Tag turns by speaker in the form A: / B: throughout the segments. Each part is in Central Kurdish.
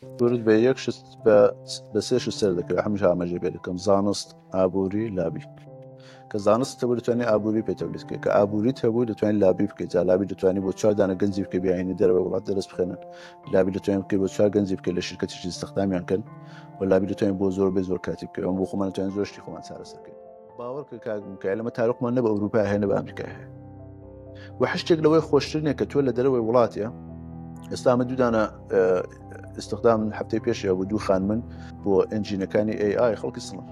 A: کورد بە یەک شت بە بە سێ شت سەر دەکەوێت هەمیشە ئاماژەی پێ دەکەم زانست ئابووری لابی کە زانست هەبوو دەتوانانی ئابووری پێ تەولید بکەیت کە ئابووریت هەبوو دەتوانین لابی بکەیت جا لابی دەتوانانی بۆ چوار دانە گەنجی بکەی بیانینی دەرەوەی وڵات دەرس بخێنن لابی دەتوانین بکەیت بۆ چوار گەنجی بکەیت لە شرکەتێکی ئیستخدامیان کەن و لابی دەتوانین بۆ زۆر بێ زۆر کاتی بکەیت ئەم بۆ خۆمان دەتوانین زۆر شتی خۆمان چارەسەر بکەین باوەڕ کە کاک میکایل ئەمە تارقمان نە بە ئەوروپا هەیە نە بە ئەمریکا هەیە و هەر شتێک لەوەی خۆشتر نییە کە تۆ لە دەرەوەی وڵاتە ئێستا من دوودانە استخدام هەفتەی پێشێ بوو دوو خانمن بۆ ئەنجینەکانی AI خەڵکی سڵن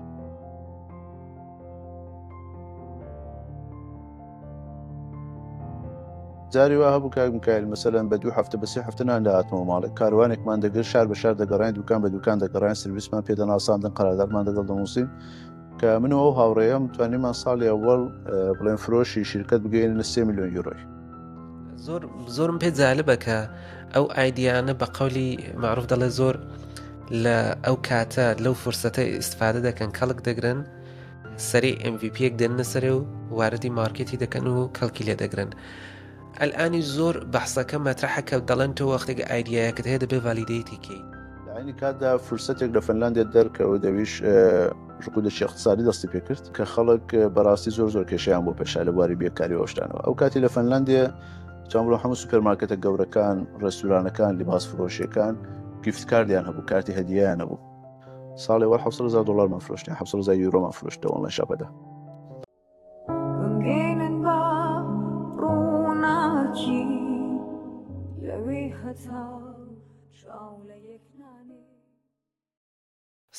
A: جاری وا هەبوو کاک میکایل مەسەلەن بە دوو هەفتە بە سێ هەفتە نان دەهاتمەوە ماڵێ کاروانێکمان دەگرت شار بە شار دەگەڕاین دوکان بە دوکان دەگەڕاین سرویسمان پێ دەناساندن قەراردادمان دەگەڵ دەنووسین کە من و ئەو هاوڕێیەم توانیمان ساڵی ئەوەڵ بڵێن فرۆشی شرکت بگەیەنە سێ میلیۆن یورۆی.
B: زۆر زۆرم پێ جالبە کە ئەو ئایدیانە بە قەولی معروف دەڵێ زۆر لە ئەو کاتە لەو فرسەتە ئیسفادە دەکەن کەڵک دەگرن سەری MVPیەک دێننە سەرێ و واردی مارکێتی دەکەن و کەڵکی لێ دەگرن ئەلئانی زۆر بەحسەکە مەترەحە کە دەڵێن تۆ وەختێک ئایدیایەکت هەیە دەبێ ڤالیدەیتی کەی.
A: لە عەینی کاتدا فرسەتێک لە فنلاندیا دەرکەوت ئەویش ڕکودێکی اقتصادی دەستی پێکرد کە خەڵک بەڕاستی زۆر زۆر کێشەیان بۆ پێشا لە بواری بێکاری و شتانەوە ئەو کاتی لە فنلاندیا چۆن بڵێم هەموو سوپەرمارکێتە گەورەکان ڕێستورانەکان لیباس فرۆشیەکان gift card یان هەبوو کارتی هەدیەیان هەبوو ساڵێ وەر 700 هەزار دۆلارمان فرۆشتیان 700 هەزار یورۆمان فرۆشت لە online shop ەدا.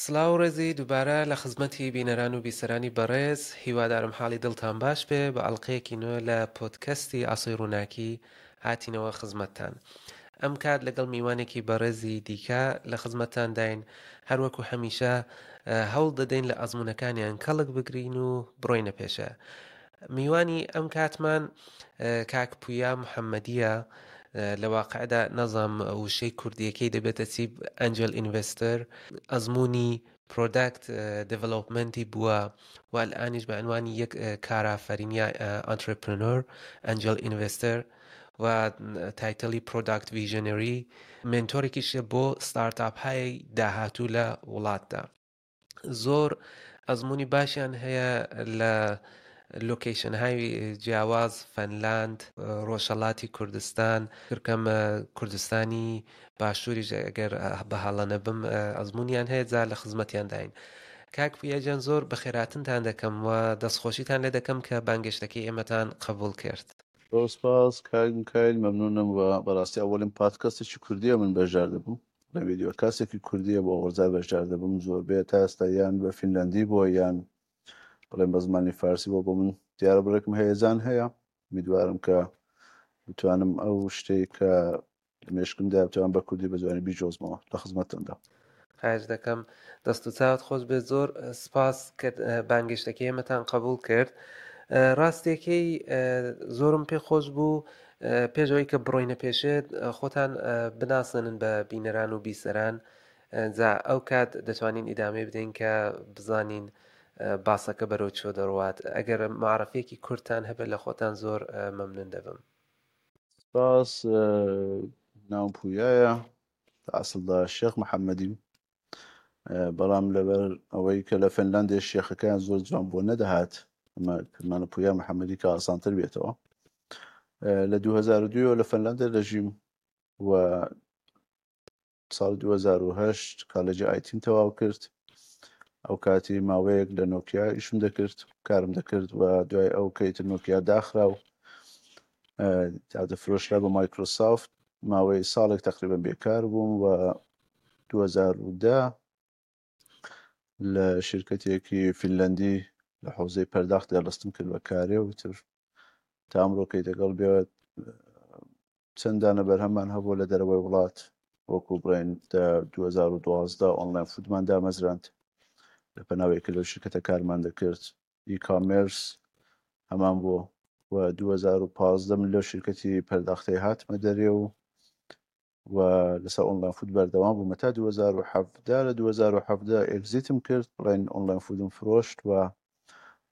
B: سڵاو و ڕێزی دووبارە لە خزمەتی بینەران و بیسەرانی بەڕێز، هیوادارم حاڵی دڵتان باش بێ، بە ئەڵقەیەکی نوێ لە پۆدکەستی ئاسۆی ڕووناکی هاتینەوە خزمەتتان. ئەم کات لەگەڵ میوانێکی بەڕێزی دیکە لە خزمەتتانداین، هەروەکو هەمیشە هەوڵ دەدەین لە ئەزموونەکانیان کەڵک بگرین و بڕۆینە پێشە. میوانی ئەم کاتمان کاک پویا محەممەدیە لە واقعدا نازانم وشەی کوردیەکەی دەبێتە چی angel investor ئەزمموی product development ی بووە و الانیش بە عنوانی یەک کارافەرین یا entrepreneur angel investor و title ی product visionary mentor ێکیشە بۆ ستارتاپ های داهاتوو لە وڵاتدا. زۆر ئەزمموی باشیان هەیە لە location های جیاواز فەنلاند ڕۆژهەڵاتی کوردستان کرکەم کوردستانی باشووریش ئەگەر بە هەڵە نەبم ئەزموونیان هەیە جا لە خزمەتیان داین. کاک پویا گیان زۆر بەخێراتنتان دەکەم و دەستخۆشیتان لێ دەکەم کە بانگێشتەکەی ئێمەتان قبوڵ کرد.
A: زۆر سپاس کاک میکایل مەمنونم و بەڕاستی ئەوەڵین پادکەستێکی کوردیە من بەشدار دەبووم لە ڤیدیۆ کاسێکی کوردیە بۆ ئەوەڵجار بەشدار دەبم زۆربەیە تا ئێستا یان بە فینلەندی بووە یان بڵێم بە زمانی فارسی بۆ بۆ من دیارە بڕێکم هەیەجان هەیە امیدوارم کە بتوانم ئەو شتەی کە لە مێشکمدا بتوانم بە کوردی بە جوانی بیجۆزمەوە لە خزمەتتاندا.
B: خواهش دەکەم دەست و چاوت خۆش بێت زۆر سپاس کە بانگێشتەکەی ئێمەتان قبوڵ کرد ڕاستیەکەی زۆرم پێ خۆش بوو پێش ئەوەی کە بڕۆینە پێشێت خۆتان بناسێنن بە بینەران و بیسەران جا ئەو کات دەتوانین ئیدامەی بدەین کە بزانین باسەکە بەرەو چۆ دەڕوات ئەگەر معرفەیەکی کورتتان هەبێت لە خۆتان زۆر مەمنون دەبم.
A: سپاس ناوم پویایە لە ئەسڵدا شێخ محەممەدیم بەڵام لەبەر ئەوەی کە لە فنلاندێ شێخەکەیان زۆر جوان بۆ نەدەهات ئەمە کردمانە پویا محەممەدی کە ئاسانتر بێتەوە لە 2002 لە فنلاندێ دەژیم و ساڵی 2008 کالێجی IT م تەواو کرد ئەو کاتی ماوەیەک لە نۆکیا ئیشم دەکرد کارم دەکرد و دوای ئەو کەیتر نۆکیا داخرا و دەفرۆشرا بە مایکرۆسافت ماوەی ساڵێک تقریبا بێکار بووم و 2010 لە شرکەتێکی فینلەندی لە حوزەی پەرداخت دەستم کرد بە کارێ و تر تا ئەمڕۆکەی دەگەڵ بێت چەند دانە بەرهەممان هەبووە لە دەرەوەی وڵات وەکو بڵێن لە 2012 Online Food مان دامەزراند لە پەناوەی کە لەو شرکەتە کارمان دەکرد e-commerce هەمان بووە و 2015 من لەو شرکەتی پەرداختەی هاتمە دەرێ و و لەسەر Online Food بەردەوام بوومە تا 2017 لە 2017 exit م کرد بڵێن Online Food م فرۆشت و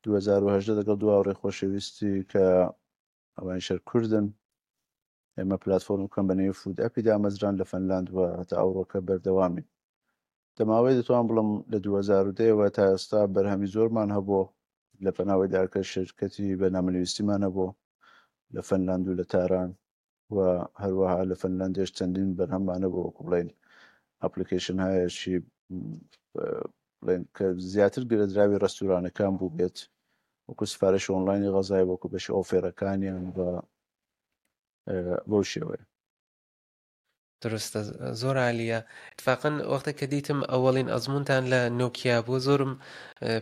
A: 2018 لەگەڵ دو هاوڕێ خۆشەویستی کە ئەوانیش هەر کوردن. ئێمە پلاتفۆرمەکەم بە نێوی فود ئەپی دامەزران لە فەنلاند و هەتا ئەوڕۆکە بەردەوامین. دەماوەی دەتوان بڵم لە 2010 ەوە تا ئێستا بەرهەمی زۆرمان هەبوو لە پەناوەیدا کە شرکەتی بەرنامەنویستیمان هەبوو لە فەنلاند و لە تاران و هەروەها لە فەنلاندێش چەندین بەرهەممان هەبوو وەکو بڵێن application هایەکی بڵێن کە زیاتر گرێدراوی ڕێستورانەکان بوو بێت وەکو سفارش ئۆنلاینی غەزای وەکو بەشی offer ەکانیان بە بەو شێوەیە.
B: دروستە زۆر عالیە اتفاقا وەختێک کە دیتم ئەوەڵین ئەزمونتان لە نۆکیا بوو زۆرم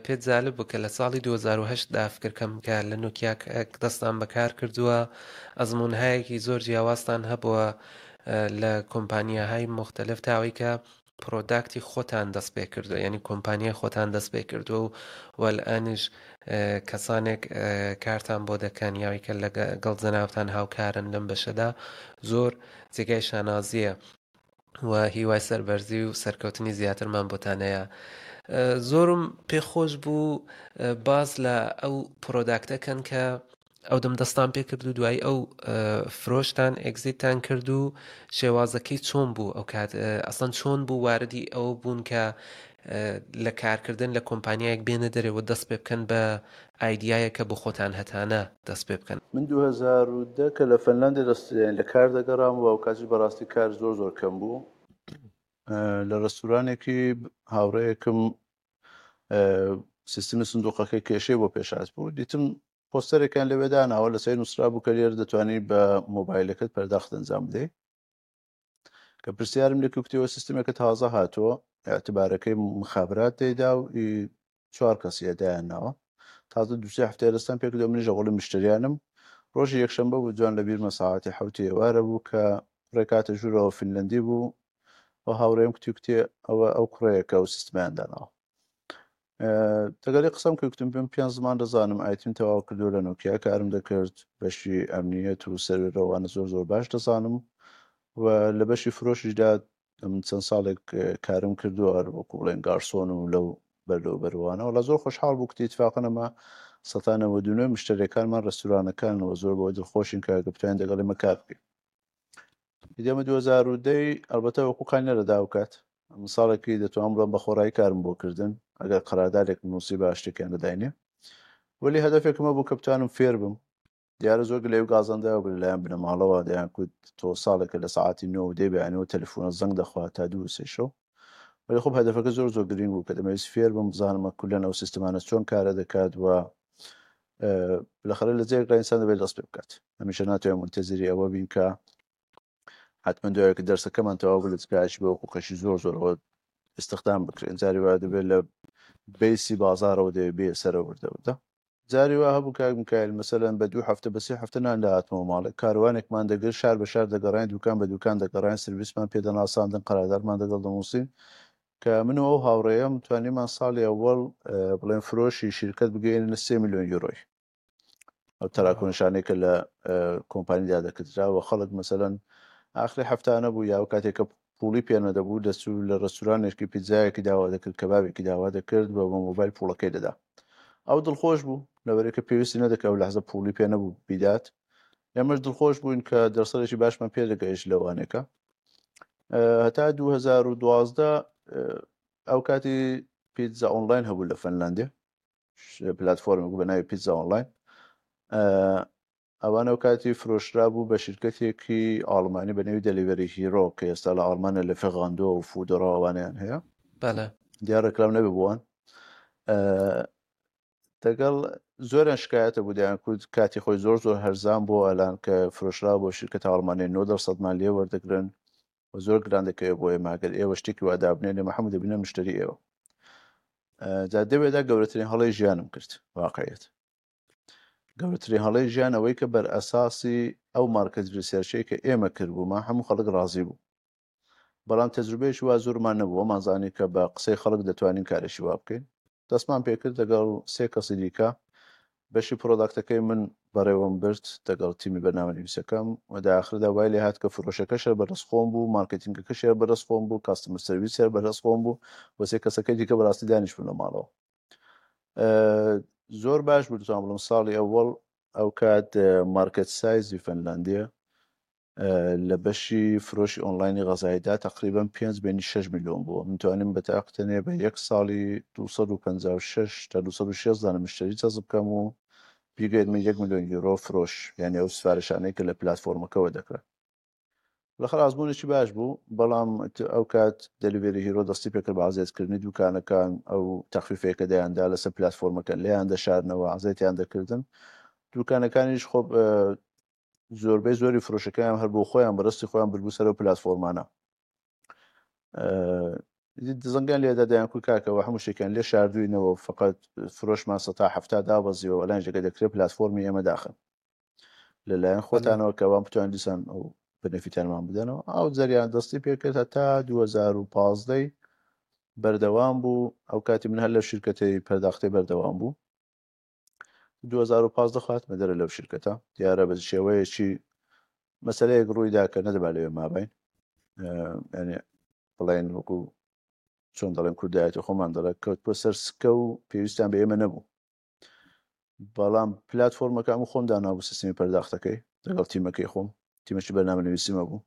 B: پێت جالب بوو کە لە ساڵی 2008 دا فکر کەم کە لە نۆکیا دەستان بەکار کردووە ئەزمونهایەکی زۆر جیاوازتان هەبووە لە کۆمپانیاهای مختلف تاوەی کە product ی خۆتان دەست پێ کردووە یعنی کۆمپانیای خۆتان دەست پێ کردووە و وەلئانیش کەسانێک کارتان بۆ دەکەن یاوی کە لەگەڵ جەنابتان هاوکارن لەم بەشەدا زۆر جێگای شانازیە و هیوای سەربەرزی و سەرکەوتنی زیاترمان بۆتان هەیە زۆرم پێخۆش بوو باز لە ئەو product ەکەن کە ئەو دەم دەستان پێ کرد و دوایی ئەو فرۆشتان exit تان کرد و شێوازەکەی چۆن بوو ئەو کات ئەسڵەن چۆن بوو واردی ئەوە بوون کە لە کارکردن لە کۆمپانیایەک بێنە دەرەوە دەست پێ بکەن بە idea یە کە بۆ خۆتان هەتانە دەست پێ بکەن.
A: من 2010 کە لە فەنلاندی دەست لە کار دەگەڕام و ئەوکاتیش بەڕاستی کار زۆر زۆر کەم بوو لە ڕێستورانێکی هاوڕێیەکم سیستمی سندوقەکەی کێشەی بۆ پێشات بوو دیتم پۆستەرێکیان لەوێ داناوە لەسەر نووسرابوو کە لێرە دەتوانی بە مۆبایلەکەت پەرداخت ئەنجام بدەیت کە پرسیارم لە کوکتەوە سیستمێکە تازە هاتووە اعتبارەکەی مخابرات دەیدا و چوار کەسی دایان ناوە تازە دوسێ هەفتەیە دەستان پێکردو منیش لەگەڵی مشتریانم ڕۆژی یەکشەمبە بوو جوان لە بیرمە ساعەتی حەوتی ئێوارە بوو کە کوڕێک هاتە ژوورەوە فینلەندی بوو و هاوڕێم کوتی کوتی ئەوە ئەو کوڕەیە کە ئەو سیستمیان داناوە دەگەڵی قسەم کرد کوتم پێم پێنج زمان دەزانم IT م تەواو کردو لە نۆکیا کارم دەکرد بەشی ئەمنیەت و سەروەرەوانە زۆر زۆر باش دەزانم و لە بەشی فرۆشیشدا من چەند ساڵێک کارم کردووە هەر وەکو بڵێن گارسۆن و لەو بەرلەو بەروانە وەڵا زۆر خۆشحاڵ بوو کتی اتفاقا ئەمە سەتا 99 مشتەرەکانمان ڕێستورانەکانەوە زۆر بەوە دڵخۆشین کە ئەگەر بتوانین دەگەڵ ئێمە کار بکەین ئیدی 2010 ئەلبەتە وەکو قای نەدەدا ئەو کات من ساڵێکی دەتوانم بڵێم بە خۆڕایی کارم بۆ کردن ئەگەر قەرادارێک نووسی با شتێکیان دەداینێ وەلی هەدەفێکم هەبوو کە بتوانم فێر بم دیارە زۆر گلەیی و گازەندە بوو لەلایەن بنەماڵەوە دەیان کوت تۆ ساڵێکە لە سەعاتی نۆ و دەی بەیانەوە تەلەفۆنە زەنگ دەخوا تا دوو و سێ شەو وەلی خۆ هەدەفەکە زۆر زۆر گرنگ بوو کە دەمەویست فێر بم بزانم کولەن ئەو سیستمانە چۆن کارە دەکات و بالاخرە لە جێگا ئینسان دەبێت دەست پێ بکات هەمیشە ناتوانین منتەزری ئەوە بین کە حتمما دوایەکە دەرسەکەمان تەواو بوو لە جگایەکی بە حقوقێکی زۆر زۆرەوە استخدام بکرێن جاری وا دەبێت لە base ی بازارەوە دەبێت بێ سەرە وردە وردە جاری وا هەبوو کاک میکایل مەسەلەن بە دوو هەفتە بە سێ هەفتە نان دەهاتمەوە ماڵێ کاروانێکمان دەگرت شار بە شار دەگەڕاین دوکان بە دوکان دەگەڕاین سرویسمان پێ دەناساندن قەراردادمان دەگەڵ دەنووسین کە من و ئەو هاوڕێیەم توانیمان ساڵی ئەوەڵ بڵێن فرۆشی شیرکەت بگەیەنینە سێ ملیۆن یورۆی ئەو تەراکۆنشانەی کە لە کۆمپانیدا دەکردرا و خەڵک مەسەلەن ئاخری هەفتانە بوو یا کاتێک کە پوڵی پێ نەدەبوو دەچوو لە ڕێستورانێکی پیتزایەکی داوا دەکرد کەبابێکی داوا دەکرد و بە مۆبایل پوڵەکەی دەدا ئەو دڵخۆش بوو لەبەرێک کە پێویستی نەدەکرد ئەو لەحزە پوڵی پێ نەبوو بیدات ئێمەش دڵخۆش بووین کە دەرسەرێکی باشمان پێ دەگەیشت لەوانێکە هەتا 2012 ئەو کاتی پیتزا ئۆنلاین هەبوو لە فەنلاندێ پلتفۆرمێک بە ناوی پیتزا ئۆنلاین ئەوان ئەو کاتی فرۆشرا بوو بە شرکەتێکی ئاڵمانی بە نێوی دەلیڤەری هیرۆ کە ئێستا لە ئاڵمانە لە فغاندۆ و فودۆرا ئەوانیان هەیە
B: بەڵێ
A: دیار ڕێکلام نەبێ بووان دەگەڵ زۆریان شکایەتە بوو دەیان کوت کاتی خۆی زۆر زۆر هەرزان بۆ ئەلان کە فرۆشرا بۆ شرکەتە ئاڵمانی 9 دەرسەدمان لێ وەردەگرن و زۆر گران دەکەوێت بۆ ئێمە ئەگەر ئێوە شتێکی وا دابنێن ئێمە هەموو دەبینە مشتری ئێوە جا دەوێدا گەورەترین هەڵەی ژیانم کرد واقعیت گەورەترین هەڵەی ژیان ئەوەی کە بەر ئەساسی ئەو market research ەی کە ئێمە کردبوومە هەموو خەڵک ڕازی بوو بەڵام تەجروبەیەکی وا زۆرمان نەبوو وەمان زانی کە بە قسەی خەڵک دەتوانین کارێکی وا بکەین دەستمان پێکرد لەگەڵ سێ کەسی دیکە بەشی product ەکەی من بەڕێوەم برد دەگەڵ تیمی بەرنامەنویسەکەم و دە ئاخردا وای لێ هات کە فرۆشەکەش هەر بەدەست خۆم بوو marketing ەکەش هەر بەدەست خۆم بوو customer service هەر بەدەست خۆم بوو و سێ کەسەکەی دیکە بەڕاستی دانیشتبوون لە ماڵەوە زۆر باش بوو دەتوانم بڵێم ساڵی ئەوەڵ ئەو کات market size ی فەنلاندیە. لە بەشی فرۆشی ئۆنلاینی غەزایدا تەقریبەن پێنج بینی شەش ملیۆن بووە. من توانیم بە تاق تەنێ بە یەک ساڵی 256 تا 206 دانە مشتری جەزب بکەم و بیگەیەنمە یەک ملیۆن یورۆ فرۆش، یانی ئەو سفارشانەی کە لە پلاتفۆرمەکەوە دەکرا. لەخەر ئازمونێکی باش بوو، بەڵام ئەو کات دەلیڤەری هیرۆ دەستی پێکرد بە عەزێتکردنی دوکانەکان، ئەو تەخفیفەیە کە دەیاندا لەسەر پلاتفۆرمەکە لێیان دەشاردنەوە، عەزێتیان دەکردن. دوکانەکانیش خۆ زۆربەی زۆری فرۆشەکەیان هەر بۆ خۆیان بەرستی خۆیان بربوو سەر پلاتفۆرمانە دزەنگیان لێدا دەیان کو کاکەوە هەموو شتێکیان لێ شاردوینەوە فقط فرۆشمان 70% دابەزیەوە لەن جێگە دەکرێت پلاتفۆرمی ئێمە داخن لەلایەن خۆتانەوە کە وان بتوان دیسان ئەو benefit انمان بدەنەوە ئەو جەریان دەستی پێکرد هەتا 2015 بەردەوام بوو ئەو کاتی من هەر لە شرکەتی پەرداختەی بەردەوام بوو 2015 خاتمە دەرە لەو شرکەتە دیارە بە شێوەیەکی مەسلەیەک ڕوویدا کە نەدەبا لەوێ مابین ینی بڵێن وەکو چۆن دەڵێن کوردایەتی خۆمان دەڵێت کەوت بۆ سەر سکە و پێویستیان بە ئێمە نەبوو بەڵام پلتفۆرمەکە ئەم خۆم دانابوو سیستمی پەرداختەکەی لەگەڵ تیمەکەی خۆم تیمەکی بەرنامە نووسیمە بوو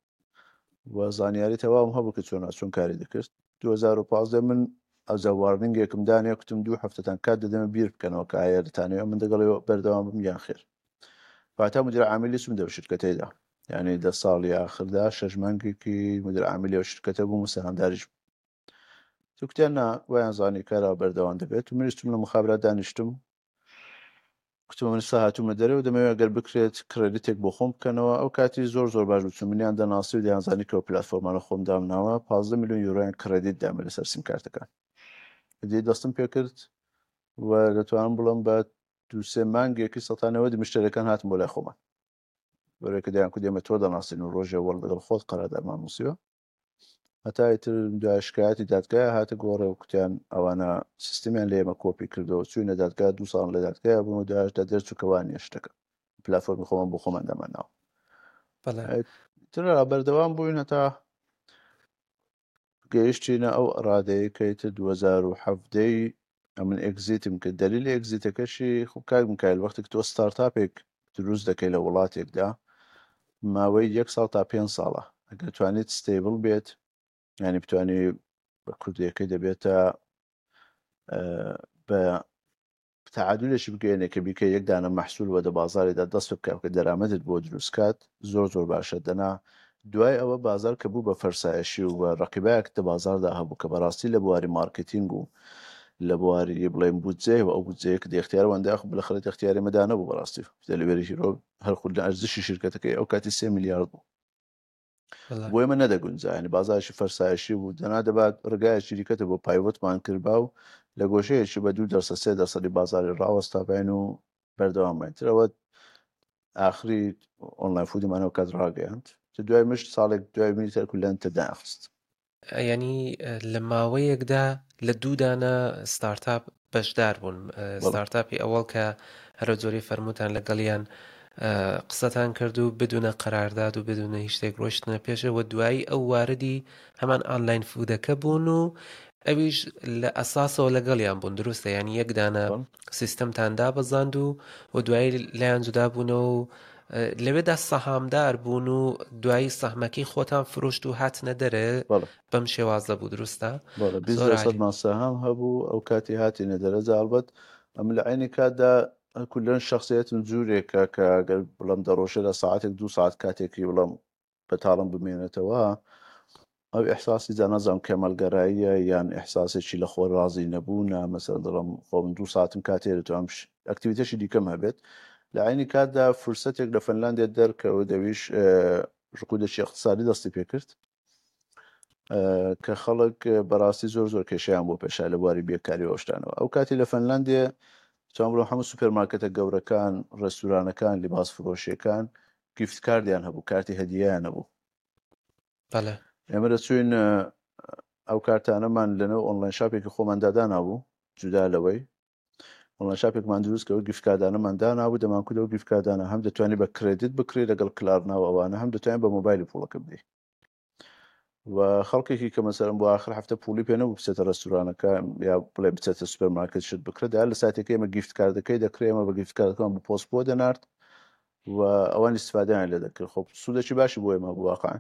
A: و زانیاری تەواوم هەبوو کە چۆن چۆن کاری دەکرد 2015 من ئەوجا warning ێکم دانێ کوتم دوو هەفتەتان کات دەدەمە بیر بکەنەوە کە ئایا دەتانەوێ من دەگەڵ بەردەوام بم یان خێر فاتا مدیر عامیلی چوم دەو شرکەتەیدا یعنی دە ساڵی ئاخردا شەش مانگێکی مدیر عامیلی ئەو شرکەتە بووم و سەهامداریش بووم توکتیان نا وایان زانی کارا بەردەوام دەبێت و منیش چوم لە مخابرات دانیشتم کوتم من سا هاتوومە دەرێ و دەمەوێت گەر بکرێت credit ێک بۆ خۆم بکەنەوە ئەو کاتی زۆر زۆر باش بوو چون منیان دەناسی و دەیانزانی کە پلاتفۆرمانە خۆم دامناوە 15 میلیۆن یورۆیان credit دامێ لەسەر سیم کارتەکان دی دەستم پێکرد و دەتوانم بڵم بە دوو سێ مانگێکی 190 مشتەرەکان هاتن بۆ لای خۆمان بەرەکە دەیان کو دێمە تۆ دەناسین و ڕۆژێ وەڵ لەگەڵ خۆت قەرادارمان نووسیوە هەتا ئیتر دوای شکایەتی دادگای هاتە گۆڕێ و کوتیان ئەوانە سیستمیان لە ئێمە کۆپی کردەوە چوینە دادگا دوو ساڵ لە دادگای بوون و داش دا دەرچوو کە وانیە شتەکە پلاتفۆرمی خۆمان بۆ خۆمان دامانناوە
B: بەڵێ
A: تر بەردەوام بووین هەتا گەیشتینە ئەو ڕادەیە کە ئیتر 2017 ئەمن exit م کرد دلیل exit ەکەشی خۆ کاک میکایل وەختێک تۆ startup ێک دروست دەکەی لە وڵاتێکدا ماوەی یەک ساڵ تا پێنج ساڵە ئەگەر توانیت stable بێت ینی بتانی بە کوردیەکەی دەبێتە بە تەعادولێکی بگەیەنێ کە بیکە یەک دانە مەحسول وە دە بازاڕێدا دەست پێ بکا کە دەرامەتت بۆ دروست کات زۆر زۆر باشە دەنا دوای ئەوە بازاڕ کە بوو بە فەرسایشی و ڕەقیبایەک دە بازاڕدا هەبوو کە بەڕاستی لە بواری مارکتینگ و لە بواری بڵێن بودجەیەوە ئەو بودجەیە کە ئیختیار وان داخ بالاخرە ئیختیاری مەدا نەبوو بەڕاستی دەلیڤەری هیرۆ هەر خود لە ئەرزشی شرکەتەکەی ئەو کاتی 3 میلیارد بوو بۆ ئێمە نەدەگونجا یعنی بازارێکی فەرسایشی بوو دەنا دەبات ڕگایەکی دیکەتە بۆ pivot مان کردبا و لە گۆشەیەکی بە دوو دەرسە سێ دەرسەدی بازاری ڕاوەستابین و بەردەوام باین ترەوە ئاخری online food یمان ئەو کات ڕاگەیاند دوای مشت ساڵێک دوای منی تەرک و لەن تەداخست
B: یانی لە ماوەیەکدا لە دوو دانە startup بەشدار بوون startup ی ئەوەڵ کە هەرە جۆری فەرمووتان لەگەڵیان قسەتان کرد و بدونە قەرارداد و بدونە هیچ شتێک ڕۆشتنە پێشەوە دوایی ئەو واردی هەمان online food ەکە بوون و ئەویش لە ئەساسەوە لەگەڵیان بوون دروستە یانی یەک دانە سیستەمتان دابەزاند و و دوایی لایان جودا بوونەوە و لەوێدا سەهامدار بوون و دوایی سەهمەکەی خۆتان فرۆشت و هاتنە دەرێ بەم شێوازە بوو دروستە؟
A: بەڵێ 20 لەسەدمان سەهام هەبوو ئەو کاتی هاتینە دەرە جا ئەڵبەت ئەمن لە عەینی کاتدا کولەن شەخسیەتم جورێکە کە گەر بڵێم دە ڕۆژێدا ساعەتێک دوو ساعەت کاتێکی بڵێم بەتاڵم بمێنێتەوە ئەو ئیحساسی جا نازانم کەمالگەراییە یان ئیحساسێکی لە خۆ ڕازی نەبوونە مەسەلەن دەڵێم خۆ من دوو ساعەتم کات هەیە دەتوانم activity شی دیکەم هەبێت لە عەینی کاتدا فرسەتێک لە فنلاندیا دەرکەوت ئەویش ڕکودێکی اقتصادی دەستی پێکرد کە خەڵک بەڕاستی زۆر زۆر کێشیان بۆ پێشا لە بواری بێکاری و شتانەوە ئەو کاتی لە فنلاندێ چۆن بڵێم هەموو سوپەرمارکێتە گەورەکان ڕێستورانەکان لیباس فرۆشیەکان gift card یان هەبوو کارتی هەدیەیان هەبوو
B: بەڵێ
A: ئێمە دەچوین ئەو کارتانەمان لەنێو online shop ێکی خۆماندا دانابوو جودا لەوەی online shop ێکمان دروست کە gift card انەمان دانابوو دەمانکوت ئەو gift card انە هەم دەتوانانی بە credit بکرێت لەگەڵ Klarna و ئەوانە هەم دەتوانین بە مۆبایلی پوڵەکە بدەیت و خەڵکێکی کە مەسەرم بۆ آخر هەفتە پولی پێ نەبوو بچێتە ڕێستورانەکە یا بڵێ بچێتە سوپەرمارکێت شت بکرێت دا لە ساتێکی ئێمە gift card ەکەی دەکرێ ئێمە بە gift card ەکەمان بە پۆست بۆ دەنارد. و ئەوان ئیستفادەیان لێ دەکرد خۆ سوودێکی باشی بۆ ئێمە بوو واقعا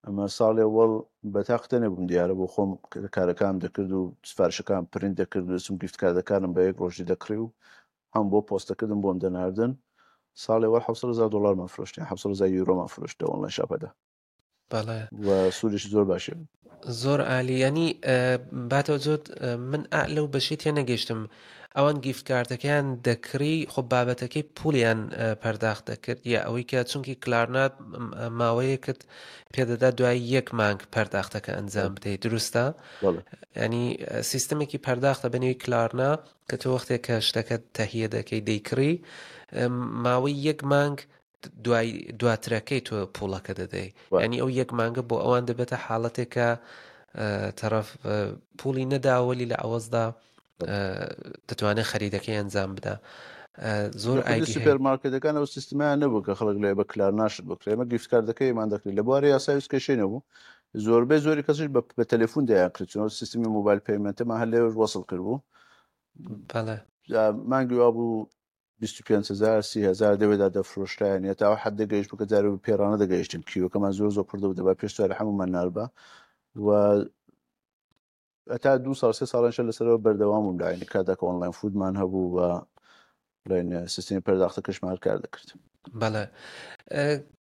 A: ئەمە ساڵێ وەڵ بە تاقتە نەبووم دیارە بۆ خۆم کارەکانم دەکرد و سفارشەکان پرینت دەکرد و دەچم gift card ەکانم بە یەک ڕۆژی دەکڕی و هەم بۆ پۆستەکردن بۆم دەناردن ساڵێ وەڵ 700 هەزار دۆلارمان فرۆشت یان 700 هەزار یورۆمان فرۆشت لە online shop ەدا
B: بەڵێ
A: و سوودێکی زۆر باشی بوو.
B: زۆر عالی یانی باتەوە زۆر من ئا لەو بەشەی تێ نەگەیشتم ئەوان gift card ەکەیان دەکڕی خۆ بابەتەکەی پولیان پەرداخت دەکرد یا ئەوەی کە چونکی کلارنا ماوەیەکت پێدەدا دوای یەک مانگ پەرداختەکە ئەنجام بدەیت دروستە ینی سیستمێکی پەرداختە بەنێوی کلارنا کە تۆ وەختێک کە شتەکە تەهیە دەکەی دەیکڕی ماوەی یەک مانگ دوای دواترەکەی تۆ پوڵەکە دەدەی ینی ئەو یەک مانگە بۆ ئەوان دەبێتە حاڵەتێکە تەرەف پوڵی نەداوەلی لە ئەوەزدا دەتوانێت خەریدەکەی ئەنجام بدا زۆر
A: ئایدی سوپەر مارکێتەکان ئەو سیستمیان نەبوو کە خەڵک لێ بە کلار ناشت بکرێ ئەمە gift card ەکەیمان دەکرێت لە بواری یاسای کێشەی نەبوو زۆربەی زۆری کەسیش بە تەلەفۆن دەیان کرد چونەوە سیستمی mobile payment مان هەر لێوەش وەسڵ کرد بوو مانگی وا بوو 25 هزار 30 هزار دەوێدا دەفرۆشرایان یا تا ئەو حەدە گەیشت بوو کە جارێ بە پێڕانە دەگەیشتین queue ەکەمان زۆر زۆر پڕ دەبوو دەبا پێش چوارە هەموومان ناربا و هەتا دوو ساڵ سێ ساڵانشە لەسەرەوە بەردەوام بووم لە عینی کاتدا کە online food مان هەبوو و بڵێن سیستمی پەرداختەکەشمان هەر کار دەکرد.
B: بەڵێ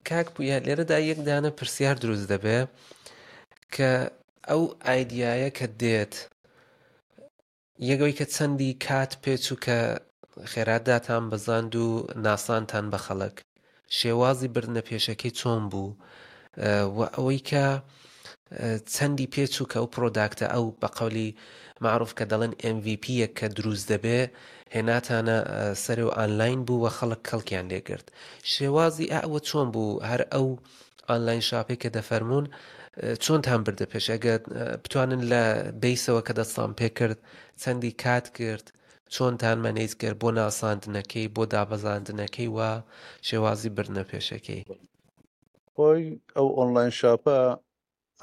B: کاک پویا لێرەدا یەک دانە پرسیار دروست دەبێ کە ئەو ئایدیایە کە دێت یەک ئەوەی کە چەندی کات پێچوو کە خێرا داتان بەزاند و ناسانتان بە خەڵک شێوازی بردنە پێشەکەی چۆن بوو و ئەوەی کە چەندی پێچوو کە ئەو product ە ئەو بە قەولی معروف کە دەڵێن MVP یەک کە دروست دەبێ هێناتانە سەرێ و ئانلاین بوو و خەڵک کەڵکیان لێگرت شێوازی ئەوە چۆن بوو هەر ئەو online shop ێک کە دەفەرموون چۆنتان بردە پێش ئەگەر بتوانن لە base ەوە کە دەستان پێکرد چەندی کات کرد چۆنتان manage کرد بۆ ناساندنەکەی بۆ دابەزاندنەکەی و شێوازی بردنە پێشەکەی؟
A: خۆی ئەو online shop ە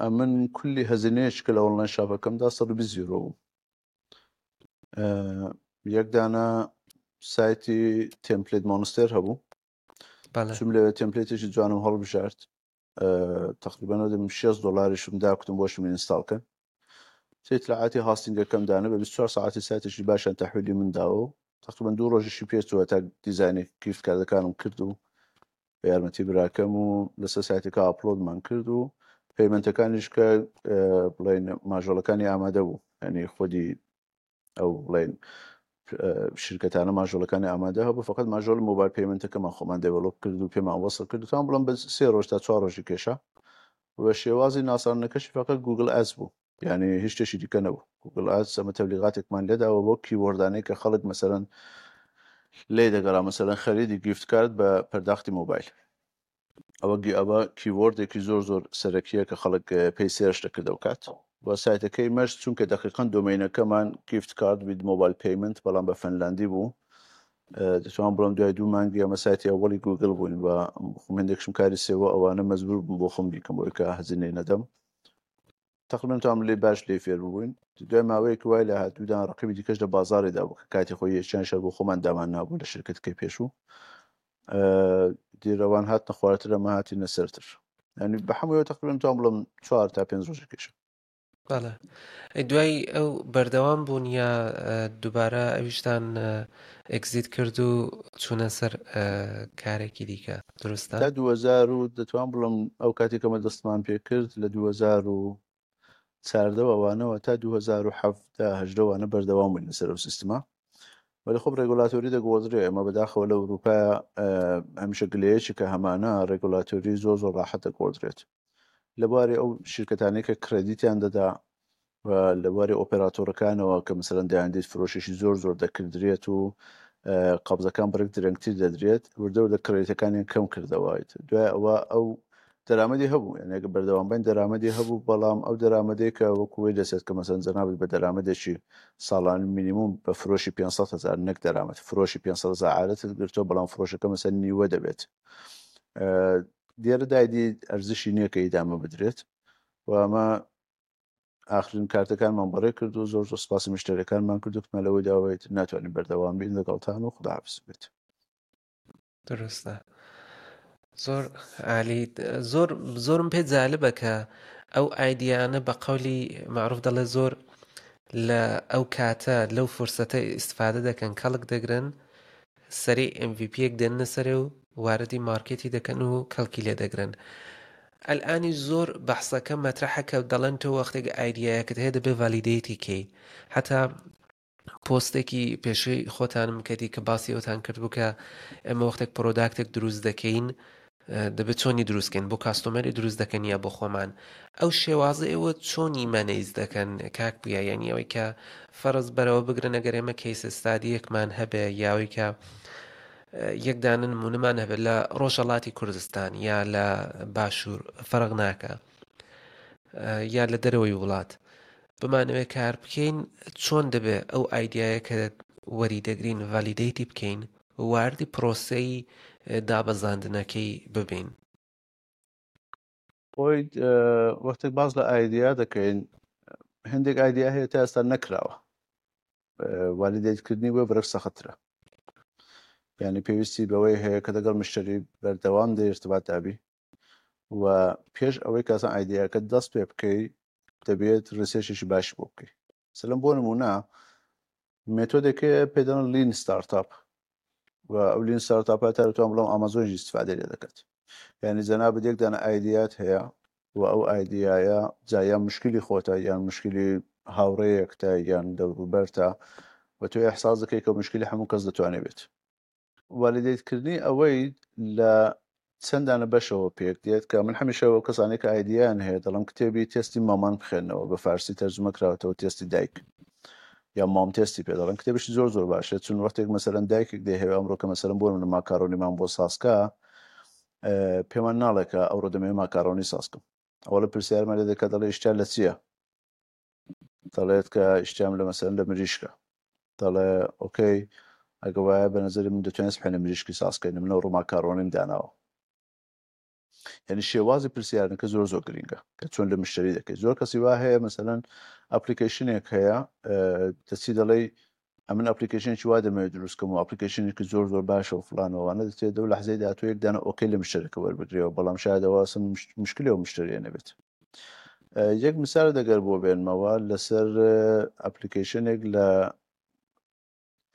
A: ئەمن کولی هەزینەیەک کە لە online shop ەکەمدا 120 یورۆ بوو یەک دانە سایتی TemplateMonster هەبوو چوم لەوێ template ێکی جوانم هەڵبژارد تقریبا دەم 6 دلاریشم دا کوتم بۆشم install کەن اطلاعاتی hosting ەکەم دانە بە 24 ساعتی سایتێکی باشیان تەحویلی من داوە و تقریبا دوو ڕۆژیشی پێچووە تا دیزاینی gift card ەکانم کرد و بە یارمەتی براکەم و لەسەر سایتەکە upload مان کرد و payment ەکانیش کە بڵێن module ەکانی ئامادە بوو ینی خودی ئەو بڵێن شرکەتانە module ەکانی ئامادە هەبوو فقط module mobile payment ەکەمان خۆمان develop کرد و پێمان وەسڵ کرد تام بڵم بە سێ ڕۆژ تا چوار ڕۆژی کێشا و شێوازی ناساندنەکەشی فقط Google Ads بوو یعنی هیچ شتێکی دیکە نەبوو Google Ads ئەمە تەبلیغاتێکمان لێداوە بۆ keyword انەی کە خەڵک مەسەرەن لێ دەگەڕا مەسەرەن خەریدی gift card بە پەرداختی مۆبایل ئەوە ئەوە keyword ێکی زۆر زۆر سەرەکیە کە خەڵک پێی search دەکرد ئەو کات و سایتەکەی مەش چونکە دەقیقەن domain ەکەمان gift card with mobile payment بەڵام بە فەنلاندی بوو دەتوان بڵم دوای دوو مانگی ئەمە سایتی ئەوەڵی گوگل بووین و خۆم هەندێکشم کاری سێوە ئەوانە مەجبور بووم بۆ خۆم بیکەم بۆی کە هەزینەی نەدەم تقریبا توام لێ باش لێ فێر بووین دوای ماوەیەک وای لە هاتوودان ڕقیبی دیکەش لە بازاڕێدا بوو کە کاتی خۆی یەکیان شەر بۆ خۆمان دامان نابوو لە شرکەتەکەی پێشوو دیرەوان هاتنە خوارتر ئەمە هاتینە سەرتر ینی بە هەموویەوە تقریبا توام بڵم چوار تا پێنج ڕۆژی کێشە.
B: بەڵێ ئەی دوای ئەو بەردەوام بوون یا دووبارە ئەویشتان exit کرد و چوونە سەر کارێکی دیکە دروستە؟
A: تا 2000 و دەتوان بڵم ئەو کاتێک کەمە دەستمان پێ کرد لە 2014 ئەوانەوە تا 2017 هەژدە وانە بەردەوام بووین لەسەر ئەو سیستمە وەلی خۆ regulatory دەگۆڕدرێ ئێمە بەداخەوە لە ئەوروپا هەمیشە گلەیەکی کە هەمانە regulatory زۆر زۆر ڕاحەت دەگۆڕدرێت لە بواری ئەو شرکەتانەی کە credit یان دەدا و لە بواری ئۆپێراتۆرەکانەوە کە مەسەلەن دەیاندیت فرۆشێکی زۆر زۆر دەکردرێت و قەبزەکان بڕێک درەنگتر دەدرێت وردە وردە credit ەکانیان کەم کردەوە دوای ئەوە ئەو دەرامەتی هەبوو یعنی ئەگەر بەردەوام بین دەرامەتی هەبوو بەڵام ئەو دەرامەتێک کە وەکو وەی دەچێت کە مەسەن جەنابت بە دەرامەتێکی ساڵان مینیموم بە فرۆشی 500 هزار نەک دەرامەت فرۆشی 500 هزار عادەتت گرتووە بەڵام فرۆشەکە مەسەن نیوە دەبێت لێرەدا ئیدی ئەرزشی نییە کە ئیدامە بدرێت و ئەمە ئاخرین کارتەکانمان بەڕێ کرد و زۆر زۆر سپاسی مشتەرەکانمان کرد و کتمان لەوەی داوایت ناتوانین بەردەوام بین لەگەڵتان و خوداحافظ بێت.
B: دروستە زۆر عالی زۆر زۆرم پێ جالبە کە ئەو ئایدیانە بە قەولی معروف دەڵێ زۆر لە ئەو کاتە لەو فرسەتە ئیسفادە دەکەن کەڵک دەگرن سەری MVP یەک دێننە سەرێ و واردی مارکێتی دەکەن و کەڵکی لێ دەگرن ئەلئانی زۆر بەحسەکە مەترەحە کە دەڵێن تۆ وەختێک ئایدیایەکت هەیە دەبێ validate ی کەی حتا پۆستێکی پێشووی خۆتانم کردی کە باسی ئەوتان کردبوو کە ئێمە وەختێک product ێک دروست دەکەین دەبێت چۆنی دروستکەین بۆ customer ی دروست دەکەن یا بۆ خۆمان ئەو شێوازە ئێوە چۆنی manage دەکەن کاک بووە یعنی ئەوەی کە فەرز بەرەوە بگرن ئەگەر ئێمە case study یەکمان هەبێ یاوەی کە یەکدانە نمونەمان هەبێت لە ڕۆژەڵاتی کوردستان یا لە باشوور فەرق ناکە یا لە دەرەوەی وڵات بمانەوێت کار بکەین چۆن دەبێ ئەو ئایدایە کە وەری دەگرین validate ی بکەین واردی پرۆسەی دابەزاندنەکەی ببین؟
A: خۆی وەختێک باس لە ئایدیا دەکەین هەندێک ئایدیا هەیە تا ئێستا نەکراوە validate کردنی بۆ بەرەک سەختترە یعنی پێویستی بەوەی هەیە کە لەگەڵ مشتری بەردەوام دە ارتباط دابی و پێش ئەوەی کەسان ئایدیاکە دەست پێ بکەی دەبێت research ێکی باشی بۆ بکەی سلم بۆ نمونە مێتۆدێک هەیە پێ دەڵێن lean startup و ئەو lean startup ە تا دەتوانم بڵێم ئامازۆنیش ئیستفادەی لێ دەکات یعنی جەنابت یەک دانە ئایدیات هەیە و ئەو ئایدیایە جا یان مشکلی خۆتە یان مشکلی هاوڕێیەکتە یان دەوروبەرتە و تۆ ئیحساس دەکەی کە مشکلی هەموو کەس دەتوانێت بێت validate کردنی ئەوەی لە چەند دانە بەشەوە پێک دێت کە من هەمیشە ئەو کەسانەی کە ئایدیایان هەیە دەڵێم کتێبی تێستی مامان بخوێنەوە بە فارسی تەرجمە کراوەتەوە تێستی دایک یا mom test ی پێ دەڵێن کتێبیشی زۆر زۆر باشە چون وەختێک مەسەرەن دایکێک دەیهەوێ ئەمڕۆ کە مەسەرەن بۆ نمونە ماکارۆنیمان بۆ سازکە پێمان ناڵێ کە ئەوڕۆ دەمەوێ ماکارۆنی سازکەم ئەوە لە پرسیارمان لێ دەکات دەڵێ ئیشتیا لە چییە دەڵێت کە ئیشتیام لە مەسەرەن لە مریشکە دەڵێ okay ئەگە وایە بە نظری من دەتوانێت سبحێنە مریشکی سازکەین من ئەوڕۆ ماکارۆنیم داناوە یعنی شێوازی پرسیارەکە زۆر زۆر گرنگە کە چۆن لە مشتری دەکەیت زۆر کەسی وا هەیە مەسەلەن application ێک هەیە دەچی دەڵێی ئەمن application ێکی وا دەمەوێت دروست کەم و application ێکی زۆر زۆر باشە و فلانەوانە دەچێت دەو لەحزەی داهاتوو یەک دانە okay لە مشتەرەکە وەربگرەوە بەڵام شاید ئەوە ئەسڵ مشکلی ئەو مشتەریە نەبێت یەک مثال دەگەر بۆ بێنمەوە لەسەر application ێک لە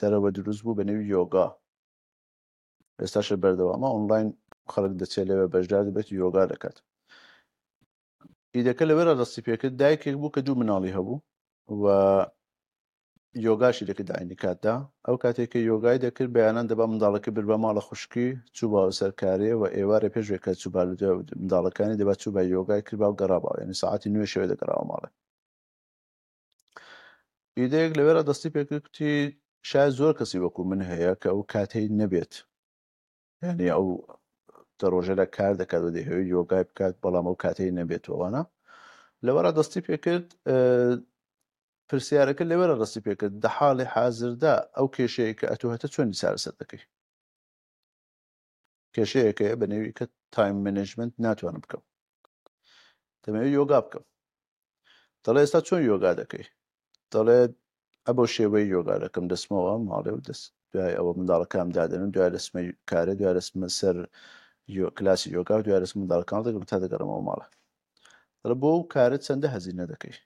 A: دەرەوە دروست بوو بە نێوی یۆگا ئێستاش بەردەوامە ئۆنلاین خەڵک دەچێت لەوێ بەشدار دەبێت و یۆگا دەکات ئیدەکە لەوێرا دەستی پێکرد دایکێک بوو کە دوو مناڵی هەبوو و یۆگاشی دەکرد عینی کاتدا ئەو کاتێک کە یۆگای دەکرد بەیانان دەبا منداڵەکە بربا ماڵە خوشکی چوو سەر کارێ و ئێوارێ پێش کە چوو منداڵەکانی دەبا چوو بە یۆگای کردبا و گەڕابا یعنی ساعتی نوێ شەوێ دەگەڕاوە ماڵێ ئیدەیەک لەوێرا دەستی پێکرد کوتی شاید زۆر کەسی وەکو من هەیە کە ئەو کاتەی نەبێت یعنی ئەو دە ڕۆژەدا کار دەکات و دەیهەوێت یۆگای بکات بەڵام ئەو کاتەی نەبێتەوەوانە لەوەرا دەستی پێکرد پرسیارەکە لەوێرا دەستی پێکرد دە حاڵی حازردا ئەو کێشەیە کە ئەتۆ هەتە چۆنی چارەسەر دەکەی کێشەیەک هەیە بە نێوی کە time management ناتوانم بکەم دەمەوێت یۆگا بکەم دەڵێ ئێستا چۆن یۆگا دەکەی دەڵێ ئەبەو شێوەی یۆگا دەکەم دەستمەوە ماڵێ و دەست دوای ئەوە منداڵەکانم دادەنم دوای دەستمە کارێ دوای دەستمە سەر کلاسی یۆگا و دوای دەستم منداڵەکان دەگرم تا دەگەڕمەوە ماڵە دەڵێ بۆ ئەو کارە چەندە هەزینە دەکەی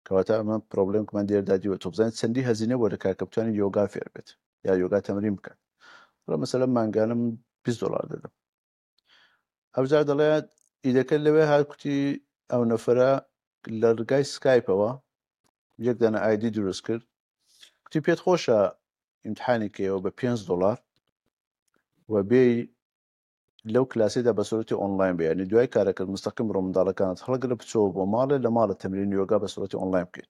A: کەواتە ئەمە problem کمان دێردا دیوە تۆ بزانین چەندی هەزینە بۆ دەکات کە بتوانێت یۆگا فێر بێت یا یۆگا تەمرین بکات دەڵێ مەسەلەن مانگانە من 20 دۆلار دەدەم ئەوجار دەڵێ ئیدەکە لەوێ هات کوتی ئەو نەفرە لە ڕگای سکایپەوە یەک دانە ID دروست کرد کوتی پێت خۆشە ئیمتحانی کەیەوە بە 5 دۆلار و بێی لەو کلاسەیدا بە سورەتی ئۆنلاین بێ یانی دوای کارەکەت مستەقیم بڕۆ منداڵەکانت هەڵگرە بچۆوە بۆ ماڵێ لە ماڵە تەمرینی یۆگا بە سورەتی ئۆنلاین بکەیت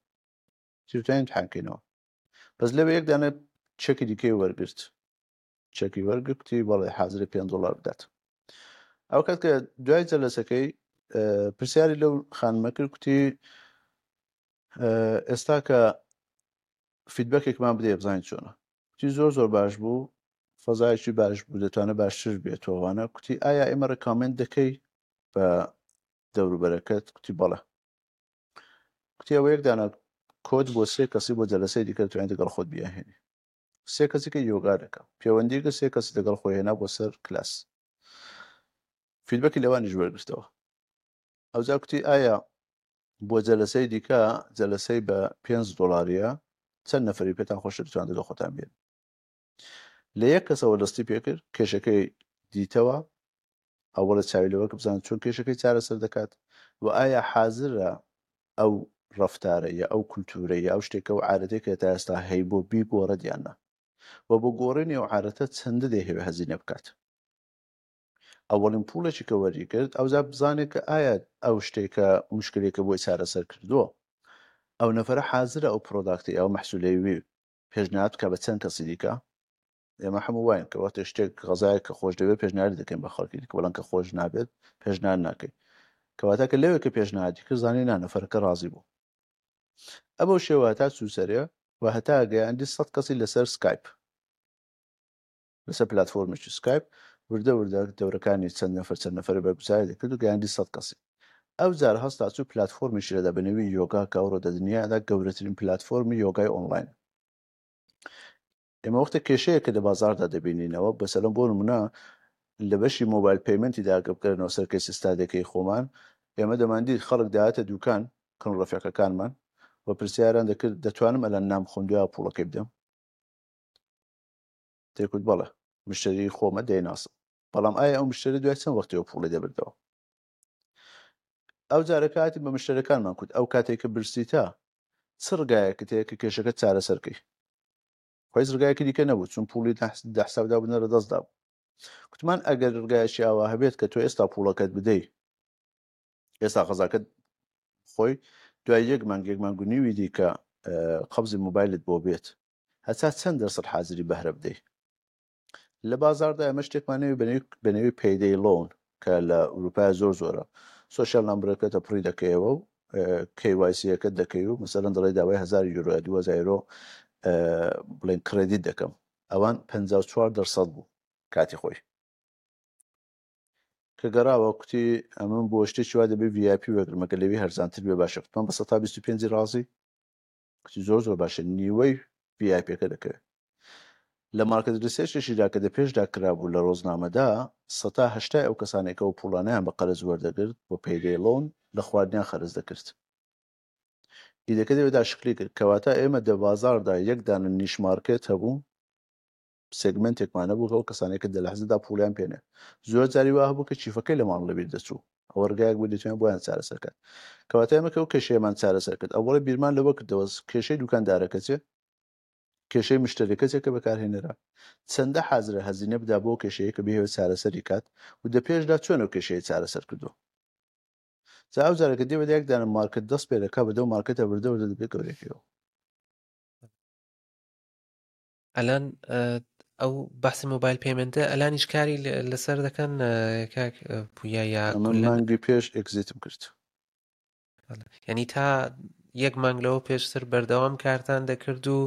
A: چی توانین امتحان کەینەوە بەس لەوێ یەک دانە چەکی دیکەی وەرگرت چەکی وەرگرت کوتی بەڵێ حازرە 5 دۆلار بدات ئەو کات کە دوای جەلەسەکەی پرسیاری لەو خانمە کرد کوتی ئێستا کە feedback ێکمان بدەیە بزانین چۆنە کوتی زۆر زۆر باش بوو فەزایەکی باش بوو دەتوانێت باشتر بێتەوەوانە کوتی ئایا ئێمە recommend دەکەی بە دەوروبەرەکەت کوتی بەڵێ کوتی ئەوە یەک دانە کۆد بۆ سێ کەسی بۆ جەلەسەی دیکە دەتوانێت لەگەڵ خۆت بیاهێنی. سێ کەسی کە یۆگا دەکا پەیوەندی کرد سێ کەسی لەگەڵ خۆی هێنا بۆ سەر کلاس feedback ی لەوانیش وەرگرتەوە ئەوجا کوتی ئایا بۆ جەلەسەی دیکە جەلەسەی بە 5 دۆلاریە چەند نەفری پێتان خۆشە بتوان لەگەڵ خۆتان بێن لە یەک کەسەوە دەستی پێکرد کێشەکەی دیتەوە ئەوەڵە چاوی لەوە کە بزانێت چۆن کێشەکەی چارەسەر دەکات و ئایا حازرە ئەو ڕەفتارە یا ئەو کولتوورە یا ئەو شتێکە و عادەتێک کە تا ئێستا هەیبوو بیگۆڕێت یان نا و بۆ گۆڕینی ئەو عادەتە چەندە دەیهەوێ هەزینە بکات. ئەوەڵین پوڵێکی کە وەری کرد ئەوجا بزانێت کە ئایا ئەو شتێکە مشکلێکە بۆی چارەسەر کردووە ئەو نەفەرە حازرە ئەو product ی ئەو مەحسولەی وی پێشنیاد بکە بە چەند کەسی دیکە ئێمە هەموو واین کە وەختێ شتێک غەزایەک کە خۆش دەوێت پێشنیاری دەکەین بە خەڵکی دیکە بەڵام کە خۆش نابێت پێشنیار ناکەین کەواتە کە لەوێ کە پێشنیادی کرد زانی نا نەفەرەکە ڕازی بوو ئەبەو شێوە هەتا چوو سەرێ و هەتا گەیاندی سەد کەسی لەسەر سکایپ لەسەر پلتفۆرمێکی سکایپ وردە وردە دەورەکانی چەند نەفەر چەند نەفەر بەرگوزاری دەکرد و گەیاندی سەد کەسی ئەو جار هەستا چوو پلتفۆرمیشی لەدا بە نێوی یۆگا کە ئەوڕۆ دە دنیادا گەورەترین پلتفۆرمی یۆگای ئۆنلاین ئێمە وەختێک کێشەیەک کە لە بازاڕدا دەبینینەوە، مەسەلەن بۆ نمونە لە بەشی mobile payment ی دا گە بگەرێنەوە سەر case study ەکەی خۆمان، ئێمە دەماندیت خەڵک دەهاتە دوکان کن ڕەفیقەکانمان و پرسیاران دەکرد دەتوانم ئەلان نان بخۆم دویا پوڵەکەی بدەم؟ دەیکوت بەڵێ مشتەری خۆمە دەیناسم. بەڵام ئایا ئەو مشتەری دوای چەند وەختیەوە پوڵی دەبردەوە؟ ئەو جارە کاتی بە مشتەرەکانمان کوت ئەو کاتێک کە برسیتە چ ڕگایەکت هەیە کە کێشەکە چارەسەر کەی؟ خۆ هیچ ڕگایەکی دیکە نەبوو چون پوڵی دە حسابدا بوو نە لە دەستدا بوو. کوتمان ئەگەر ڕگایەکی ئاوا هەبێت کە تۆ ئێستا پوڵەکەت بدەی ئێستا غەزاکەت خۆی دوای یەک مانگ یەک مانگ و نیوی دیکە قەبزی مۆبایلت بۆ بێت هەتا چەند دەرسەد حازری بەهرە بدەی؟ لە بازاڕدا ئێمە شتێکمان نەوی بە نێوی payday loan کە لە ئەوروپای زۆر زۆرە social number ەکەتە پڕی دەکەیەوە و KYC ەکەت دەکەی و مەسەلەن دەڵێ داوای 1000 یورۆ یا 2000 یورۆ بڵێن credit دەکەم ئەوان 54 دەرسەد بوو کاتی خۆی کە گەڕاوە کوتی ئەمن بۆ شتێکی وا دەبێ VIP وەرگرم ئەگەر لەوی هەرزانتر بێ باشە کوتمان بە 125 ڕازی کچی زۆر زۆر باشە نیوەی VIP ەکە دەکەوێت لە market research ێکیدا کە دە پێشدا کرابوو لە ڕۆزنامەدا سەتا هەشتای ئەو کەسانێک ئەو پوڵانیان بە قەرز وەردەگرت بۆ payday loan لە خواردنیان خەرج دەکرد ئیدەکە دەوێدا شکلی کرد کەواتە ئێمە دە بازاردا یەک دانە niche market هەبوو segment ێکمان هەبوو ئەو کەسانەی کە دە لەحزەدا پوڵیان پێ نێ زۆر جاری وا هەبوو کە کیفەکەی لە ماڵ لەبیر دەچوو ئەوە ڕگایەک بوو دەتوانین بۆیان چارەسەر کات کەواتە ئێمە کە ئەو کێشەیەمان چارەسەر کرد ئەوەڵی بیرمان لەوە کردەوە کێشەی دوکاندارەکە چێ کێشەی مشتەریەکە چێ کە بەکارهێنەرە چەندە حازرە هەزینە بدا بۆ کێشەیە کە بهێوێت چارەسەری کات و دە پێشدا چۆن ئەو کێشەیە چارەسەر کردووە جا ئەو جارەکە دێ بە یەک دانە market دەست پێ دەکا بەدەو market ە وردە وردە دەبێت گەورەکەیەوە.
B: ئەلان ئەو بەحسی mobile payment ە ئەلانیش کاری لەسەر دەکەن کاک پویا یا
A: من مانگی پێش exit م کرد
B: ینی تا یەک مانگ لەوە پێشتر بەردەوام کارتان دەکرد و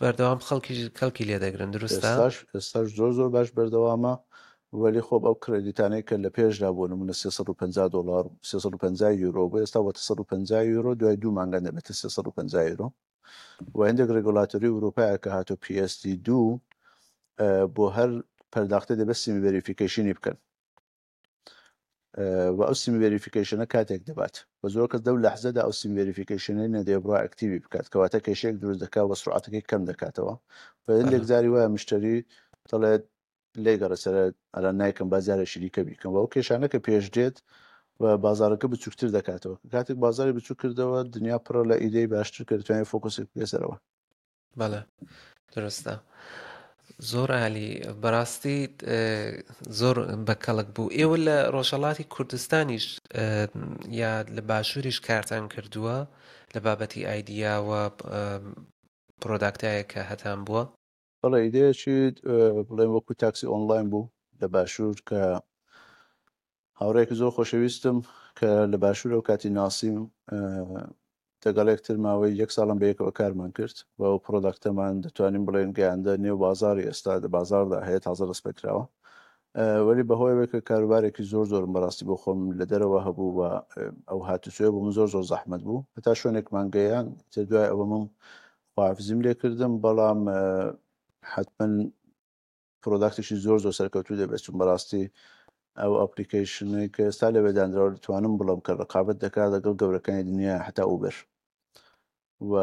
B: بەردەوام خەڵکی کەڵکی لێ دەگرن دروستە
A: ئێستاش زۆر زۆر باش بەردەوامە وەلی خۆ ئەو credit انەی کە لە پێشدا بۆ نمونە 350 دلار 350 یورۆ بۆ ئێستا بۆتە 150 یورۆ دوای دوو مانگە دەبێتە 350 یورۆ و هەندێک regulatory ئەوروپایە کە هاتۆ PSD 2 بۆ هەر پەرداختێ دەبێت semi verification ی بکەن و ئەو semi verification ە کاتێک دەبات و زۆر کەس لەو لەحزەدا ئەو semi verification ەی نەدێ بڕا active ی بکات کەواتە کێشەیەک دروست دەکات و سرعەتەکەی کەم دەکاتەوە و هەندێک جاری وایە مشتری دەڵێت لێی گەڕێ سەرە ئەرا نایکەم با جارێکی دیکە بیکەم و ئەو کێشانە کە پێش دێت و بازارەکە بچووکتر دەکاتەوە کاتێک بازاری بچووک کردەوە دنیا پڕە لە ئیدەی باشتر کە دەتوانێت focus ی بکەیە سەرەوە.
B: بەڵێ دروستە زۆر عالی بەڕاستی زۆر بەکەڵک بوو ئێوە لە ڕۆژهەڵاتی کوردستانیش یا لە باشووریش کارتان کردووە لە بابەتی idea و product ایە کە هەتان بووە؟
A: بەڵێ ئیدەیەکی بڵێن وەکو تاکسی ئۆنلاین بوو لە باشوور کە هاوڕێیەکی زۆر خۆشەویستم کە لە باشوور ئەو کاتی ناسیم دەگەڵ یەکتر ماوەی یەک ساڵم بە یەکەوە کارمان کرد و ئەو product ەمان دەتوانین بڵێن گەیاندە نێو بازاری ئێستا لە بازاردا هەیە تازە دەست پێکراوە وەلی بەهۆیەوەی کە کاروبارێکی زۆر زۆرم بەڕاستی بۆ خۆم لە دەرەوە هەبوو و ئەو هاتوچۆیە بۆ من زۆر زۆر زەحمەت بوو هەتا شوێنێکمان گەیان تر دوای ئەوە من خواحافزیم لێ کردم بەڵام. حتمما product ێکی زۆر زۆر سەرکەوتوو دەبێت چون بەڕاستی ئەو application ەی کە ئێستا لەوێ دانراوە دەتوانم بڵێم کە ڕقابەت دەکات لەگەڵ گەورەکانی دنیا هەتا ئوبەر و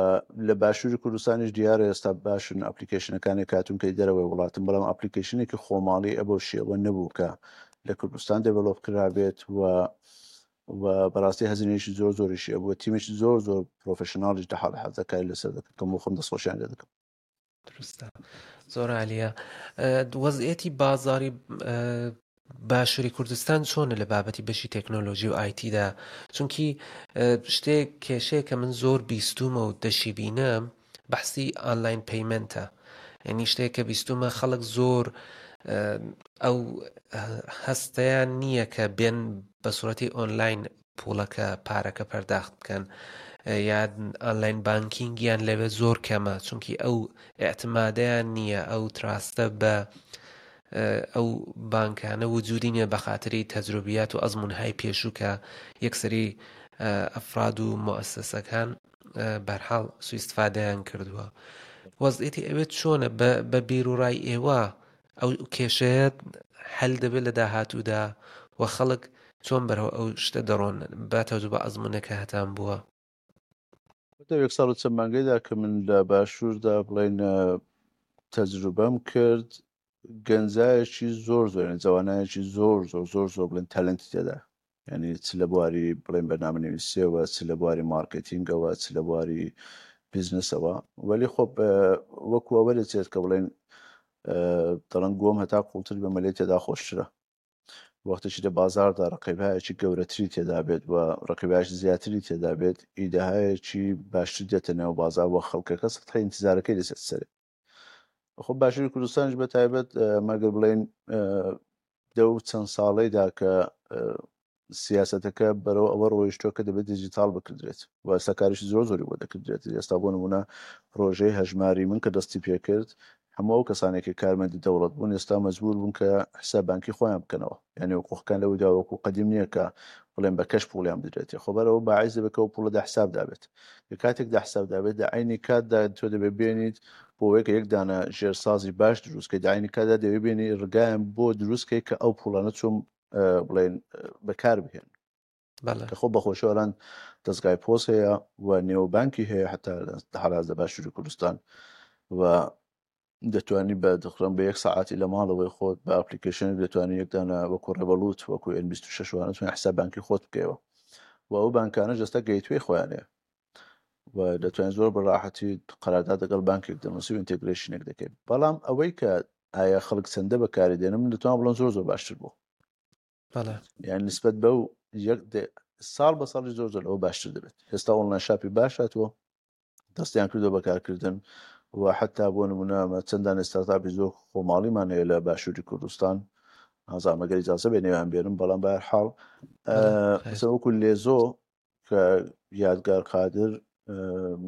A: لە باشووری کوردستانیش دیارە ئێستا باشن application ەکانی کاتون کە دەرەوەی وڵاتن بەڵام application ێکی خۆماڵی ئەبەو شێوە نەبوو کە لە کوردستان develop کرابێت و و بەڕاستی هەزینەیەکی زۆر زۆریشی ئەبوو تیمێکی زۆر زۆر professional یش لە حاڵ حازر کاری لەسەر دەکەن کە خۆم دەستخۆشیان لێ دەکەم.
B: دروستە زۆر عالیە وەزعیەتی بازاری باشووری کوردستان چۆنە لە بابەتی بەشی تەکنۆلۆژی و IT دا چونکی شتێک کێشەیە کە من زۆر بیستومە و دەشی بینم بەحسی online payment ە یعنی شتێک کە بیستومە خەڵک زۆر ئەو هەستەیان نییە کە بێن بە سوورەتی ئۆنلاین پوڵەکە پارەکە پەرداخت بکەن یان online banking یان لەوێ زۆر کەمە چونکی ئەو ئیعتمادەیان نییە ئەو trust ە بە ئەو بانکانە وجودی نییە بە خاتری تەجروبیات و ئەزمونهای پێشوو کە یەکسەری ئەفراد و موسسەکان بەرحاڵ سویستفادەیان کردووە وەزعیەتی ئەوێ چۆنە بە بیرروڕای ئێوە ئەو کێشەیە حەل دەبێت لە داهاتوودا و خەڵک چۆن بەرەو ئەو شتە دەڕۆن بە تەجروبە ئەزمونەکە هەتان بووە؟
A: لەو یەک ساڵ و چەند مانگەیدا کە من لە باشووردا بڵێین تەجروبەم کرد گەنجایەکی زۆر زۆر یعنی جەوانایەکی زۆر زۆر زۆر زۆر بڵێن talent ی تێدا یعنی چ لە بواری بڵێن بەرنامە نویسیەوە چ لە بواری مارکتینگەوە چ لە بواری بیزنسەوە وەلی خۆ وەکو ئەوە دەچێت کە بڵێن دەڵێن گۆم هەتا قوڵتر بە مەلێ تێدا خۆشترە وەختێکی لە بازاردا ڕقیبایەکی گەورەتری تێدا بێت و ڕقیبایەکی زیاتری تێدا بێت ئیدەهایەکی باشتر دێتە نێو بازار و خەڵکەکە سەتحی ئینتیزارەکەی دەچێت سەرێ خۆ باشووری کوردستانیش بە تایبەت مەگەر بڵێن دەو چەند ساڵەیدا کە سیاسەتەکە بەرەو ئەوە ڕۆیشتووە کە دەبێت دیجیتاڵ بکردرێت و ئێستا کاریشی زۆر زۆری بۆ دەکردرێت ئێستا بۆ نمونە پرۆژەی هەژماری من کە دەستی پێکرد هەموو ئەو کەسانێک کە کارمەندی دەوڵەت بوون ئێستا مەجبور بوون کە حساب بانکی خۆیان بکەنەوە یعنی حقوقەکان لەوەدا وەکو قەدیم نییە کە بڵێن بە cash پوڵیان بدرێتێ خۆ بەرەوە باعیز دەبێت کە ئەو پوڵە دە حساب دابێت کە کاتێک دە حساب دابێت دە عینی کاتدا تۆ دەبێت بێنیت بۆ ئەوەی کە یەک دانە ژێرسازی باش دروست کەی دە عینی کاتدا دەبێت بێنی ڕگایان بۆ دروست کەی کە ئەو پوڵانە چۆن بڵێن بەکار بهێن کە خۆ بەخۆشی ئەلان دەستگای پۆست هەیە و نێو بانکی هەیە حتا حالاز لە باشووری کوردستان و دەتوانی بە دخرم بە یەک ساعتی لە ماڵەوەی خۆت بە application دەتوانانی یەکدانە وەکو Revolut وەکو N26 وانە توانین حساب بانکی خۆت بکەیەوە و ئەو بانکانە جەستە gateway خۆیان هەیە و دەتوانین زۆر بە ڕاحەتی قەرارداد لەگەڵ بانکێک دەنووسی و integration ێک دەکەین بەڵام ئەوەی کە ئایا خەڵک چەندە بەکاری دێنم من دەتوانم بڵێم زۆر زۆر باشتر بوو یان نسبەت بەو یەک ساڵ بە ساڵی زۆر زۆر ئەوە باشتر دەبێت ئێستا online shop ی باش هاتووە دەستیان کردو بەکارکردن و حتا بۆ نمونە چەندان startup ی زۆر خۆماڵیمان هەیە لە باشووری کوردستان نازانم ئەگەر ئیجازە بێ نێوان بێنم بەڵام بە حاڵ وەکو لێزۆ کە یادگار قادر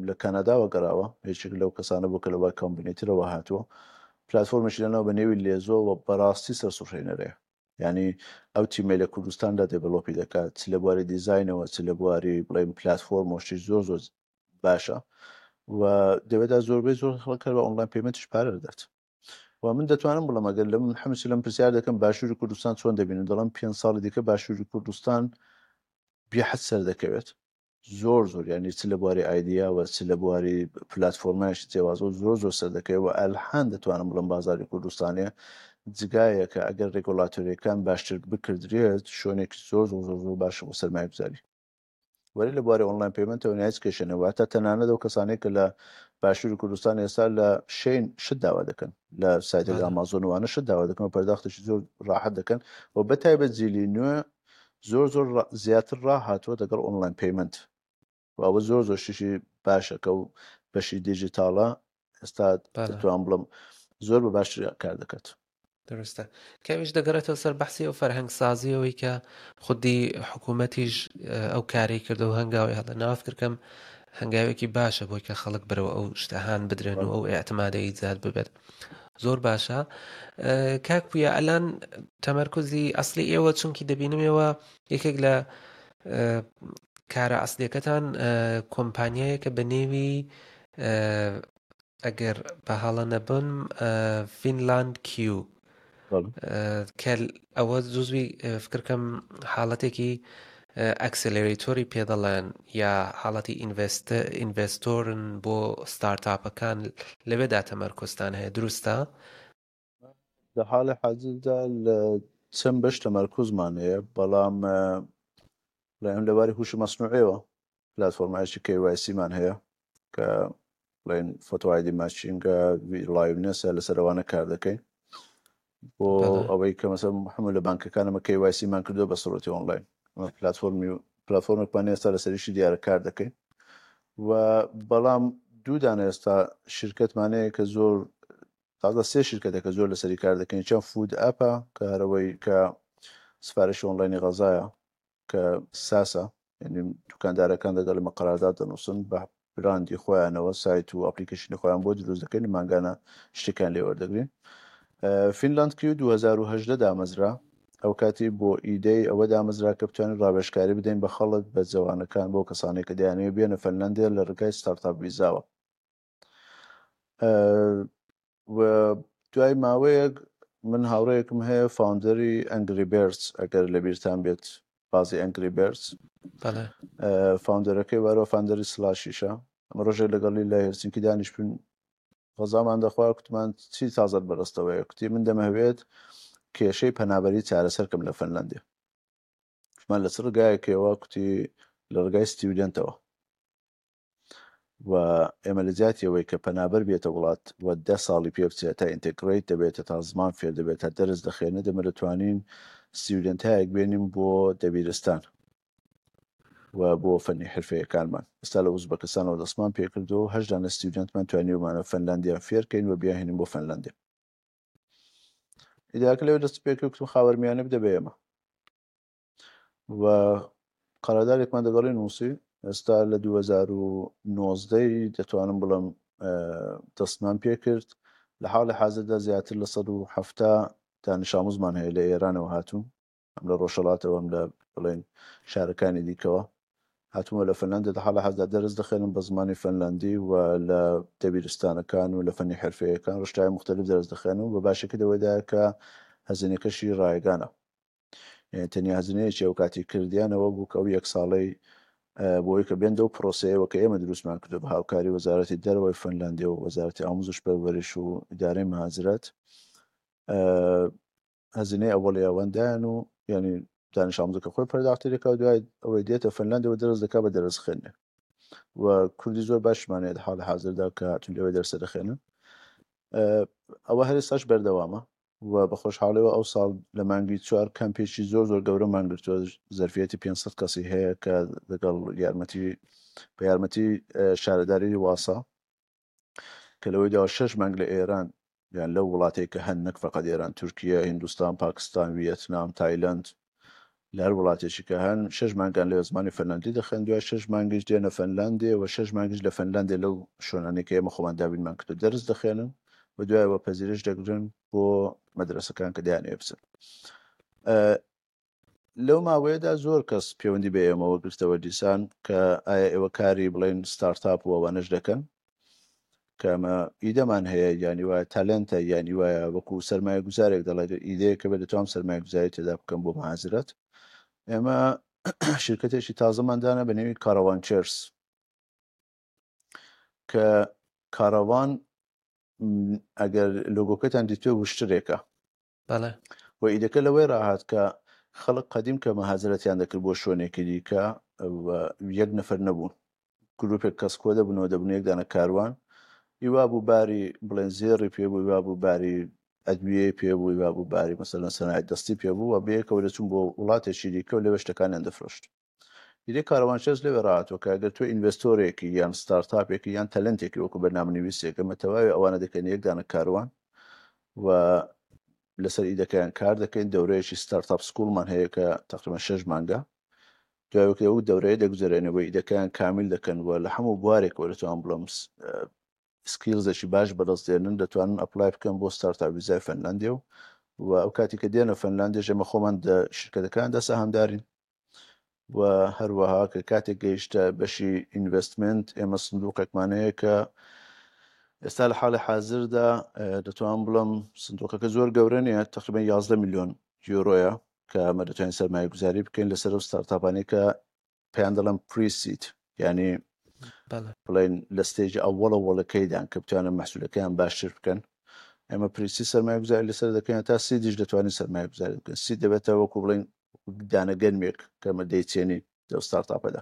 A: لە کەنەداوە گەڕاوە یەکێک لەو کەسانە بوو کە لە Y Combinator ەوە هاتووە پلتفۆرمێکی لەناو بە نێوی لێزۆ و بەڕاستی سەرسوڕهێنەرەیە یعنی ئەو تیمەی لە کوردستاندا develop ی دەکات چ لە بواری دیزاینەوە چ لە بواری بڵێن پلتفۆرم و شتی زۆر زۆر باشە و دەوێدا زۆربەی زۆر خەڵک هەر بە online payment یش پارە دەدات و من دەتوانم بڵێم ئەگەر لە من حمسی لەم پرسیار دەکەم باشووری کوردستان چۆن دەبینن دەڵم پێ ساڵی دیکە باشووری کوردستان بێحەد سەر دەکەوێت زۆر زۆر یعنی چ لە بواری idea وە چ لە بواری پلتفۆرمایش جیاوازەوە زۆر زۆر سەر دەکەوێت و ئەلحان دەتوانم بڵم بازاری کوردستانێ جگایە کە ئەگەر regulatory ەکان باشتر بکردرێت شوێنێکی زۆر زۆر زۆر زۆر باشە بۆ سەرمایەگوزاری وەرێ لە بواری online payment ەوە هیچ کێشە نەبوو هەتا تەنانەت ئەو کەسانەی کە لە باشووری کوردستان ئێستا لە Shein شت داوا دەکەن لە سایتێک ئامازۆن وانە شت داوا دەکەن و پەرداختێکی زۆر ڕاحەت دەکەن و بە تایبەت جیلی نوێ زۆر زۆر زیاتر ڕاهاتووە دەگەڵ online payment و ئەوە زۆر زۆر شتێکی باشە کە و بەشی دیجیتاڵە ئێستا دەتوان بڵم زۆر بە باشتر کار دەکات.
B: دروستە کەویش دەگەڕێتەوە سەر بەحسی ئەو فەرهەنگ سازیەوەی کە خودی حکوومەتیش ئەو کاری کردو هەنگاوی هەڵە ناوفکرکەم هەنگاوێکی باشە بۆی کە خەڵک بەرەوە ئەو شتەهان بدرێن و ئەو ئاعتمادە ئیجاد ببێت زۆر باشە کاک پویا ئەلان تەمەرکزی ئەسلی ئێوە چونکی دەبینم ئێوە یەکێک لە کارە ئەسلیەکەتان کۆمپانیایەکە بە نێوی. ئەگەر بە هەڵە نەبم فینلاند کیو کە ئەوە جزوی فکرکەم حاڵەتێکی accelerator ی پێ دەڵێن یا حاڵەتی investor ن بۆ startup ەکان لەوێدا تەمەرکزتان هەیە دروستە؟
A: لە حاڵی حازردا لە چەند بەش تەمەرکزمان هەیە بەڵام بڵێن لەباری هوشی مەسنوعیەوە پلاتفۆرمایکی KYC مان هەیە کە بڵێن photo ID matching ە liveness ە لەسەر ئەوانە کار دەکەین بۆ ئەوەی کە مەسە هەموو لە بانکەکان ئەمە KYC مان کردو بە سڕەتی ئۆنلاین پلاتفۆرمی پلاتفۆرمێکمان ئێستا لەسەریشی دیارە کار دەکەین و بەڵام دوو دانە ئێستا شرکتمانەیە کە زۆر تازە سێ شرکەتە کە زۆر لەسەری کار دەکەین چەند food app ە کە هەرەوەی کە سفارشی ئۆنلاینی غەزایە کە SaaS ە یعنی دوکاندارەکان دەگەڵ ئێمە قەرارداد دەنووسن بە براندی خۆیانەوە سایت و application ی خۆیان بۆ دروست دەکەین مانگانە شتێکیان لێ وەردەگرین. فینلاند کیو 2018 دامەزرا ئەو کاتی بۆ ئیدەی ئەوە دامەزرا کە بتوانین ڕاوێژکاری بدەین بە خەڵک بە جەوانەکان بۆ کەسانێک کە دەیانەوێت بێنە فەنلەندێ لە ڕێگای startup ڤیزاوە. و دوای ماوەیەک من هاوڕێیەکم هەیە founder ی Angry Birds ئەگەر لە بیرتان بێت بازی Angry Birds founder ەکەی وارەوە founder ی سلاشیشە ئەمە ڕۆژێک لەگەڵی لە هێلسینکی دانیشتین غەزامان دەخوا کوتمان چی تازەت بەدەستەوەیە کوتی من دەمەوێت کێشەی پەنابەری چارەسەرکەم لە فنلندێ کوتمان لە چ ڕگایەکەوە کوتی لە ڕگای student ەوە و ئێمە لە جیاتی ئەوەی کە پەنابەر بێتە وڵات و دە ساڵی پێ بچێت تا integrate دەبێت تا زمان فێر دەبێت تا دەرس دەخوێنێت ئێمە دەتوانین student ایەک بێنین بۆ دەبیرستان و بۆ فەنی حرفەیەکانمان ئێستا لە ئوزبەکستانەوە دەستمان پێکردو هەشت دانە student مان توانیومانە فەنلاندیان فێرکەین و بیانهێنین بۆ فەنلاندیا ئیداکە لەوێ دەست پێکرد کوتم خاوەرمیانە بدە بە ئێمە و قەرادارێکمان دەگەڵی نووسی ئێستا لە 2019 دەتوانم بڵم دەستمان پێکرد لە حاڵی حازردا زیاتر لە 170 دانیشاموزمان هەیە لە ئێرانەوە هاتوون ئەم لە ڕۆژهەڵاتەوە ئەم لە بڵێن شارەکانی دیکەوە هاتوومە لە فنلندە لە حاڵی حازردا دەرس دەخێنم بە زمانی فنلندی و لە دەبیرستانەکان و لە فەنی حرفەیەکان ڕشتای مختلف دەرس دەخێنم و باشەکە لەوەدایە کە هەزینەکەشی ڕایگانە یعنی تەنیا هەزینەیەکی ئەو کاتی کردیانەوە بوو کە ئەو یەک ساڵەی بۆی کە بێن دەو پرۆسەیەوە کە ئێمە دروستمان کردو بە هاوکاری وەزارەتی دەرەوەی فنلندی و وەزارەتی ئاموزش پەروەرش و ئیدارەی مهاجرەت هەزینەی ئەوەڵی ئەوەندایان و یعنی دانش ئاموزەکە خۆی پەرداختی دەکا و دوای ئەوەی دێتە فنلندەوە دەرس دەکا بە دەرس خوێندنێ و کوردی زۆر باشمان هەیە لە حاڵی حازردا کە هاتوون لەوێ دەرسە دەخوێنن ئەوە هەر ئێستاش بەردەوامە و بە خۆشحاڵیەوە ئەو ساڵ لە مانگی چوار کەمپێکی زۆر زۆر گەورەمان گرتووە زەرفیەتی 500 کەسی هەیە کە لەگەڵ یارمەتی بە یارمەتی شارەداری واسا کە لەوەی داوە شەش مانگ لە ئێران یان لەو وڵاتێک کە هەن نەک فقط ئێران تورکیا هندوستان پاکستان ویەتنام تایلند لە هەر وڵاتێکی کە هەن شەش مانگان لەوێ زمانی فەنلاندی دەخوێن دوای شەش مانگیش دێنە فەنلاندێ و شەش مانگیش لە فەنلاندێ لەو شوێنانەی کە ئێمە خۆمان دابینمان کردو دەرس دەخوێنن و دوایەوە پەزیرش دەگرن بۆ مەدرەسەکان کە دەیانەوێ بچن. لەو ماوەیەدا زۆر کەس پەیوەندی بە ئێمەوە گرتەوە دیسان کە ئایا ئێوە کاری بڵێن startup و ئەوانەش دەکەن کە ئەمە ئیدەمان هەیە یانی وایە talent ە یانی وایە وەکو سەرمایە گوزارێک دەڵێت ئیدەیەکە بێت دەتوانم سەرمایە گوزاری تێدا بکەم بۆ مهاجرەت ئێمە شرکەتێکی تازەمان دانا بە نێوی کاراوان چێرس کە کاراوان ئەگەر لۆگۆکەتان دیتوێ وشترێکە
B: بەڵێ.
A: و ئیدەکە لەوەی ڕاهات کە خەڵک قەدیم کە مەهاجرەتیان دەکرد بۆ شوێنێکی دیکە و یەک نەفەر نەبوون گروپێک کەس کۆ دەبوونەوە دەبوون یەک دانە کاروان ئیوا بوو باری بڵێن زێڕی پێ بوو ئیوا بوو باری ئەدویەی پێ بوو ئیوا بوو باری مەسەلەن سەنایع دەستی پێ بوو و بەیەکەوە دەچوون بۆ وڵاتێکی دیکە و لەوێ شتەکانیان دەفرۆشت. ئیدی کاروانچێز لەوێ ڕاهاتووە کە ئەگەر تۆ investor ێکی یان startup ێکی یان talent ێکی وەکو بەرنامەنویسێک ئەمە تەواوی ئەوانە دەکەین یەک دانە کاروان و لەسەر ئیدەکەیان کار دەکەین دەورەیەکی startup school مان هەیە کە تقریبا شەش مانگە دوای ئەو دەورەیە دەگوزەرێنەوە ئیدەکەیان کامیل دەکەن و لە هەموو بوارێکەوە دەتوان بڵێم skills ێکی باش بەدەست دێنن دەتوانن apply بکەن بۆ startup ڤیزای فەنلاندی و و ئەو کاتی کە دێنە فەنلاندیش ئێمە خۆمان دە شرکەتەکاندا سەهامدارین و هەروەها کە کاتێک گەیشتە بەشی investment ئێمە سندوقێکمان هەیە کە. ئێستا لە حاڵی حازردا دەتوانم بڵێم سندوقەکە زۆر گەورە نییە، تقریبا 11 میلیۆن یۆرۆیە کە ئەمە دەتوانین سەرمایەگوزاری بکەین لەسەر ئەو ستارتاپانەی کە پێیان دەڵێن pre-seed، یعنی بڵێن لە stage ئەوەڵە وەڵەکەیدان کە بتوانن مەحسولەکەیان باشتر بکەن. ئێمە pre-seed سەرمایەگوزاری لەسەر دەکەین تا seed یش دەتوانین سەرمایەگوزاری بکەین. seed دەبێتە وەکو بڵێن دانە گەنمێک کە ئەمە دەیچێنین لەو startup ەدا.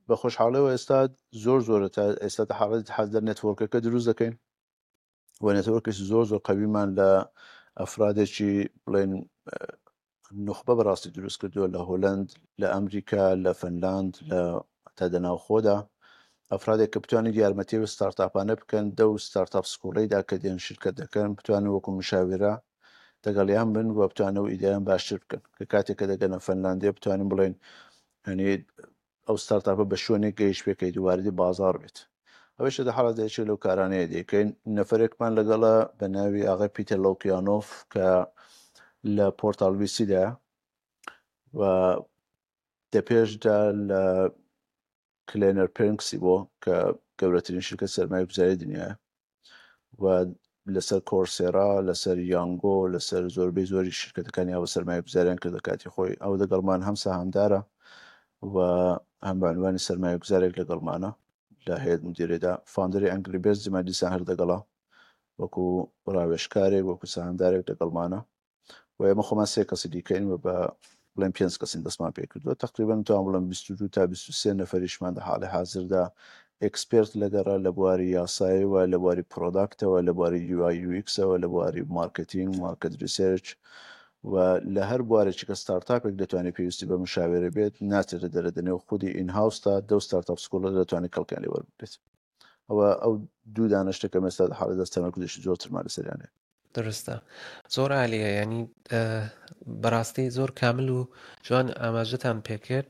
A: بە خۆشحاڵیەوە ئێستا زۆر زۆرە تا ئێستا تا حاڵەتی حازر network ەکە دروست دەکەین و network ێکی زۆر زۆر قەویمان لە ئەفرادێکی بڵێن نوخبە بەڕاستی دروست کردووە لە هۆلند لە ئەمریکا لە فنلاند لە تا دەناوخۆدا ئەفرادێک کە بتوانێت یارمەتی و startup انە بکەن دەو startup school ەیدا کە دێن شرکت دەکەن بتوانن وەکو مشاورە دەگەڵیان بن و بتوانن ئەو ئیدەیان باشتر بکەن کە کاتێک کە دەگەنە فەنلاندیە بتوانین بڵێن یعنی ئەو startup ە بە شوێنێک گەیش پێکەیت و واردی بازاڕ بێت. ئەوەیش لە حاڵەتدا یەکێک لەو کارانەیە دەیکەین. نەفەرێکمان لەگەڵە بە ناوی ئاغای پیتەر لۆکیانۆف کە لە پۆرتاڵ ویسیدا و دەپێشدا لە کلێنەر پێرنکسی بۆ کە گەورەترین شرکەت سەرمایەگوزاری دنیایە و لەسەر کۆرسێرا، لەسەر یانگۆ، لەسەر زۆربەی زۆری شرکەتەکانی ئەوە سەرمایەگوزاریان کردە کاتی خۆی. ئەو لەگەڵمان هەم سەهامدارە و هەم بە عنوانی سەرمایەگوزارێک لەگەڵمانە لە هەیئەت مدیرەدا. founder ی ئەنگری بێرز دیمان دیسان هەر دەگەڵا وەکو ڕاوێژکارێک، وەکو سەهامدارێک لەگەڵمانە. و ئێمە خۆمان سێ کەسی دیکەین و بە بڵێن پێنج کەسین دەستمان پێ کردووە. تقریبا توان بڵێم 22 تا 23 نەفەریشمان لە حاڵی حازردا expert لەگەڕە لە بواری یاسایەوە، لە بواری product ەوە، لە بواری UI UX ەوە، لە بواری marketing، market research و لە هەر بوارێکی کە startup ێک دەتوانێت پێویستی بە مشاورە بێت ناچێتە دەرە دەنێو خودی in-house تا دەو startup school ە دەتوانێت کەڵکیان لێ وەربگرێت. ئەوە ئەو دوو دانە شتە کە ئێستا لە حاڵی دەست تەمەرکوزێکی زۆرترمان لەسەریان هەیە.
B: دروستە زۆر عالیە ینی بەڕاستی زۆر کامل و جوان ئاماژەتان پێکرد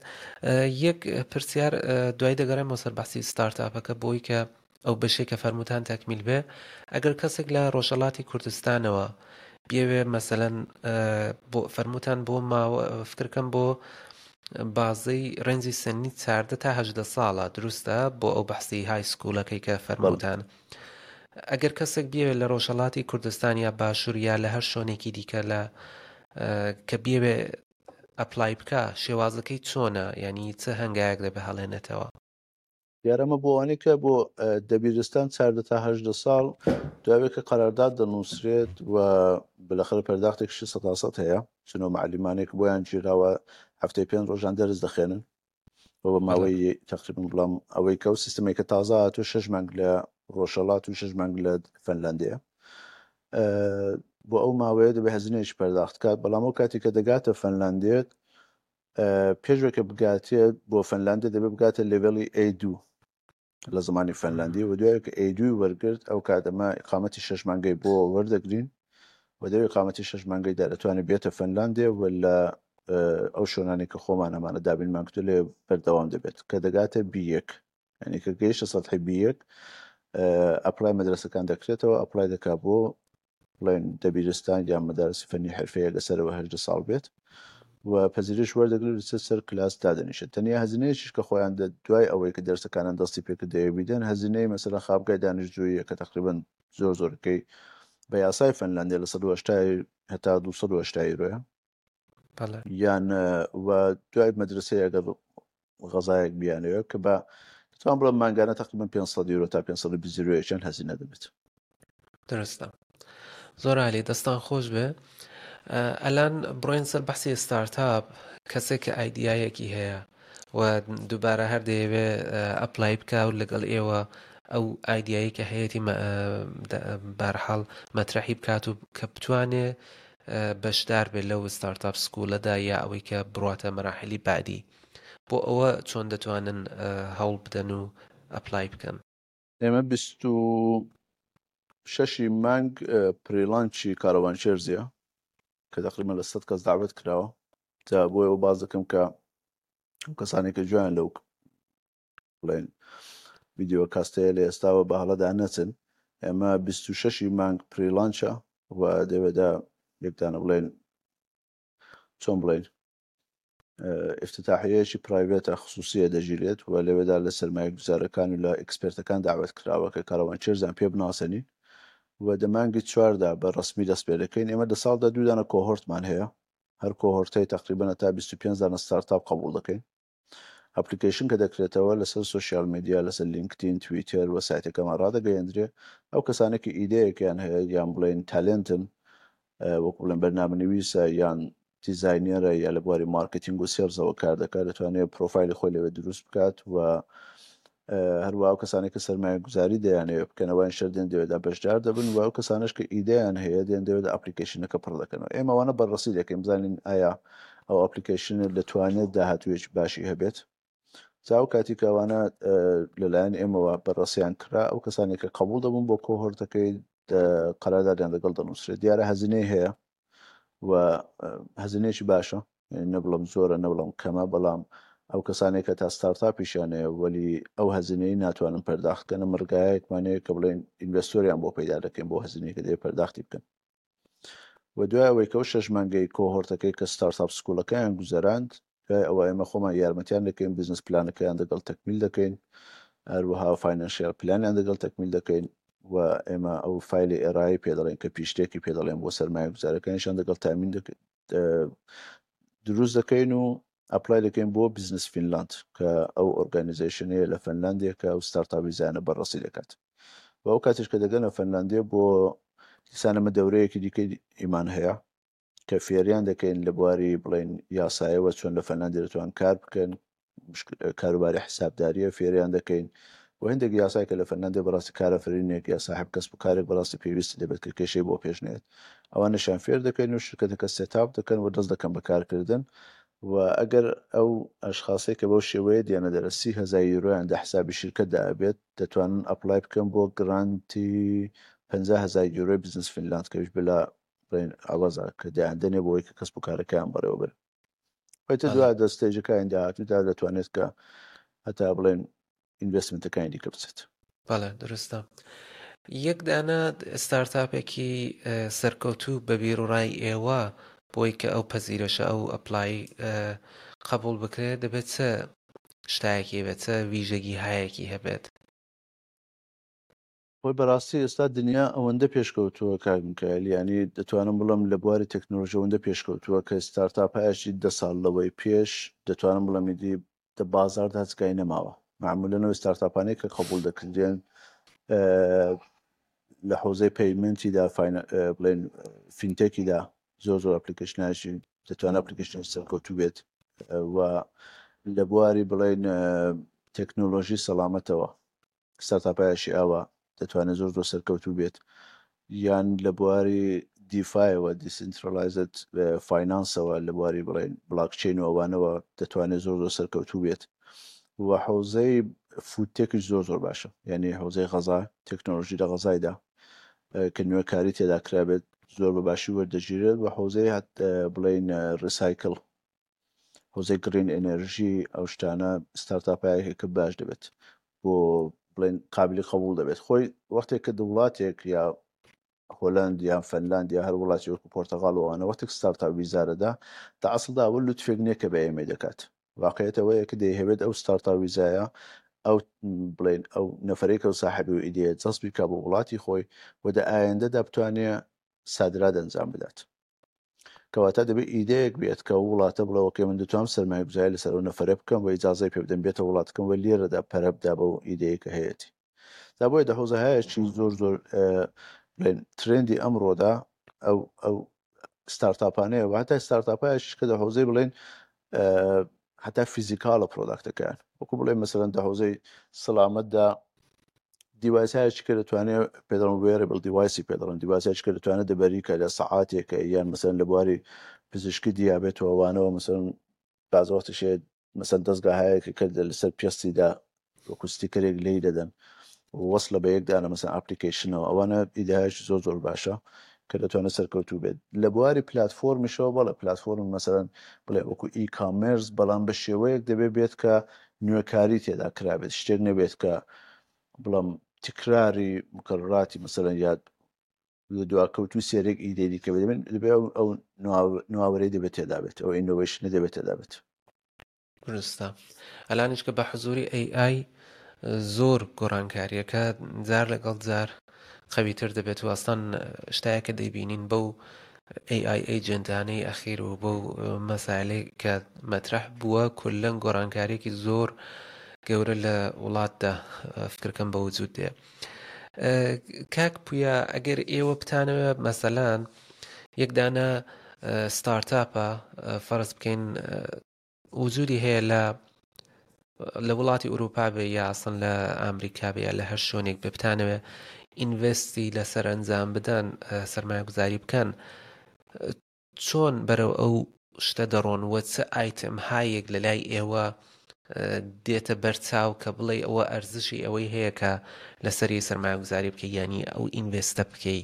B: یەک پرسیار دوای دەگەڕێمەوە سەر بەحسی startup ەکە بۆی کە ئەو بەشێک کە فەرمووتان تەکمیل بێ ئەگەر کەسێک لە ڕۆژهەڵاتی کوردستانەوە بیەوێ مەسەلەن بۆ فەرمووتان بۆ ماوە فکرکەم بۆ بازەی range ی سنی چاردە تا هەژدە ساڵە دروستە بۆ ئەو بەحسی high school ەکەی کە فەرمووتان ئەگەر کەسێک بیەوێت لە ڕۆژهەڵاتی کوردستان یا باشوور یا لە هەر شۆنێکی دیکە لە کە بیەوێ apply بکە شێوازەکەی چۆنە یعنی چ هەنگایەک دەبێ هەڵێنێتەوە؟
A: دیارە ئەمە بۆ ئەوانەی کە بۆ دەبیرستان چاردە تا هەژدە ساڵ دوای کە قەرارداد دەنووسرێت و بلەخەرە پەرداختێکشی سەتاسەد هەیە چونەوە معلیمانێک بۆیان گیراوە هەفتەی پێنج ڕۆژان دەرس دەخێنن و بە ماوەی تقریبا بڵام ئەوەی کە ئەو سیستمێک کە تازە هاتووە شەش مانگ لە ڕۆژهەڵات و شەش مانگ لە فەنلاندەیە بۆ ئەو ماوەیە دەبێ هەزینەیەکی پەرداخت کات بەڵام ئەو کاتی کە دەگاتە فەنلاندێت پێش کە بگاتێ بۆ فەنلاندێ دەبێ بگاتە level ی A2 لە زمانی فەنلاندی و دوای کە A2 وەرگرت ئەو کات ئەمە ئیقامەتی شەش مانگەی بۆ وەردەگرین و دەوێ ئیقامەتی شەش مانگەیدا دەتوانێت بێتە فەنلاندێ و لە ئەو شوێنانەی کە خۆمان ئەمانە دابینمان کردو لێ بەردەوام دەبێت کە دەگاتە B1 یعنی کە گەیشتە سەتحی B1 apply مەدرەسەکان دەکرێتەوە apply دەکا بۆ بڵێن دەبیرستان یان مەدارسی فەنی حرفەیە لەسەرەوە هەژدە ساڵ بێت و پەزیرش وەردەگرێت لەسەر سەر کلاس دادەنیشێت تەنیا هەزینەیەکیش کە خۆیان دە دوای ئەوەی کە دەرسەکانیان دەستی پێکرد دەیەوێت بیدەن هەزینەی مەسەلەن خابگای دانیشتجوویە کە تەقریبەن زۆر زۆرەکەی بە یاسای فەنلاندیا لە 180 هەتا 280 یورۆیە
B: بەڵێ.
A: یان و دوای مەدرسەیە ئەگەر غەزایەک بیانەوێت کە بە دەتوانم بڵێم مانگانە تقریبا 500 یورۆ تا 520 یورۆیەکیان هەزینە دەبێت.
B: درستە زۆر عالی دەستان خۆش بێ ئەلان بڕۆین سەر بەحسی ستارتاپ کەسێک کە idea یەکی هەیە و دووبارە هەر دەیەوێ apply بکە و لەگەڵ ئێوە ئەو idea یی کە هەیەی بارحاڵ مەترەحی بکات و کە بتوانێ بەشدار بێت لەو startup school ەدا یا ئەوەی کە بڕاتە مەراحلی بعدی بۆ ئەوە چۆن دەتوانن هەوڵ بدەن و apply بکەن؟
A: ئێمە 26 ی مانگ pre-launch ی کاروان شێرزیە کە تقریبا لە 100 کەس داوت کراوە جا بۆ ئەوە باز دەکەم کە ئەو کەسانێک کە گوێیان لەو بڵێن ڤیدیۆ کاستەیە لە ئێستاوە بە هەڵەدا نەچن ئێمە 26 ی مانگ pre-launch ە و دەوێدا یەکدانە بڵێن چۆن بڵێن. ئیفتتاحیەیەکی private ە خسوسیە دەگیرێت و لەوێدا لە سەرمایەگوزارەکان و لە expert ەکان داوەت کراوە کە کاروان چێرزان پێ بناسێنین و دە مانگی چواردا بە ڕەسمی دەست پێ دەکەین. ئێمە دە ساڵدا دوو دانە cohort مان هەیە، هەر cohort ەی تەقریبەن هەتا 25 دانە ستارتاپ قبوڵ دەکەین. application کە دەکرێتەوە لەسەر social media، لەسەر لینکدین، تویتەر و سایتەکەمان ڕادەگەیەندرێ. ئەو کەسانە کە ئیدەیەکیان هەیە یان بڵێن talent ن، وەکو بڵێن بەرنامەنویسە یان designer ە یا لە بواری مارکتینگ و sales ەوە کار دەکات، دەتوانێت پرۆفایلی خۆی لەوێ دروست بکات و هەروە ئەو کەسانێک کە سەرمایەگوزاری دەیانەوێت بکەن ئەوان شەر دێن دەوێدا بەشدار دەبن و ئەو کەسانش کە ئیدەیان هەیە دێن دەوێت application ەکە پڕ دەکەنەوە. ئێمە ئەوانە بەڕەسی دەکەین بزانین ئایا ئەو application ە دەتوانێت داهاتوویەکی باشی هەبێت. جا ئەو کاتی کە ئەوانە لەلایەن ئێمەوە بەڕەسیان کرا، ئەو کەسانێک کە قبول دەبوون بۆ cohort ەکەی قەراردادیان لەگەڵ دەنووسرێت. دیارە هەزینەی هەیە و هەزینەیەکی باشە، یعنی نەبڵم زۆرە نەبڵم کەمە، بەڵام ئەو کەسانێک کە تا ستارتاپیشیان هەیە وەلی ئەو هەزینەی ناتوانن پەرداخت بکەن، مڕگایەکمان هەیە کە بڵێن investor یان بۆ پەیدا دەکەین بۆ هەزینەی کە دەبێت پەرداختی بکەن. و دوای ئەوەی کە ئەو شەش مانگەی cohort ەکەی کە startup school ەکەیان گوزەراند، دوای ئەوە ئێمە خۆمان یارمەتیان دەکەین، business plan ەکەیان دەگەڵ تەکمیل دەکەین، هەروەها financial plan یان دەگەڵ تەکمیل دەکەین و ئێمە ئەو فایلی ئێرایی پێ دەڵێن کە pitch deck ی پێ دەڵێن بۆ سەرمایەگوزارەکانیشان دەگەڵ تامین دروست دەکەین و apply دەکەین بۆ Business Finland کە ئەو organization ەیە لە فنلاندیە کە ئەو ستارتاپ ویزایانە بەڕەسی دەکات. و ئەو کاتیش کە دەگەنە فنلاندیە بۆ دیسان ئەمە دەورەیەکی دیکەی ئیمان هەیە کە فێریان دەکەین لە بواری بڵێن یاسایەوە چۆن لە فنلاندی دەتوان کار بکەن، کاروباری حسابداریە فێریان دەکەین و هەندێک یاسای کە لە فنلاندی بەڕاستی کارەفرینێک یا ساحب کەسب و کارێک بەڕاستی پێویستی دەبێت کە کێشەی بۆ پێش نێت، ئەوانەشیان فێر دەکەین و شرکەتەکە setup دەکەن و دەست دەکەن بە کارکردن. و ئەگەر ئەو ئەشخاصەی کە بەو شێوەیە دێنە دەرە 30,000 یورۆیان دە حسابی شرکەتدا ئەبێت، دەتوانن apply بکەن بۆ grant ی 50,000 یورۆی Business Finland کەویش بلا بڵێن ئاوازە کە دەیان دەنێ بۆ ئەوەی کە کەسب و کارەکەیان بەڕێوە بەرن. ئەوەی
B: بەڵێ.
A: دوا دە stage ەکانی داهاتوودا دەتوانێت کە هەتا بڵێن investment ەکانی دیکە بچێت.
B: بەڵێ دروستە. یەک دانە ستارتاپێکی سەرکەوتوو بە بیروڕای ئێوە بۆی کە ئەو پەزیرەشە ئەو apply قبول بکرێت دەبێت چ شتایەکی هەبێت، چ ویژەگی هایەکی هەبێت؟
A: خۆی بەڕاستی ئێستا دنیا ئەوەندە پێشکەوتووە کاک میکایل، یعنی دەتوانم بڵێم لە بواری تەکنۆلۆژی ئەوەندە پێشکەوتووە کە ستارتاپایەکی 10 ساڵ لەوەی پێش دەتوانم بڵێم ئیدی دە بازاڕدا هەچگای نەماوە. معمولەن ئەو ستارتاپانەی کە قبول دەکردێن لە حوزەی payment یدا، بڵێن fintech یدا زۆر زۆر application اشی دەتوانێت application سەرکەوتوو بێت و لە بواری بڵێن تەکنۆلۆژی سەلامەتەوە ستارتاپایشی ئاوا دەتوانێت زۆر زۆر سەرکەوتوو بێت، یان لە بواری DeFi ەوە decentralized finance ەوە لە بواری بڵێن بلاکچین و ئەوانەوە دەتوانێت زۆر زۆر سەرکەوتوو بێت. و حوزەی food tech یش زۆر زۆر باشە، یعنی حوزەی غەزا، تەکنۆلۆژی لە غەزایدا کە نوێکاری تێدا کرابێت زۆر بە باشی وەردەگیرێت. و حوزەی بڵێن recycle، حوزەی green energy، ئەو شتانە ستارتاپایەکە کە باش دەبێت بۆ بڵێن قابلی قبول دەبێت. خۆی وەختێک کە وڵاتێک یا هۆلند یان فنلاند یا هەر وڵاتی وەکو پرتەغال و ئەوانە وەختێک ستارتاپ ویزارەدا تا ئەسڵدا ئەوە لوتفێک نییە کە بە ئێمەی دەکات، واقعیت ئەوەیە کە دەیهەوێت ئەو ستارتاپ ویزایە ئەو بڵێن ئەو نەفرێکە و ساحەبی و ئیدەیە جەزبی بکا بۆ وڵاتی خۆی و دە ئایندەدا بتوانێ سادرات ئەنجام بدات. کەواتە دەبێت ئیدەیەک بێت کە ئەو وڵاتە بڵێ okay من دەتوانم سەرمایەگوزاری لەسەر ئەو نەفەرە بکەم و ئیجازەی پێ بدەم بێتە وڵاتەکەم و لێرەدا پەرە بدا بەو ئیدەیە کە هەیەتی. تا بۆیە دە حوزەهایەکی زۆر زۆر بڵێن trend ی ئەمڕۆدا ئەو ستارتاپانەیە و هەتا ستارتاپایش کە دە حوزەی بڵێن هەتا physical ە product ەکەیان، وەکو بڵێن مەسەلەن دە حوزەی سەلامەتدا device ایەکی کە دەتوانێت پێ دەڵێن wearable device ی پێ دەڵێن، device ایەکی کە دەتوانێت دەبەری کە لە سەعاتێکە یان مەسەلەن لە بواری پزیشکی دیابێتەوە وانەوە، مەسەلەن بعض وەختیش هەیە مەسەلەن دەستگاهایەکە کە لەسەر پێستیدا وەکو sticker ێک لێی دەدەن وەصلە بە یەکدانە مەسەلەن application ەوە، ئەوانە ئیدایەکی زۆر زۆر باشە کە دەتوانێت سەرکەوتوو بێت. لە بواری پلاتفۆرمیشەوە بەڵێ پلاتفۆرم مەسەلەن بڵێ وەکو e-commerce، بەڵام بە شێوەیەک دەبێت بێت کە نوێکاری تێدا کرابێت، شتێک نەبێت کە بڵام تکراری مکرراتی مەسەلەن یاد لە دواکەوتوو سێرێک ئیدەی دیکە بێت. دەبێت ئەو نواوەرەی دەبێت تێدا بێت، ئەو innovation ە دەبێت تێدا بێت.
B: دروستە ئەلانیش کە بە حزوری ئەی ئای زۆر گۆڕانکاریەکە جار لەگەڵ جار قەویتر دەبێت و ئەسڵەن شتایەکە دەیبینین بەو AI ئەیجنتانەی ئەخیر و بەو مەسایلەی کە مەترح بووە کولەن گۆڕانکاریەکی زۆر گەورە لە وڵاتدا فکرکەم بە وجود دێ. کاک پویا ئەگەر ئێوە بتانەوێ مەسەلەن یەک دانە ستارتاپە فەرز بکەین وجودی هەیە لە لە وڵاتی ئەوروپا بێ یا ئەسڵەن لە ئەمریکا بێ یا لە هەر شوێنێک بێ بتانەوێ ئینڤستی لەسەر ئەنجام بدەن سەرمایەگوزاری بکەن چۆن بەرەو ئەو شتە دەڕۆن و چ ئایتم هایەک لە لای ئێوە دێتە بەرچاو کە بڵێ ئەوە ئەرزشی ئەوەی هەیە کە لەسەری سەرمایەگوزاری بکەی یانی ئەو ئینڤستە بکەی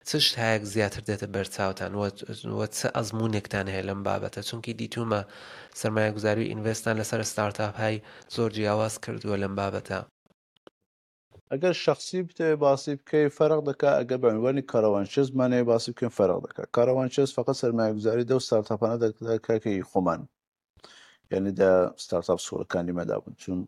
B: چ شتایەک زیاتر دێتە بەرچاوتان و چ ئەزموونێکتان هەیە لەم بابەتە چونکی دیتومە سەرمایەگوزاری و ئینڤستان لەسەر ستارتاپ های زۆر جیاواز کردووە لەم بابەتە.
A: ئەگەر شەخسی بتەوێ باسی بکەی فەرق دەکا ئەگەر بە عنوانی کاروان چێز بمانەوێ باسی بکەین فەرق دەکا کاروان چێز فەقەت سەرمایەگوزاری دەو ستارتاپانە دەکا کە ئی خۆمان یعنی دە ستارتاپ سکوڵەکانی مەدا بوون چون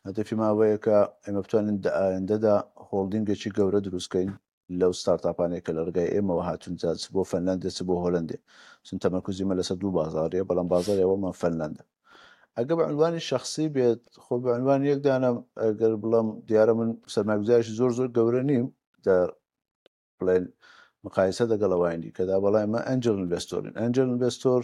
A: هەدەفی ما ئەوەیە کە ئێمە بتوانین دە ئایندەدا هۆڵدینگێکی گەورە دروست کەین لەو ستارتاپانەی کە لە ڕێگای ئێمەوە هاتوون جا چ بۆ فەنلەندێ چ بۆ هۆلەندێ چون تەمەرکوزی مە لەسەر دوو بازاڕیە بەڵام بازاڕی ئەوەڵمان فەنلەندە ئەگە بە عنوانی شخصی بێت خۆ بە عنوانی یەک دانە ئەگەر بڵم دیارە من سەرمایەگوزارێکی زۆر زۆر گەورە نیم دە بڵێن مقایسە دەگەڵ ئەوانی دیکەدا بەڵام ئێمە ئەنجل ئینڤێستۆرین ئەنجل ئینڤێستۆر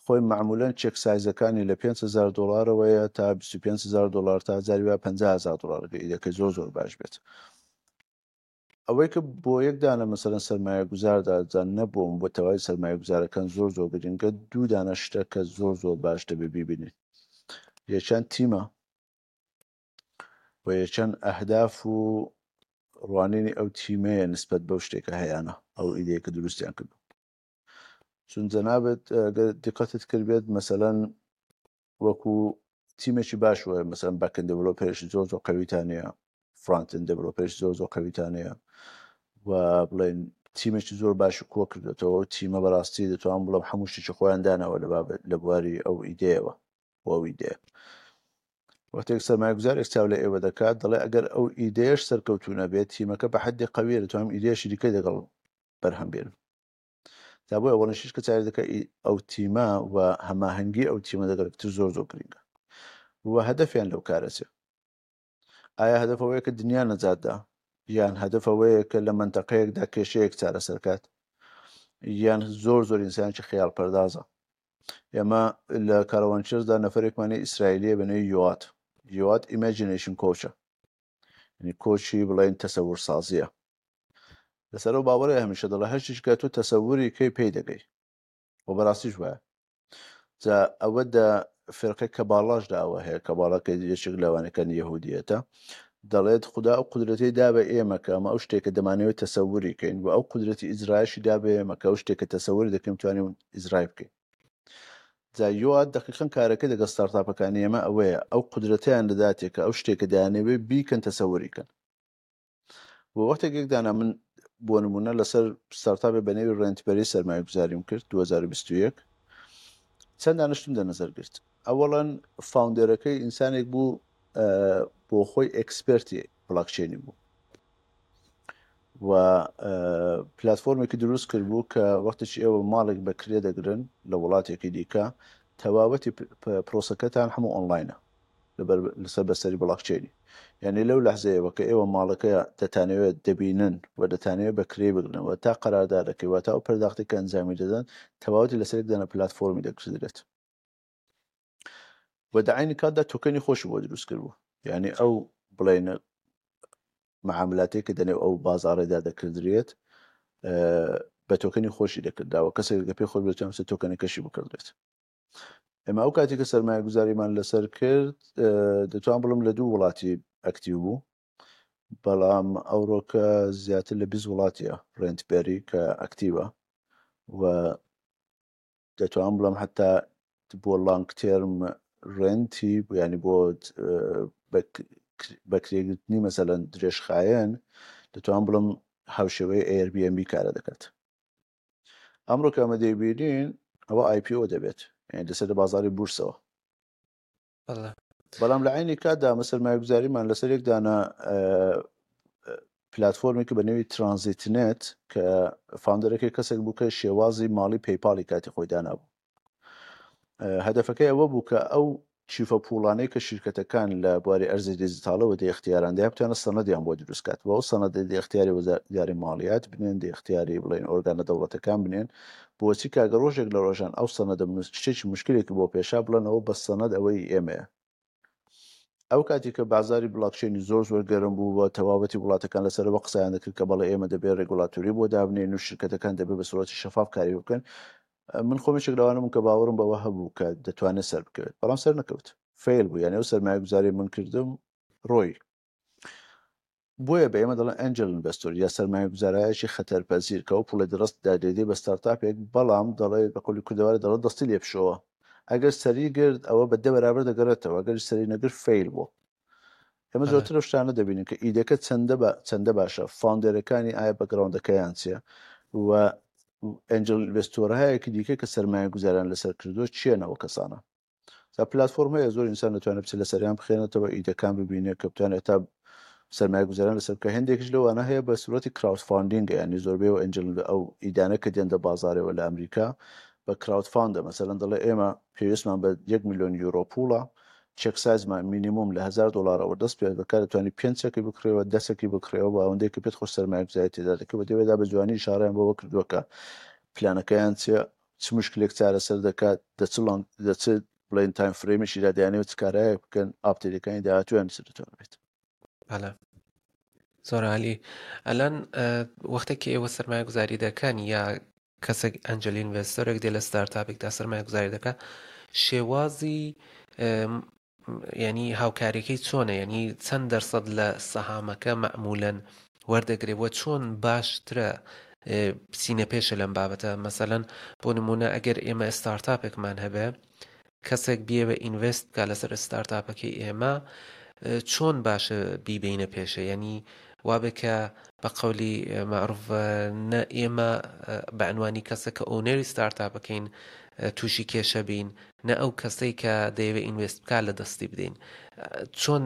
A: خۆی معمولەن چێک سایزەکانی لە 5000 دلارەوەیە تا 25000 دلار تا جاری وا 50000 دلار ئیدەکەی زۆر زۆر باش بێت ئەوەی کە بۆ یەک دانە مەسەلەن سەرمایەگوزاردا جا نە بۆم بۆ تەواوی سەرمایەگوزارەکان زۆر زۆر گرنگە دوو دانە شتە کە زۆر زۆر باش دەبێ بیبینین یەکیان تیمە و یەکیان ئەهداف و ڕوانینی ئەو تیمەیە نسبەت بەو شتێکە هەیانە ئەو ئیدەیە کە دروستیان کردو چون جەنابت گەر دیقەتت کردبێت مەسەلەن وەکو تیمێکی باش وایە مەسەلەن باکەند دێڤلۆپەرێکی زۆر زۆر قەویتان هەیە فرانتن دێڤلۆپەرێکی زۆر زۆر قەویتان هەیە و بڵێن تیمێکی زۆر باش کۆ کردێتەوە و تیمە بەڕاستی دەتوانم بڵێم هەموو شتێکی خۆیان داناوە لە بابەت لە بواری ئەو ئیدەیەوە بۆ ئەو ئیدەیە وەختێک سەرمایەگوزارێک چاو لە ئێوە دەکات دەڵێ ئەگەر ئەو ئیدەیەش سەرکەوتوو نەبێت تیمەکە بە حەدی قەویە دەتوانم ئیدەیەشی دیکەی دەگەڵ بەرهەم بێنم تا بۆیە وەڵنشیش کە چاوی دەکە ئەو تیمە و هەماهەنگی ئەو تیمە دەگەڵ تر زۆر زۆر گرنگە و هەدەفیان لەو کارە چێ ئایا هەدەف ئەوەیە کە دنیا نەجاتدا یان هەدەف ئەوەیە کە لە منتەقەیەکدا کێشەیەک چارەسەر کات یان زۆر زۆر ئینسانێکی خەیاڵ پەردازە ئێمە لە کاروانچێزدا نەفرێکمانی ئیسرائیلیە بە نێوی یوات یوات ئیماجینەیشن کۆچە یعنی کۆچی بڵێن تەسەور سازیە لەسەر ئەو باوەڕەیە هەمیشە دەڵێ هەر شتێک کە تۆ تەسەوری کەی پێی دەگەی و بەڕاستیش وایە جا ئەوە دە فرقەی کەباڵاشدا ئەوە هەیە کەباڵەکە یەکێک لەوانەکان یەهودیەتە دەڵێت خدا ئەو قدرەتی دا بە ئێمە کە ئەمە ئەو شتێکە دەمانەوێت تەسەوری کەین و ئەو قدرەتی ئیجرایشی دا بە ئێمە کە ئەو شتێکە تەسەوری دەکەین توانین ئیجرای بکەین جا یواد دەقیقەن کارەکەی دەگەڵ ستارتاپەکانی ئێمە ئەوەیە ئەو قدرەتیان دەداتێ کە ئەو شتێکە دەیانەوێت بیکەن تەسەوری کەن بۆ وەختێک یەک دانا من بۆ نمونە لەسەر ستارتاپێ بە نێوی ڕێنتبەری سەرمایەگوزاریم کرد 2021 چەند دانیشتم دە نەزەر گرت ئەوەڵەن فاوندەرەکەی ئینسانێک بوو بۆ خۆی ئێکسپێرتی بلاکچینی بوو و پلتفۆرمێکی دروست کرد بوو کە وەختێکی ئێوە ماڵێک بە کرێ دەگرن لە وڵاتێکی دیکە تەواوەتی پرۆسەکەتان هەموو ئۆنلاینە لەبەر لەسەر بەستەری بڵاکچەینی یعنی لەو لەحزەیەوە کە ئێوە ماڵەکە دەتانەوێت دەبینن و دەتانەوێت بە کرێ بگرن و تا قەراردادەکەی و تا ئەو پەرداختی کە ئەنجامی دەدەن تەواوەتی لەسەر یەک دانە پلاتفۆرمی دەکردرێت و دە عەینی کاتدا تۆکەنی خۆشی بۆ دروست کردبوو یعنی ئەو بڵێن معاملاتێک کە دەنێو ئەو بازاڕێدا دەکردرێت بە تۆکەنی خۆشی دەکرداوە کەسێک کە پێ خۆش بێت تۆکەنەکەشی بکردرێت ئێمە ئەو کاتی کە سەرمایەگوزاریمان لەسەر کرد دەتوان بڵم لە دوو وڵاتی ئەکتیو بوو بەڵام ئەوڕۆکە زیاتر لە 20 وڵاتیە ڕێنتبەری کە ئەکتیوە و دەتوان بڵم حتا بۆ لانگ تێرم ڕێنتی ینی بۆ بەکرێگرتنی مەسەلەن درێژخایەن دەتوان بڵم هاوشێوەی Airbnb کارە دەکات ئەمڕۆ کە ئەمە دەیبینین ئەوە IPO دەبێت یعنی دەچێتە بازاری بورسەوە. بەڵام لە عینی کاتدا ئەمە سەرمایەگوزاریمان لەسەر یەک دانە پلتفۆرمێکی بە نێوی TransitNet کە founder ەکەی کەسێک بوو کە شێوازی ماڵی PayPal ی کاتی خۆی دانابوو. هەدەفەکەی ئەوە بوو کە ئەو کیفە پوڵانەی کە شیرکەتەکان لە بواری ئەرزی دیجیتاڵەوە دە ئیختیاران دەیان بتوانن سەنەدیان بۆ دروست کات و ئەو سەنەدە دە ئیختیاری وەزارەتی ماڵیات بنێن، دە ئیختیاری بڵێن ئۆرگانە دەوڵەتەکان بنێن، بۆچی کە ئەگەر ڕۆژێک لە ڕۆژان ئەو سەنەدە شتێکی مشکلێکی بۆ پێشا بڵێن ئەوە بە سەنەد ئەوەی ئێمەیە. ئەو کاتی کە بازاری بلاکچینی زۆر زۆر گەرم بوو و تەواوەتی وڵاتەکان لەسەرەوە قسەیان دەکرد کە بەڵێ ئێمە دەبێت regulatory بۆ دابنێن و شرکەتەکان دەبێت بە سوڕەتی شەفاف کاری بکەن، من خۆم یەکێک لەوانە بووم کە باوەڕم بەوە هەبوو کە دەتوانێت سەر بکەوێت، بەڵام سەر نەکەوت، fail بوو، یانی ئەو سەرمایەگوزاری من کردم ڕۆی. بۆیە بە ئێمە دەڵێن angel investor یا سەرمایەگوزارایەکی خەتەرپەزیر کە ئەو پوڵەی دەڕست دادێدەی بە startup ێک بەڵام دەڵێ بە قەولی کوردەواری دەڵێ دەستی لێ بشۆوە ئەگەر سەری گرت ئەوە بە دە بەرابەر دەگەڕێتەوە ئەگەر سەری نەگرت fail بوو. ئێمە زۆرتر ئەو شتانە دەبینین کە ئیدەکە چەندە بە چەندە باشە founder ەکانی ئایا background ەکەیان چییە و angel investor ەیەکی دیکە کە سەرمایە گوزاران لەسەر کردووە چیەنەوە کەسانە تا پلتفۆرم هەیە زۆر ئینسان دەتوانێت بچێت لەسەریان بخێنێتەوە ئیدەکان ببینێت کە بتوانێت تا سەرمایە گوزاران لەسەر بکە هەندێکیش لەوانە هەیە بە سوورەتی crowdfunding ە ینی زۆربەی و angel ئەو ئیدانە کە دێن دە بازارەوە لە ئەمریکا بە crowdfund ە مەسەلەن دەڵێ ئێمە پێویستمان بە 1 میلیۆن یورۆ پوڵە check size مان مینیموم لە 1000 دلارەوە دەست پێ دەکات دەتوانی پێنج چەکی بکڕێەوە دەسەکی بکڕێەوە بە ئەوەندەی کە پێت خۆش سەرمایەگوزاری تێدا دەکەی و دەوێدا بە جوانی ئیشارەیان بەوە کردووە کە پلانەکەیان چیە چ مشکلێک چارەسەر دەکات، دە چ long دە چ بڵێن time frame ێکیدا دەیانەوێت چ کارایەک بکەن، update ەکانی داهاتوویان چ دەتوانێت بێت.
B: بەڵێ زۆر عالی. ئەلان وەختێک کە ئێوە سەرمایە گوزاری دەکەن یا کەسێک angel investor ێک دێ لە startup ێکدا سەرمایە گوزاری دەکات شێوازی یانی هاوکاریەکەی چۆنە یانی چەند دەرسەد لە سەهامەکە مەعمولەن وەردەگرێ وە چۆن باشترە بچینە پێشە لەم بابەتە مەسەلەن بۆ نمونە ئەگەر ئێمە startup ێکمان هەبێ کەسێک بیەوێ invest بکە لەسەر startup ەکەی ئێمە چۆن باشە بیبینە پێشە یعنی وابێ کە بە قەولی معروف نە ئێمە بە عنوانی کەسە کە owner ی startup ەکەین تووشی کێشە بین نە ئەو کەسەی کە دەیەوێت invest بکات لە دەستی بدەین چۆن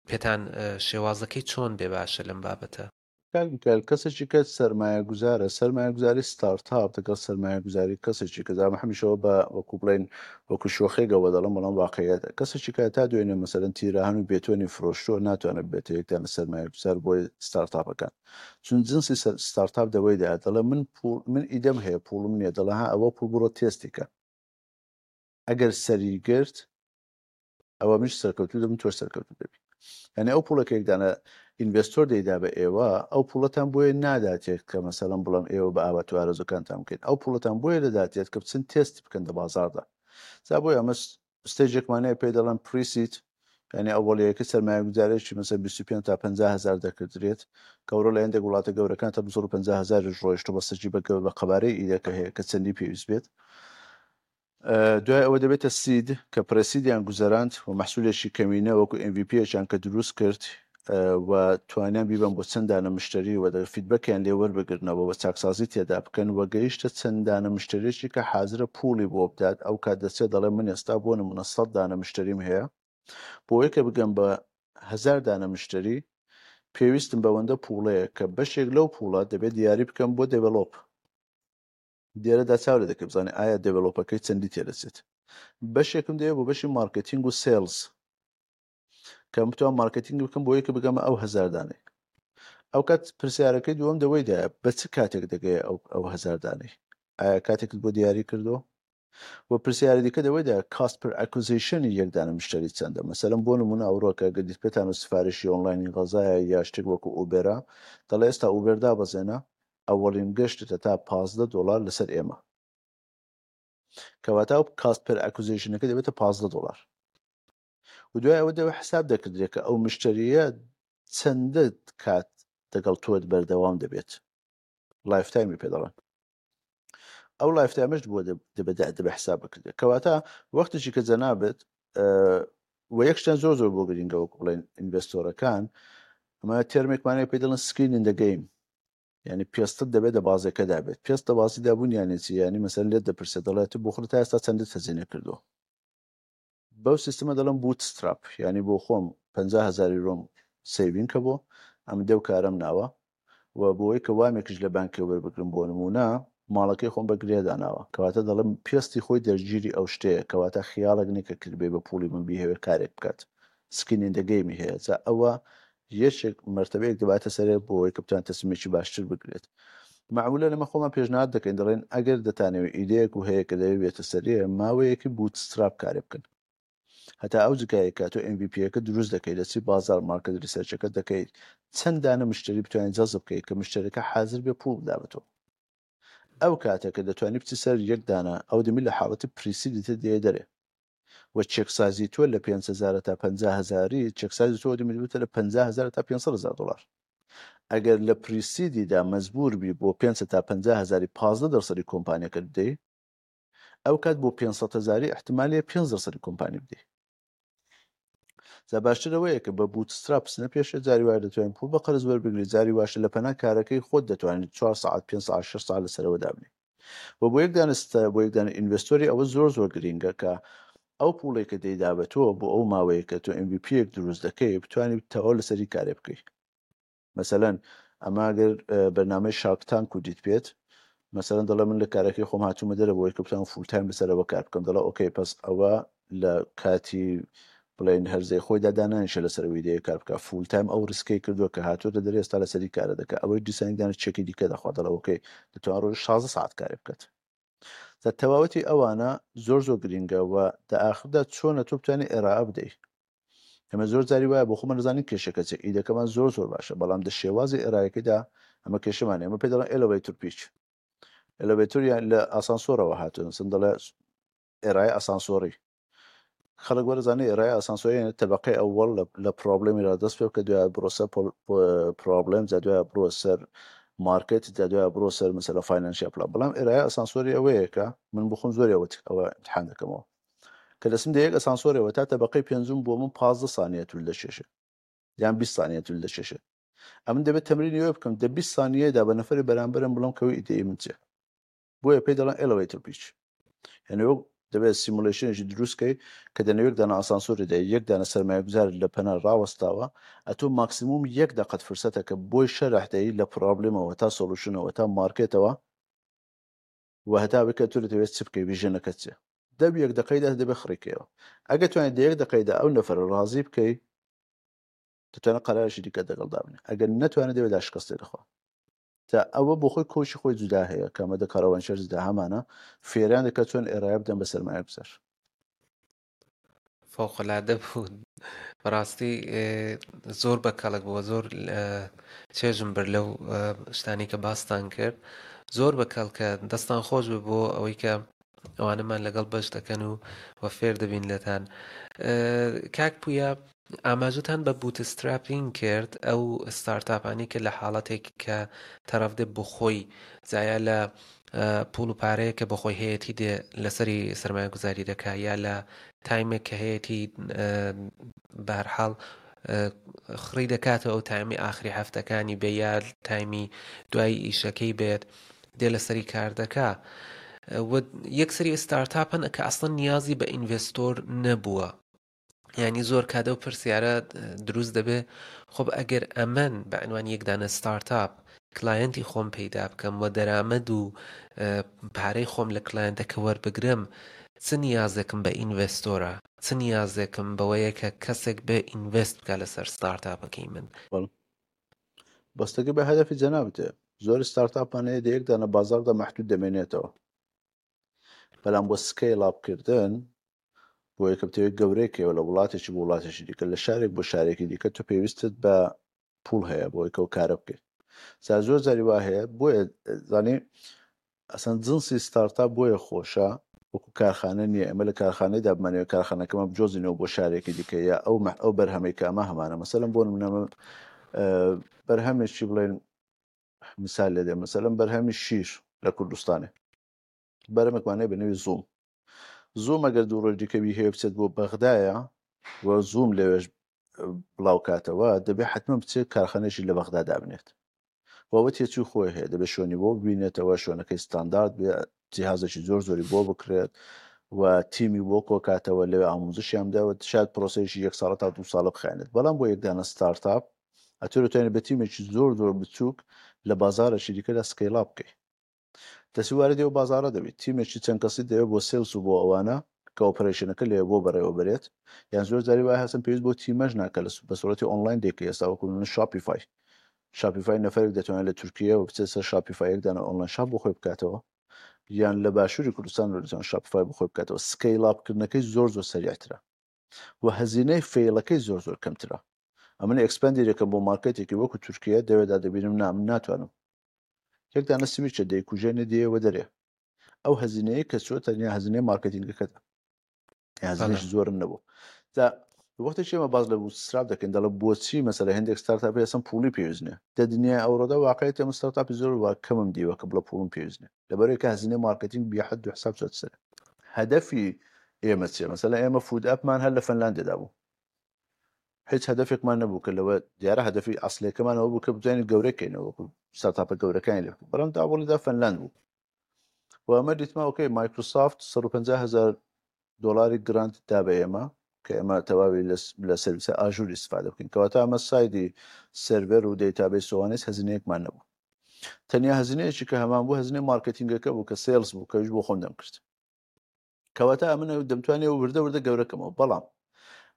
B: پێتان شێوازەکەی چۆن بێ باشە لەم بابەتە؟
A: کاک میکایل کەسێکی کە سەرمایەگوزارە سەرمایەگوزاری ستارتاپ دەگەڵ سەرمایەگوزاری کەسێکی کە زامە هەمیشەوە بە وەکو بڵێن وەکو شۆخێگەوە دەڵم بەڵام واقعیەتە کەسێکی کە تا دوێنێ مەسەلەن تیرەهەن و بێتۆنی فرۆشتووە ناتوانێت بێتە یەکدانە سەرمایەگوزار بۆ ستارتاپەکان چون جنسی ستارتاپ دەوەیدا دەڵێ من پوڵ من ئیدەم هەیە پوڵم نییە دەڵێ ها ئەوە پوڵ بڕۆ تێستی کە ئەگەر سەری گرت ئەوە منش سەرکەوتوو دەبم تۆش سەرکەوتوو دەبی یعنی ئەو پوڵە کە یەکدانە investor دەیدا بە ئێوە ئەو پوڵەتان بۆیە ناداتێت کە مەسەڵەن بڵم ئێوە بە ئاوات و ئارەزوەکانتان بکەین ئەو پوڵەتان بۆیە دەداتێت کە بچن تێست بکەن لە بازاڕدا جا بۆیە ئەمە stage ێکمان هەیە پێی دەڵێن pre-seed یعنی ئەوەڵیەکە سەرمایەگوزارێکی مەسە 25 تا 50 هزار دەکردرێت گەورە لە هەندێک وڵاتە گەورەکان تا 250 هزاریش ڕۆیشتووە بەستەکی بە بە قەبارەی ئیدەکە هەیە کە چەندی پێویست بێت دوای ئەوە دەبێتە seed کە pre-seed یان گوزەراند و مەحسولێکی کەمینە وەکو MVP یەکیان کە دروست کرد و توانیان بیبەن بۆ چەند دانە مشتەری و feedback یان لێ وەربگرنەوە و چاکسازی تێدا بکەن و گەیشتە چەند دانە مشتەرێکی کە حازرە پوڵی بۆ بدات ئەو کات دەچێت دەڵێ من ئێستا بۆ نمونە 100 دانە مشتەریم هەیە بۆیە کە بگەم بە هەزار دانە مشتەری پێویستم بەوەندە پوڵەیە کە بەشێک لەو پوڵە دەبێت دیاری بکەم بۆ develop لێرەدا چاو لێ دەکەی بزانێ ئایا develop ەکەی چەندی تێدەچێت بەشێکم دەوێت بۆ بەشی مارکتینگ و sales کە بتوان مارکتینگ بکەم بۆ یەکە بگەمە ئەو هەزاردانەی ئەو کات پرسیارەکەی دووەم دەوەیدا بە چ کاتێک دەگەیە ئەو ئەو هەزاردانەی ئایا کاتێکت بۆ دیاری کردو و پرسیاری دیکە دەوەیدا cost per acquisition ی یەک دانە مشتری چەندە مەسەلەن بۆ نمونە ئەوڕۆکە گەدیت پێتان و سفارشی ئۆنلاینی غەزایە یا شتێک وەکو ئوبێرا دەڵێ ئێستا ئوبێر دابەزێنە ئەوەڵین گەشتتە تا 15 دۆلار لەسەر ئێمە کەواتە ئەو cost per acquisition ەکە دەبێتە 15 دۆلار و دوای ئەوە دەوە حساب دەکردرێت کە ئەو مشتریە چەندە کات دەگەڵ تۆت بەردەوام دەبێت lifetime ی پێ دەڵێن ئەو lifetime ەش بۆ دەبێت حساب بکرێت کەواتە وەختێکی کە جەنابێت و یەک شتیان زۆر زۆر بۆ گرنگە وەکو بڵێن investor ەکان ئەمە term ێکمانەیە پێی دەڵێن skin in the game یعنی پێستت دەبێت دە بازێکەدا بێت پێست دە بازیدا بوون یانێ چی یعنی مەسەلەن لێت دەپرسێت دەڵێت بۆ خۆت تا ئێستا چەندت هەزینە کردووە. بەو سیستمە دەڵێم bootstrap یانی بۆ خۆم 50 هەزار یورۆم saving کە بۆ ئەم دەو کارەم ناوە و بۆی کە وامێکیش لە بانکێ وەربگرم بۆ نموونە ماڵەکەی خۆم بە گرێ داناوە کەواتە دەڵێم پێستی خۆی دەرگیری ئەو شتەیە کەواتە خیاڵێک نیە کە کردبێ بە پوڵی من بیهەوێ کارێک بکات skin in the game ی هەیە جا ئەوە یەکێک مەرتەبەیەک دەباتە سەرێ بۆ ئەوەی کە بتوانێت تەسمیمێکی باشتر بگرێت. مەعمولەن ئێمە خۆمان پێشنهاد دەکەین دەڵێین ئەگەر دەتانەوێت ئیدەیەک و هەیە کە دەوێت بێتە سەرێ ماوەیەکی bootstrap کارێ بکەن هەتا ئەو جگایە کە تۆ MVP ەکە دروست دەکەیت دەچی بازار market research ەکە دەکەیت چەند دانە مشتری بتوانێت جەزب بکەیت کە مشتەرەکە حاضر بێ پوڵ بدا بە تۆ ئەو کاتە کە دەتوانی بچی سەر یەک دانە ئەو دەمی لە حاڵەتی pre-seed ی تر دێ دەرێ و چێکسازی تۆ لە 5 هەزار تا 50 هەزاری چێکسازی تۆ دەمی بێتە لە 50 هەزار تا 500 هەزار دلار. ئەگەر لە pre-seed یدا مەجبور بی بۆ 5 تا 50 هەزاری 15 دەرسەدی کۆمپانیەکە بدەی، ئەو کات بۆ 500 هەزاری احتمالیە 5 دەرسەدی کۆمپانی بدەی. جا باشتر ئەوەیە کە بە bootstrap بچنە پێشێ، جاری وایە دەتوانین پوڵ بە قەرز وەربگری، جاری واشە لە پەنا کارەکەی خۆت دەتوانیت 4 ساعت 5 ساعت 6 ساعت لەسەرەوە دابنێی. و بۆ یەک دانە بۆ یەک دانە investor ی ئەوە زۆر زۆر گرینگە کە ئەو پوڵێک کە دەیدا بە تۆ بۆ ئەو ماوەیە کە تۆ MVP یەک دروست دەکەی بتوانیت تەواو لەسەری کارێ بکەی. مەسەلەن ئەمە گەر بەرنامەی Shark Tank و دیت بێت مەسەلەن دەڵێ من لە کارەکەی خۆم هاتوومە دەرە بۆی کە بتوانم full time لەسەرەوە کار بکەم، دەڵێ okay پس ئەوە لە کاتی بڵێن هەرزەی خۆیدا دانانیشە لەسەر ئەوەی دەیە کار بکە full time ئەو risk ەی کردووە کە هاتووەتە دەرێ ئێستا لەسەری کارە دەکە ئەوەی دیسانێک دانە چێکی دیکە دەخوا دەڵێ okay دەتوان ڕۆژ 16 ساعت کارێ بکات. جا تەواوەتی ئەوانە زۆر زۆر گرینگە و دە ئاخردا چۆنە تۆ بتوانێت ئێرائە بدەی. ئێمە زۆر جاری وایە بۆ خۆمان دەزانین کێشەکە چیە، ئیدەکەمان زۆر زۆر باشە بەڵام دە شێوازی ئێرایەکەیدا ئەمە کێشەمان ئێمە پێ دەڵێن elevator pitch. elevator یان لە ئاسانسۆرەوە هاتووە نووسن دەڵێ ئێرای ئاسانسۆری خەڵک وەرزانێ ئێرای ئاسانسۆری تەبقەی ئەوەڵ لە problem ی را دەست پێ بکە دوای بڕۆ سەر problem جا دوای بڕۆ سەر market جا دوای بڕۆ سەر مەسەلە financial plan. بەڵام ئێرای ئاسانسۆری ئەوەیە کە من بخۆم زۆر ئەوە ئەوە امتحان دەکەمەوە کە دەستم دە یەک ئەسانسۆرەوە تا تەبقەی پێنجم بۆ من 15 سانیە تول دەکێشێ یان 20 سانیە تول دەکێشێ. ئەمن دەبێت تەمرینی ئەوە بکەم دە 20 سانیەدا بە نەفەری بەرامبەرم بڵێم کەوی ئیدەی من چیە. بۆیە پێی دەڵێن elevator pitch. یعنی وەک دەبێت simulation ێکی دروست کەی کە دەنێو یەک دانە ئاسانسۆری دەی یەک دانە سەرمایەگوزار لە پەنا ڕاوەستاوە ئەتۆ ماکسیموم یەک دەقەت فرسەتە کە بۆی شەرح دەی لە problem ەوە تا solution ەوە تا market ەوە و هەتا بکە تۆ دەتەوێت چ بکەی vision ەکەت چیە. دە یەک دەقەیدا دەبێت خڕیکەیەوە. ئەگەر توانیت دە یەک دەقەیدا ئەو نەفەرە ڕازی بکەی دەتوانێت قەرارێکی دیکە دەگەڵ دابنێ، ئەگەر نەتوانێت دەبێت دا شکستێ دەخوا. تا ئەوە بۆ خۆی coach ی خۆی جودا هەیە کە ئەمە دە کاروان شەرزدا هەمانە فێریان دەکات چۆن ئێرایە بدەن بە سەرمایە گوزار.
B: فەوقلادە بوو بەڕاستی زۆر بە کەڵک بووە، زۆر چێژم برد لەو شتانی کە باستان کرد، زۆر بە کەڵکە. دەستان خۆش بێ بۆ ئەوەی کە ئەوانەمان لەگەڵ بەش دەکەن و و فێر دەبین لێتان. کاک پویا ئاماژەتان بە bootstrapping کرد، ئەو ستارتاپانی کە لە حاڵەتێک کە تەرەف دێ بۆ خۆی زایا لە پوڵ و پارەیە کە بەخۆی هەیەی دێ لەسەری سەرمایەگوزاری دەکا یا لە time ێک کە هەیەی بەهرحاڵ خڕی دەکاتەوە ئەو time ی ئاخری هەفتەکانی بێ یا time ی دوای ئیشەکەی بێت دێ لەسەری کار دەکا و یەکسری ستارتاپن کە ئەسڵەن نیازی بە investor نەبووە. یعنی زۆر کات ئەو پرسیارە دروست دەبێ خۆ ئەگەر ئەمن بە عنوان یەک دانە ستارتاپ client ی خۆم پەیدا بکەم و دەرامەد و پارەی خۆم لە client ەکە وەربگرم، چ نیازێکم بە investor ە، چ نیازێکم بەوەیە کە کەسێک بێ invest بکە لەسەر ستارتاپەکەی من؟
A: بەڵێ. بەستەکە بە هەدەفی جەنابتێ. زۆر ستارتاپمان هەیە دە یەک دانە بازاڕدا مەحدود دەمێنێتەوە، بەڵام بۆ scale up کردن بۆ یەکە بتەوێت گەورەیەکەوە لە وڵاتێکی بۆ وڵاتێکی دیکە، لە شارێک بۆ شارێکی دیکە، تۆ پێویستت بە پوڵ هەیە بۆ یەکەوە کارە بکەیت. جا زۆر جاری وا هەیە، بۆیە زانی ئەسەن جنسی ستارتاپ بۆیە خۆشە، وەکو کارخانە نییە. ئێمە لە کارخانەیدا بمانەوێت کارخانەکەمان بجۆزینەوە بۆ شارێکی دیکە یا ئەو بەرهەمەی کە ئەمە هەمانە، مەسەلەن بۆ نمونە بەرهەمێکی بڵێن مثال لێ دێ، مەسەلەن بەرهەمی شیر لە کوردستانێ بەرهەمێکمان هەیە بە نێوی زووم. زووم ئەگەر دوو ڕۆژ دیکە بیهەوێ بچێت بۆ بەغدایە و زووم لەوێش بڵاو کاتەوە، دەبێت حتمما بچێت کارخانەیەکی لە بەغدا دابنێت. وەوە تێچووی خۆی هەیە، دەبێت شوێنی بۆ ببینێتەوە، شوێنەکەی ستاندارد بێ، جیهازێکی زۆر زۆری بۆ بکرێت. و تیمی بۆ کۆکاتەوە لەوێ ئاموزشیان بدا و شاید پرۆسەیەکی یەک ساڵە تا دوو ساڵە بخایەنێت. بەڵام بۆ یەک دانە startup ئەتۆ دەتوانیت بە تیمێکی زۆر زۆر بچووک لە بازاڕێکی دیکەدا scale up بکەی. دەستی واردی ئەو بازاڕە دەبیت. تیمێکی چەند کەسی دەوێت بۆ sales و بۆ ئەوانە کە operation ەکە لەوێ بۆ بەڕێوە بەرێت. یان زۆر جاری وایە هەستم پێویست بۆ تیمەش ناکە لە بە سوڕەتی ئۆنلاین دەیکەی ئێستا وەکو نمونە Shopify. Shopify نەفەرێک دەتوانێت لە تورکیەوە بچێت سەر Shopify یەک دانە online shop بۆ خۆی بکاتەوە. یان لە باشووری کوردستان دەتوانێت Shopify بۆ خۆی بکاتەوە. scale up کردنەکەی زۆر زۆر سەریعترە و هەزینەی fail ەکەی زۆر زۆر کەمترە. ئەمن expand ی دەکەم بۆ مارکێتێکی وەکو تورکیە دەوێدا دەبینم نا من ناتوانم یەک دانە سویچە دەیکوژێنێ دێیەوە دەرێ ئەو هەزینەیە کە چوە تەنیا هەزینەی مارکتینگەکەتە هەزینەش زۆرم نەبوو تا وەختێک ئێمە باز لە bootstrap دەکەین دەڵێ بۆچی مەسەلە هەندێک startup ئێستا پوڵی پێویست نییە دە دنیای ئەوڕۆدا واقعیت ئێمە startup ی زۆر وا کەمم دیوە کە بڵێ پوڵم پێویست نییە لەبەرئەوەی کە هەزینەی مارکتینگ بێ حەد و حساب چۆتە سەر هەدەفی ئێمە چیە مەسەلە ئێمە food app مان هەر لە فەنلاندێدا بوو هیچ هەدەفێکمان نەبوو کە لەوە دیارە هەدەفی ئەسلەکەمان ئەوە بوو کە بتوانین گەورە کەینەوە وەکو startup ە گەورەکانی لێ بکەین بەڵام داوەڵیدا فەنلاند بوو و ئەمە دیتما okay مایکرۆسافت 150 هزار دلاری grant دا بە ئێمە کە ئێمە تەواوی لە سرویسە Azure استفاده بکەین کەواتە ئەمە side ی server و database سوانیس هەزینەیەکمان نەبوو تەنیا هەزینەیەکی کە هەمان بوو هەزینەی مارکتینگەکە بوو کە sales بوو کەویش بۆ خۆم دەمکرد کەواتە ئەمن دەمتوانێت وردە وردە گەورەکەمەوە بەڵام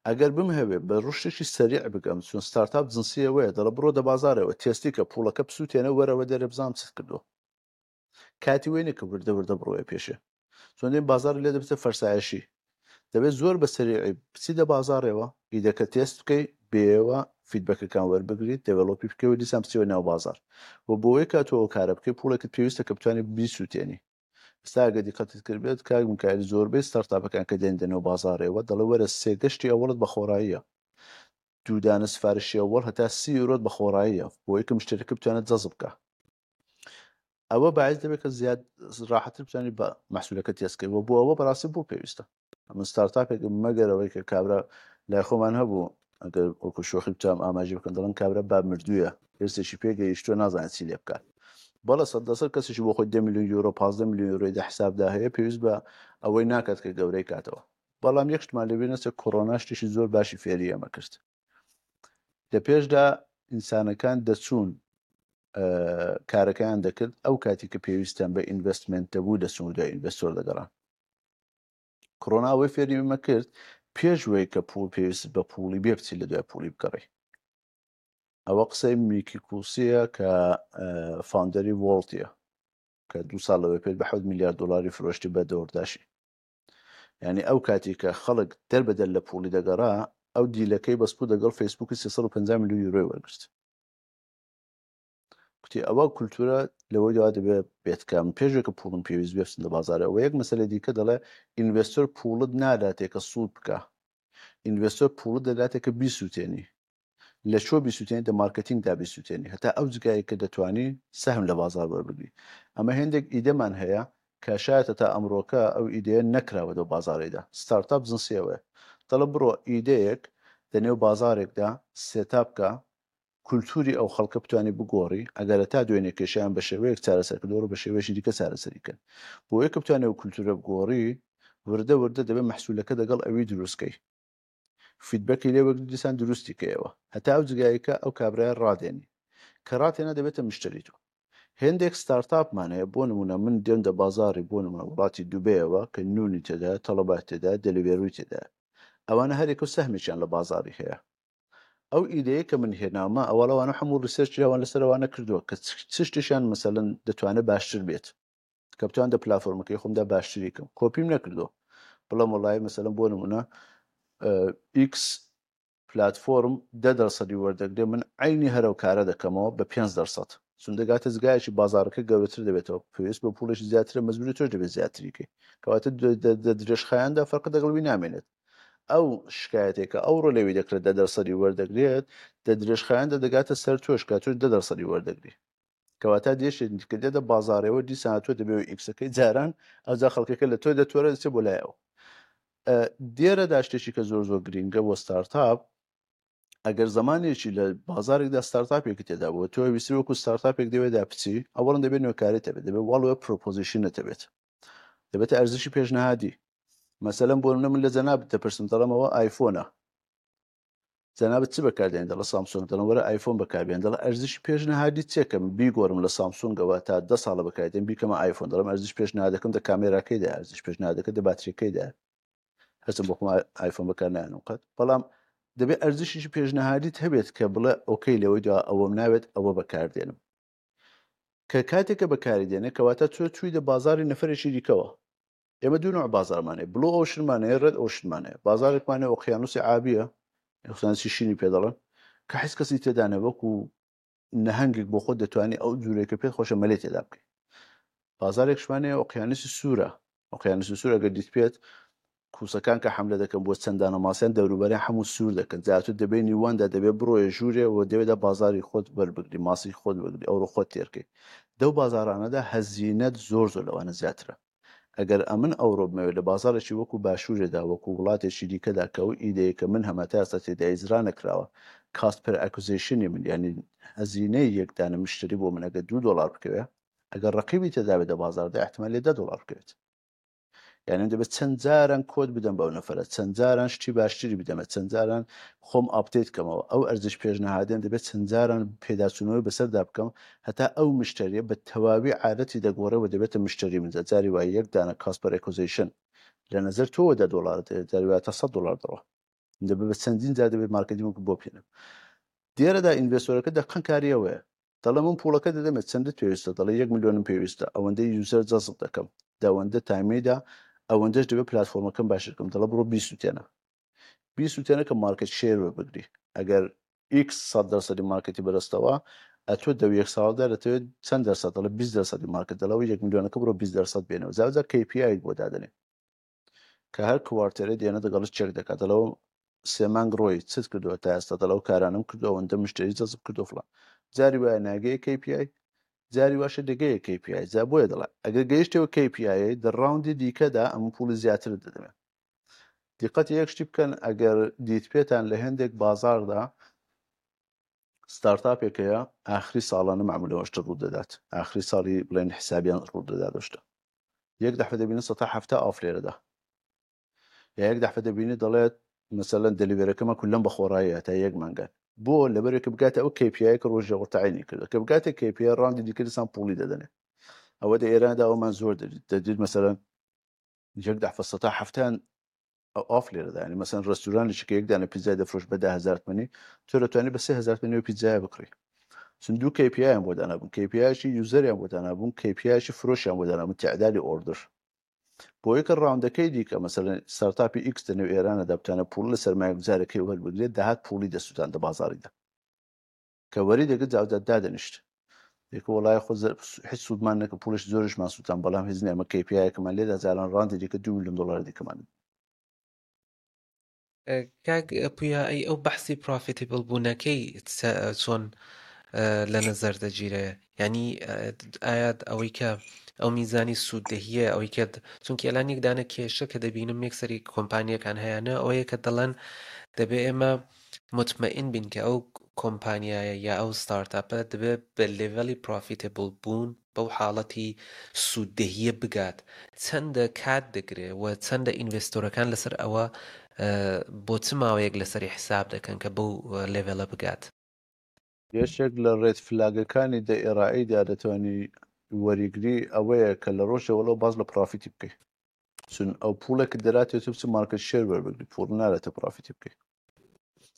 A: ئەگەر بمهەوێ بە ڕشتێکی سەریع بگەم چون ستارتاپ جنسیەوەیە دەڵە بڕۆ دە بازارەوە تێستی کە پوڵەکە بسووتێنە وەرەوە دەرێ بزانام چت کردووە کاتی وێنە کە وردە وردە بڕۆیە پێشێ چۆن دێن بازار لێ دەبێتە فەرسایشی دەبێت زۆر بە سەریعی بچی دە بازارەوە ئیدەکە تێست بکەی بێەوە feedback ەکان وەربگریت develop ی بکەی و دیسان بچیەوە ناو بازار و بۆیە کاتەوە کارە بکەی پوڵێکت پێویستە کە بتوانێت بیسووتێنی ئێستا ئەگەر دیقەتت کردبێت کاک میکایل زۆربەی startup ەکان کە دێن دەنێو بازاڕێوە دەڵێ وەرە سێ گەشتی ئەوەڵت بە خۆڕاییە دوو دانە سفارشی ئەوەڵ هەتا 30 یورۆت بە خۆڕاییە بۆ ئەوەی کە مشتەریەکە بتوانێت جەزب بکە ئەوە باعث دەبێت کە زیاد ڕاحەتر بتوانێت بە مەحسولەکە تێست کەی و بۆ ئەوە بەڕاستی بۆ پێویستە ئەمن startup ێک مەگەر ئەوەی کە کابرا لای خۆمان هەبوو ئەگەر وەکو شۆخی بتوانم ئاماژە بکەم دەڵێن کابرا با مردوویە هێرسێکی پێگەیشتووە نازانێت چی لێ بکات بەڵێ سەد لەسەر کەسێکی بۆ خۆی 10 میلیۆن یۆرۆ 15 میلیۆن یۆرۆی دە حسابدا هەیە پێویست بە ئەوەی ناکات کە گەورەی کاتەوە بەڵام یەک شتمان لەبیر نەچێت کۆرۆنا شتێکی زۆر باشی فێری ئێمە کرد لە پێشدا ئینسانەکان دەچوون کارەکەیان دەکرد ئەو کاتی کە پێویستیان بە investment دەبوو دەچوون دوای investor دەگەڕان کۆرۆنا ئەوەی فێری ئێمە کرد پێش وەی کە پوڵ پێویست بە پوڵی بێ بچی لە دوای پوڵی بگەڕی ئەوە قسەی میکی کوسیە کە founder ی Wolt ە کە دو ساڵ لەوەی پێش بە 7 میلیارد دلاری فرۆشتی بە DoorDash ی یعنی ئەو کاتی کە خەڵک دەربەدەر لە پوڵی دەگەڕا ئەو deal ەکەی بەس بوو دەگەڵ فەیسبووکی 350 میلیۆن یورۆی وەرگرت کوتی ئەوە کولتورە لەوەی دوا دەبێ بێت کە من پێش کە پوڵم پێویست بێ بچم لە بازارەوە یەک مەسەلە دیکە دەڵێ investor پوڵت ناداتێ کە سوود بکە investor پوڵت دەداتێ کە بیسووتێنی لە چۆ بیسووتێنی دە مارکتینگدا بیسووتێنی هەتا ئەو جگایە کە دەتوانی سەهم لە بازار وەربگری ئەمە هێندێک ئیدەمان هەیە کە شایەتە تا ئەمڕۆکە ئەو ئیدەیە نەکراوە دەو بازارەیدا ستارتاپ جنسیەوەیە دەڵێ بڕۆ ئیدەیەک دەنێو بازارێکدا setup کە کولتوری ئەو خەڵکە بتوانی بگۆڕی، ئەگەر هەتا دوێنێ کێشەیان بە شێوەیەک چارەسەر کردووە بە شێوەیەکی دیکە چارەسەری کەن. بۆیە کە بتوانی ئەو کولتورە بگۆڕی، وردە وردە دەبێ مەحسولەکە دەگەڵ ئەوی دروست کەی. feedback ی لێ وەرگری دیسان دروستی کەیەوە. هەتا ئەو جگایەی کە ئەو کابرایە ڕادێنی. کە ڕاتێنا دەبێتە مشتەری تۆ. هێندێک ستارتاپمان هەیە بۆ نمونە من دێم دە بازاڕی بۆ نمونە وڵاتی دوبەیەوە کە نونی تێدایە، تەڵەبات تێدایە، دەلیڤێروی تێدایە. ئەوانە هەریەکەو سەهمێکیان لە بازاڕی هەیە. ئەو ئیدەیە کە من هێناومە ئەوە لەوانە هەموو research ی ئەوان لەسەر ئەوانە کردووە کە چ شتێکیان مەسەلەن دەتوانێت باشتر بێت کە بتوان دە پلاتفۆرمەکەی خۆمدا باشتری کەم کۆپیم نەکردووە بڵێم وڵی مەسەلەن بۆ نمونە ئیکس پلاتفۆرم دە دەرسەدی وەردەگرێ من عینی هەرەو کارە دەکەمەوە بە 5 دەرسەد چون دەگاتە جگایەکی بازارەکە گەورەتر دەبێتەوە پێویست بە پوڵێکی زیاترە مەجبوری تۆش دەبێت زیاتریکەی کەواتە درێژخایەندا فەرق دەگەڵ وی نامێنێت ئەو شکایەتێک کە ئەوڕۆ لەوی دەکرێت دە دەرسەدی وەردەگرێت دە درێژخایەندا دەگاتە سەر تۆش کە تۆش دە دەرسەدی وەردەگری کەواتە دێشێت کە دێتە بازارەوە دیسان تۆ دەبێت ئیکسەکەی جاران ئەوجا خەڵکەکە لە تۆ دەتۆرە دەچێت بۆ لای ئەو دێرەدا شتێکی کە زۆر زۆر گرینگە بۆ ستارتاپ ئەگەر زمانێکی لە بازارێکدا ستارتاپێکی تێدا بوو تۆ ویستی وەکو ستارتاپێک دەوێدا بچی ئەوەڵەن دەبێت نوێکاری تەبێت دەبێت value proposition ت هەبێت دەبێتە ئەرزشی پێشنهادی. مەسەلەن بۆ نمونە من لە جەنابت دەپرسم دەڵێم ئەوە ئایفۆنە جەنابت چ بەکاردێن دەڵێ سامسۆنگ دەڵێم وەرە ئایفۆن بەکاربێن دەڵێ ئەرزشی پێشنهادی چیە کە من بیگۆڕم لە سامسۆنگەوە تا دە ساڵە بەکاردێن بیکەمە ئایفۆن دەڵێم ئەرزش پێشنهادەکەم دە کامێراکەیدا ئەرزش پێشنهادەکە دە باتریەکەیدا هەرچەند بۆ خۆم ئایفۆن بەکار نایەنم قەت بەڵام دەبێت ئەرزشیشی پێشنهادیت هەبێت کە بڵێ okay لەوەی دوا ئەوەم ناوێت ئەوە بەکاردێنم کە کاتێک کە بەکاری دێنێ کەواتە تۆ چوویدە بازاری نەفەرێکی دیکەوە ئێمە دوو نوع بازارمان هەیە blue ocean مان هەیە red ocean مان هەیە بازارێکمان هەیە ئۆقیانوسی ئابیە ئۆقیانوسی شینی پێ دەڵێن کە هیچ کەسی تێدا نیە وەکو نەهەنگێک بۆ خۆت دەتوانی ئەو جوورێک کە پێت خۆشە مەلێ تێدا بکەی بازارێکشمان هەیە ئۆقیانوسی سوورە ئۆقیانوسی سوور ئەگەر دیت پێت کوسەکان کە حەملە دەکەن بۆ چەند دانە ماسیان دەوروبەریان هەموو سوور دەکەن جا تۆ دەبێ نیواندا دەبێ بڕۆیە ژوورێ و دەوێدا بازاری خۆت وەربگری ماسی خۆت وەرگری ئەوڕۆ خۆت تێرکەی دەو بازارانەدا هەزینەت زۆر زۆر لەوانە زیاترە ئەگەر ئەمن ئەوڕۆ بمەوێ لە بازاڕێکی وەکو باشوورێدا وەکو وڵاتێکی دیکەدا کە ئەو ئیدەیە کە من هەمە تا ئێستا تێدا ئیجرا نەکراوە cost per acquisition ی من یانی هەزینەی یەک دانە مشتری بۆ من ئەگەر دوو دۆڵار بکەوێ ئەگەر ڕەقیبی تێدا بێت لە بازاڕدا ئیحتمال لێ دە دۆڵار بکەوێت. یعنی دەبێت چەند جاران کۆت بدەم بەو نەفرە چەند جاران شتی باشتری بدەمە چەند جاران خۆم update کەمەوە ئەو ئەرزش پێشنهادێن دەبێت چەند جاران پێداچوونەوەی بەسەردا بکەم هەتا ئەو مشتریە بە تەواوی عادەتی دەگۆڕێ و دەبێتە مشتری من جاری وای یەک دانە cost per acquisition لە نظر تۆوە دە دۆلار دەوێت جاری وایە تا 100 دۆلار دەڕوا دەبێت بە چەندین جار دەبێت مارکتینگ بۆ بهێنم دیارەدا investor ەکە دەقەن کاری ئەوەیە دەڵێ من پوڵەکە دەدەمێ چەندت پێویستە دەڵێ یەک ملیۆنم پێویستە ئەوەندەی user جەزب دەکەم دەوەندە تایمەیدا ئەوەندەش دەبێت پلاتفۆرمەکەم باشتر بکەم دەڵێ بڕۆ بیسوتێنە بیسوتێنە کە market share وەربگری ئەگەر X سەد دەرسەدی مارکتی بەرستەوە ئەتۆ دەو یەک ساڵدا دەتەوێت چەند دەرسەد دەڵێ 20 دەرسەدی مارکت دەڵەوە یەک ملیۆنەکە بڕۆ 20 دەرسەد بێنەوە جا KPI بۆ دادەنێ کە هەر quarter ێ دێنە دەگەڵت چێک دەکات دەڵەوە سێ مانگ ڕۆی چت کردووە تا ئێستا دەڵەو کارانم کردو ئەوەندە مشتری جەزب کردو فڵان جاری وایە ناگەیە KPI جاری واشە دەگەیە KPI جا بۆیە دەڵێ ئەگەر گەیشتەوە KPI دە round ی دیکەدا ئەم پوڵی زیاتر دەدەمێ دیقەتی یەک شتی بکەن ئەگەر دیت پێتان لە هەندێک بازاردا startup ێک هەیە ئاخری ساڵانە معمولەوە شتە ڕوو دەدات ئاخری ساڵی بڵێن حسابیان ڕوو دەدات شتە یەک دەفە دەبینن 170 off لێرەدا یا یەک دەفە دەبینی دەڵێت مەسەلەن delivery ەکەمە کولەم بە خۆڕاییە تا یەک مانگان بۆ لەبەرێک بگاتە ئەو KPI کە ڕۆژێ وەتعینی کردو کە بگاتە KPI round ی دیکە دیسان پوڵی دەدەنێ ئەوە دە ئێراندا ئەومان زۆر دەدیت مەسەلەن یەک دەفە سەتا هەفتان ئەو off لێرەدا یانی مەسەن ڕێستورانێکی کە یەک دانە پیتزای دەفرۆشت بە 10000 تمەنی تۆ دەتوانی بە 3000 تمەنی ئەو پیتزایە بکڕی چون دوو KPI یان بۆ دانابوون KPI شی user یان بۆ دانابوون KPI شی فرۆشیان بۆ دانابوون تعدادی order بۆیە کە round ەکەی دیکە مەسەلەن startup ی X لەنێو ئێرانەدا بتوانێت پوڵ لە سەرمایەگوزارەکەی وەربگرێت دەهات پوڵی دەسووتاند دە بازاڕیدا کە وەری دەگرت جاوجا دادەنیشت یەکە وەڵای خۆ هیچ سوودمان نەکە پوڵش زۆرشمان سووتان بەڵام هیچ نیە ئەمە KPI یەکەمان لێدا جاران round ی دیکە 2 میلیۆن دلار دیکەمان
B: کاک پویا ئەی ئەو بەحسی profitable بوونەکەی چۆن لە نەزەر دەگیرێ یعنی ئایا ئەوەی کە ئەو میزانی سووددەهیە ئەوەی کە چونکی ئەلان یەک دانە کێشە کە دەبینم یەکسەری کۆمپانیەکان هەیەە ئەوەیە کە دەڵێن دەبێ ئێمە متمەئین بین کە ئەو کۆمپانیایە یا ئەو startup ە دەبێت بە level ی profitable بوون بەو حاڵەتی سووددەهییە بگات چەندە کات دەگرێ و چەندە investor ەکان لەسەر ئەوە بۆ چ ماوەیەک لەسەری حساب دەکەن کە بەو level ە بگات؟
A: یەکێک لە red flag ەکانی دە ئێرائیدا دەتوانی وەریگری ئەوەیە کە لە ڕۆژێ وەڵەوە باس لە profit ی بکەی چون ئەو پوڵێک دەراتێ تۆ بچی market share وەربگری پوڵ نارێتە profit ی بکەی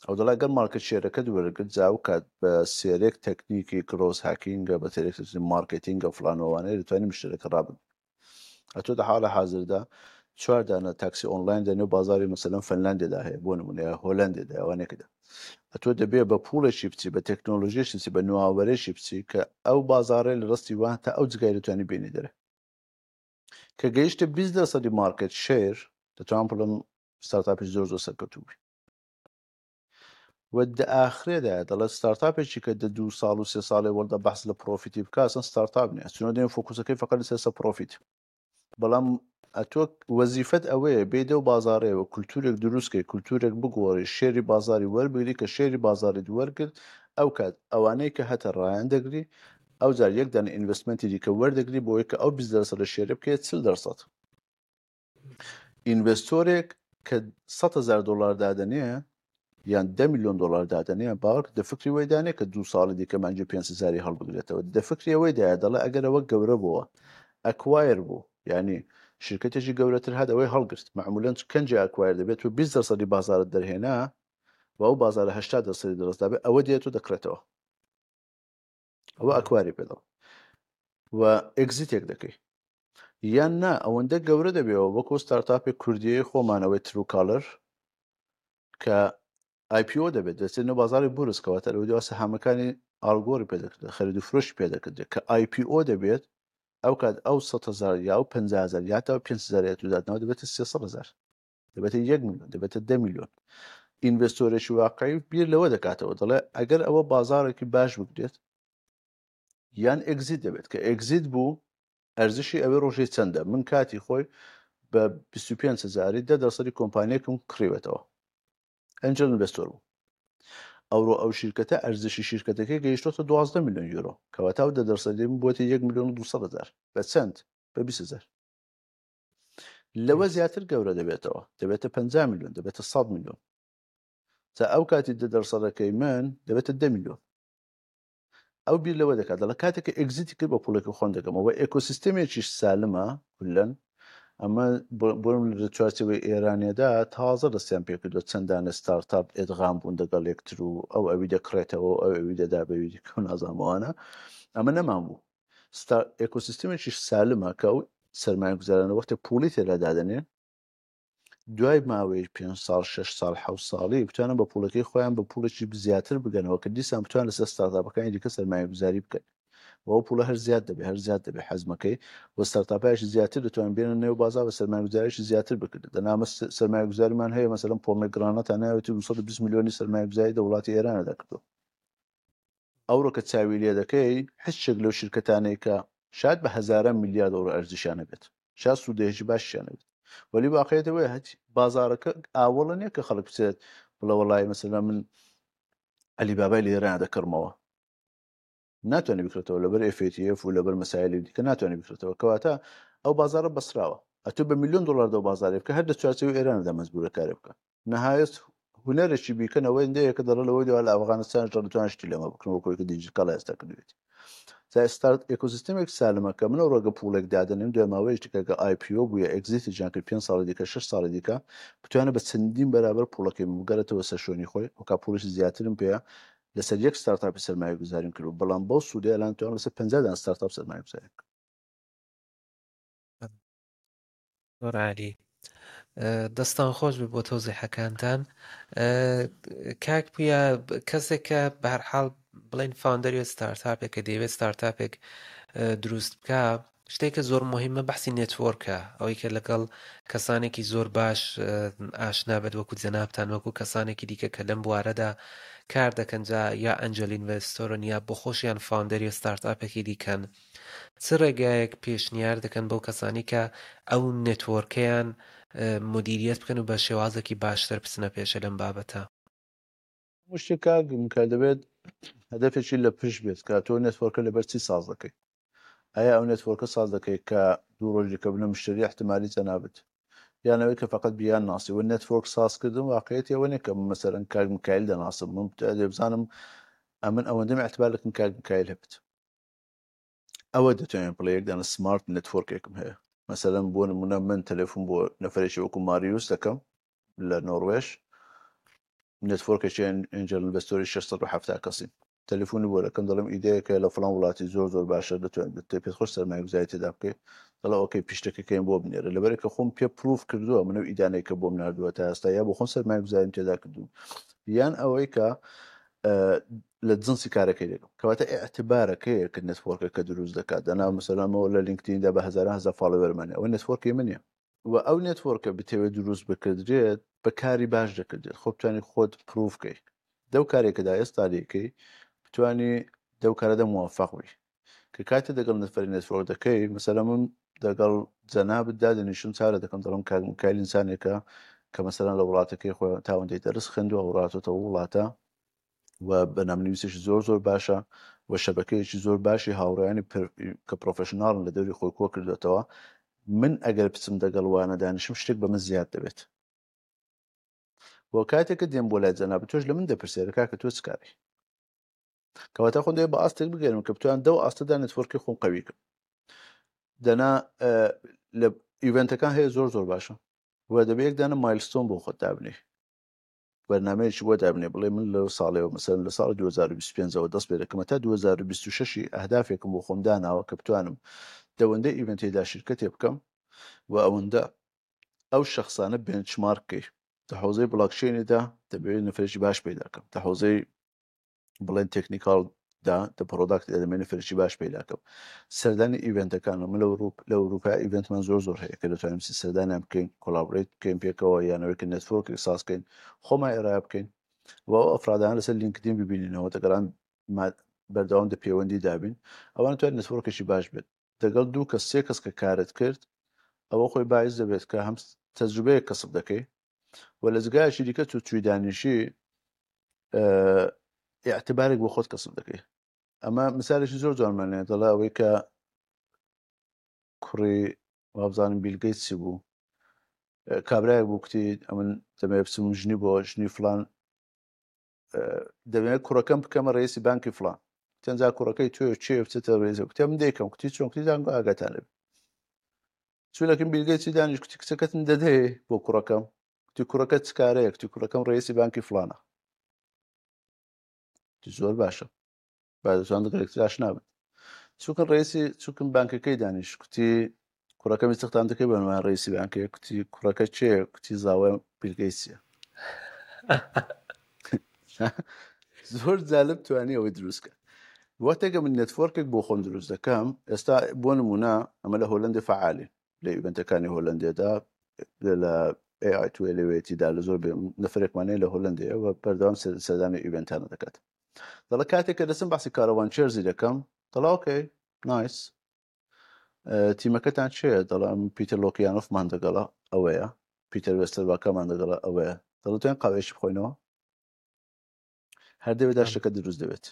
A: ئەو دەڵێ گەر market share ەکەت وەرگرت جا ئەو کات بە سێرێک تەکنیکی growth hacking ە بە سێرێک تەکنیکی marketing ە فلان و ئەوانەیە دەتوانی مشتەرەکە ڕابگری ئەتۆ دە حاڵە حازردا چوار دانە تاکسی ئۆنلاین دە نێو بازاری مەسەلەن فنلاندێدا هەیە بۆ نمونە یا هۆلەندێدا ئەوانێکدا ئەتۆ دەبێ بە پوڵێکی بچی بە تەکنۆلۆژیەکی بچی بە نوآوەرێکی بچی کە ئەو بازارەی لە ڕستی وان تا ئەو جگای دەتوانی بێنی دەرێ کە گەیشتە 20 دەرسەدی market share دەتوانم بڵێم startup ی زۆر زۆر سەرکەوتوو بووی و دە ئاخرێدا دەڵێت startup ێکی کە دە دوو ساڵ و سێ ساڵێ وەڵدە بەحس لە profit ی بکا ئەسڵەن startup نییە چونە دێن focus ەکەی فقط لەسەر سە profit بەڵام ئەتۆ وەزیفەت ئەوەیە بێ دەو بازارەیەوە کولتورێک دروستکەی کولتورێک بگۆڕی share ی بازاری وەربگری کە share ی بازاریت وەرگرت ئەو کات ئەوانەی کە هەتە ڕایان دەگری ئەو جار یەک دانە investment ی دیکە وەردەگری بۆی کە ئەو 20 دەرسەد لە share ە بکەیە 40 دەرسەد. investor ێک کە 100 هەزار دۆلار دادەنێ یان 10 میلیۆن دۆلار دادەنێ، باوەڕ دە فکری وەی دانێ کە 2 ساڵی دیکە مانگی 5 هەزاری هەڵبگرێتەوە. دە فکری ئەوەی دایە، دەڵێ ئەگەر ئەوە گەورە بووە، acquire بوو، یعنی شرکتێکی گەورەتر هات ئەوەی هەڵگرت. معمولا کەنجی acquire دەبێت و 20 دەرسەدی بازارت دەرهێنا و ئەو بازارە 80 دەرسەدی دەرەستدا بێت، ئەوە دێت و دەکڕێتەوە. ئەوە acquire ی پێدەڵ و exit ێک دەکەی. یان نا ئەوەندە گەورە دەبێەوە، وەکو ستارتاپی کوردیی خۆمانەوەی Truecaller کە IPO دەبێت، دەچێت نێو بازاری بورس، کەواتە لەوە دوا سەهامەکانی ئاڵگۆری پێ دەکرێت، خەرید و فرۆشی پێ دەکردێت. کە IPO دەبێت، ئەو کات ئەو 100 هەزار یا ئەو 50 هەزار یا تا 5 هەزار دادنەوە دەبێتە 300 هەزار، دەبێتە 1 میلیۆن، دەبێتە 10 میلیۆن. investor ێکی واقعی بیر لەوە دەکاتەوە، دەڵێ ئەگەر ئەوە بازارێکی باش بگرێت یان exit دەبێت، کە exit بوو ئەرزشی ئەوێ ڕۆژی چەندە؟ من کاتی خۆی بە 25 هزاری 10 دەرسەدی کۆمپانیەکم کڕیوێتەوە، angel investor بوو. ئەوڕۆ ئەو شیرکەتە ئەرزشی شیرکەتەکەی گەیشتۆتە 12 میلیۆن یورۆ، کەواتە ئەو 10 دەرسەدی من بۆتە 1 میلیۆن و 200 هەزار. بە چەند؟ بە 20 هەزار. لەوە زیاتر گەورە دەبێتەوە، دەبێتە 50 میلیۆن، دەبێتە 100 میلیۆن. تا ئەو کاتی 10 دەرسەدەکەی من دەبێتە 10 میلیۆن. ئەو بیر لەوە دەکات، دەڵێ کاتێک کە exit ی کرد بە پوڵێکی خۆم دەکەمەوە. ئێکۆسیستەمێکی سالمە کولەن. ئەمە بۆ لە چوارچێوەی ئێرانیەدا تازە دەستیان پێکردووە، چەندانە ستارتاپ ئێدغام بوون دەگەڵ یەکتر و ئەو ئەوی دەکڕێتەوە، ئەو ئەوی دەدا بەوی دیکە و نازانمەوانە. ئەمە نەمان بوو. ئێکۆسیستەمێکی سالمە کە ئەو سەرمایەگوزارانە وەختێ پوڵی تێدا دادەنێن، دوای ماوەی 5 ساڵ، 6 ساڵ، 7 ساڵی بتوانن بە پوڵەکەی خۆیان بە پوڵێکی زیاتر بگەنەوە، کە دیسان بتوان لەسەر ستارتاپەکانی دیکە سەرمایەگوزاری بکەن و ئەو پوڵە هەر زیاد دەبێت، هەر زیاد دەبێت حەزمەکەی و ستارتاپایش زیاتر دەتوان بێنە نێو بازار و سەرمایەگوزاریش زیاتر بکرێت. دەنامە سەرمایەگوزاریمان هەیە، مەسەلەن پۆمێگرانەتا ناوێتی 220 میلیۆنی سەرمایەگوزاری دە وڵاتی ئێرانەدا کردو. ئەوڕۆ کە چاوی لێ دەکەی، هیچ شێک لەو شرکەتانەی کە شاید بە هەزاران میلیارد ئەوڕۆ ئەرزشیان هەبێت، شاید سوودەیەکی باشیان هەبێت، وەلی واقعیەت ئەوەیە هەچ بازارەکە ئاوەڵە نییە کە خەڵک بچێت بڵێ وەڵای مەسەلەن من عەلی بابای لە ئێران دەکڕمەوە. ناتوانێت بکرێتەوە لەبەر FATF و لەبەر مەسایلی دیکە ناتوانێت بکرێتەوە. کەواتە ئەو بازارە بەسراوە. ئەتۆ بە میلیۆن دلار دەو بازارێ بکە، هەر لە چوارچێوەی ئێراندا مەجبورە کارێ بکە. نهایەت هونەرێکی بیکەنەوە هێندەیە کە دەڵێ لەوەی دوا لە ئەفغانستان دەتوان شتی لەمە بکەن، وەکو کە دیجیکاڵ ئێستا کردوێتی. تا ستارت ئێکۆسیستمێک سالمە کە من ڕۆگە پوڵێک دادەنێم، دوای ماوەیەکی دیکە کە IPO بووە، exit ی جان کرد، 5 ساڵی دیکە، 6 ساڵی دیکە، بتوانێت بە چەندین بەرابەر پوڵەکەی من بگەڕێتەوە سەر شوێنی خۆی. وەکا پوڵێکی زیاترم پێیە، لەسەر یەک ستارتاپی سەرمایە گوزاریم کرد، بەڵام بەو سوودەیە الان توانم لەسەر 50 دان ستارتاپ سەرمایە گوزاری بکەم.
B: زۆر عالی، دەستان خۆش بێ بۆ تەوزیحەکانتان. کاک پویا، کەسێک کە بە هەر حاڵ بڵێن founder ی ستارتاپێک کە دەیەوێت ستارتاپێک دروست بکە، شتێکە زۆر مهمە بەحسی network ە، ئەوەی کە لەگەڵ کەسانێکی زۆر باش ئاشنا بێت، وەکو جەنابتان، وەکو کەسانێکی دیکە کە لەم بوارەدا کار دەکەن، جا یا angel investor ن یا بۆ خۆشیان founder ی ستارتاپێکی دیکەن. چ ڕێگایەک پێشنیار دەکەن بەو کەسانی کە ئەو network ەیان مدیریت بکەن و بە شێوازێکی باشتر بچنە پێشە لەم بابەتە؟
A: شتێک کاک کە دەبێت هەدەفێکی لە پشت بێت کە تۆ network ە لەبەر چی ساز دەکەی. ئایا ئەو network ە ساز دەکەی کە دوو ڕۆژ دیکە بنە مشتری احتمالی جەنابت، یانەوەی کە فقط بیان ناسی و network سازکردن؟ واقعیەتی ئەوە نییە کە من مەسەلەن کاک میکایل دەناسم، من بزانم ئەمن ئەوەندەم اعتبار لەکن کاک میکایل هەبێت، ئەوە دەتوانین بڵێ یەک دانە smart network ێکم هەیە. مەسەلەن بۆ نمونە من تەلەفۆن بۆ نەفرێکی وەکو ماریوس دەکەم لە نۆروێژ، network ێکی angel investor ی 670 کەسی، تەلەفۆنی بۆ دەکەم، دەڵێم ئیدەیەکە لە فڵان وڵاتی زۆر زۆر باشە، دەتوانێت پێت خۆش سەرمایەگوزاری تێدا بکەیت. دەڵێ okay، pitch ەکەکەیم بۆ بنێرە. لەبەرێک کە خۆم پێ proof کردووە من ئەو ئیدانەی کە بۆم ناردووە تا ئێستا یا بۆ خۆم سەرمایەگوزاریم تێدا کردووم، یان ئەوەی کە لە جنسی کارەکەی دەکەم. کەواتە ئیعتبارەکەیە کە network ەکە دروست دەکات. دەنا مەسەلەن لە LinkedIn دا بە هەزاران هەزار follower مان، ئەوە network ی من نییە. و ئەو network ە بتەوێت دروست بکردرێت، بە کاری باش دەکردێت، خۆ بتوانانی خۆت proof کەی دەو کارێکەدا ئێستا لێکەی، بتانی دەو کارەدا موفق بی. کە کاتێ دەگەڵ نەفەری network دەکەی، مەسەلەن من دەگەڵ جەنابت دادەنیشم چارە دەکەم، دەڵم کاک میکایل ئینسانێکە کە مەسەلەن لە وڵاتەکەی خۆی تاوەندەی دەرس خوێندووە، وڵاتەوە وڵاتە و بەرنامەنویسێکی زۆر زۆر باشە و شەبەکەیەکی زۆر باشی هاوڕێیانی کە professional ن لە دەوری خۆی کۆ کردوێتەوە. من ئەگەر بچم دەگەڵ وانە دانیشم شتێک بە من زیاد دەبێت. بۆ کاتێک کە دێم بۆ لای جەنابت تۆش لە من دەپرسێرە کاکە تۆ چ کاری؟ کەواتە خۆم دەوێت بە ئاستێک بگەرم کە بتوان دەو ئاستەدا network ی خۆم قوی کەم. دەنا لە event ەکان هەیە زۆر زۆر باشە و دەبێت یەک دانە milestone بۆ خۆت دابنێ، بەرنمەیەکی بۆ دابنێ، بڵێ من لەو ساڵەوە مەسەلەن لە ساڵی 2025ەوە دەست پێ دەکەم تا 2026 ئەهدافێکم بۆ خۆم داناوە کە بتوانم دەوەندە event ێدا شرکەتێ بکەم و ئەوەندە ئەو شخصانە benchmark کەی. لە حوزەی بلاکچینیدا دەبێت نەفرێکی باش پەیدا کەم، لە حوزەی بڵێن technical دا دە product دا دەمێنێ نەفرێکی باش پەیدا کەم. سەردانی event ەکان من لە ئەوروپ لە ئەوروپا event مان زۆر زۆر هەیە کە دەتوانین بچین سەردانیان بکەین، collaborate بکەین پێکەوە، یانەوەی کە network ێک ساز بکەین، خۆمان ئێرا بکەین و ئەو ئەفرادانە لەسەر لینکدین ببینینەوە، دەگەڵان بەردەوام دە پەیوەندی دابین، ئەوان توانن network ێکی باش بێت. دەگەڵ دوو کەس سێ کەس کە کارت کرد ئەوە خۆی باعیس دەبێت کە هەم تەجروبەیەک کەسب دەکەی و لە جگایەکی دیکە تو چوی دانیشی اعتبارێک بۆ خۆت کەسب دەکەی. ئەمە مثالێکی زۆر جوانمان هەیە، دەڵێ ئەوەی کە کوڕی وابزانم بیل گەیتس چی بوو، کابرایەک بوو کوتی ئەمن دەمەوێت بچم ژنی بۆ ژنی فلان دەمەوێت کوڕەکەم بکەمە ڕئیسی بانکی فلان. تەنجا کوڕەکەی تۆ چێ بچێتە ڕێزە؟ کوتی من دەیکەم. کوتی چۆن؟ کوتی دانگۆ ئاگاتان لێ. چوو لەکن بیل گەیتسی دانیش، کوتی کچەکەتم دەدەیێ بۆ کوڕەکەم؟ کوتی کوڕەکە چ کارەیە؟ کوتی کوڕەکەم ڕئیسی بانکی فلانە. کوتی زۆر باشە، با دەتوان لەگەڵ یەکتر ئاشنا بن. چووکن ڕئیسی چووکن بانکەکەی دانیش، کوتی کوڕەکەم استخدام دەکەی بە عنوان ڕئیسی بانکەیە؟ کوتی کوڕەکە کێیە؟ کوتی زاوای بیل گەیتسیە. زۆر جالب توانی ئەوەی دروست کرد. وەختێکە من network ێک بۆ خۆم دروست دەکەم، ئێستا بۆ نمونە ئەمە لە هۆلەندی فعالی لە event ەکانی هۆلەندێدا لە AI تو لەوێتیدا لە زۆر نەفرێکمان هەیە لە هۆلەندەیە و بەردەوام سەردانی event انە دەکات. دەڵێ کاتێک کە دەچم باسی کاروان چێرزی دەکەم، دەڵێ okay nice، تیمەکەتان چێ؟ دەڵێم پیتەر لۆکیانۆفمان دەگەڵە ئەوەیە، پیتەر وێستەرباکەمان دەگەڵە ئەوەیە. دەڵێ توێن قاوەیەکی بخۆینەوە؟ هەر دەوێت شتەکە دروست دەبێت.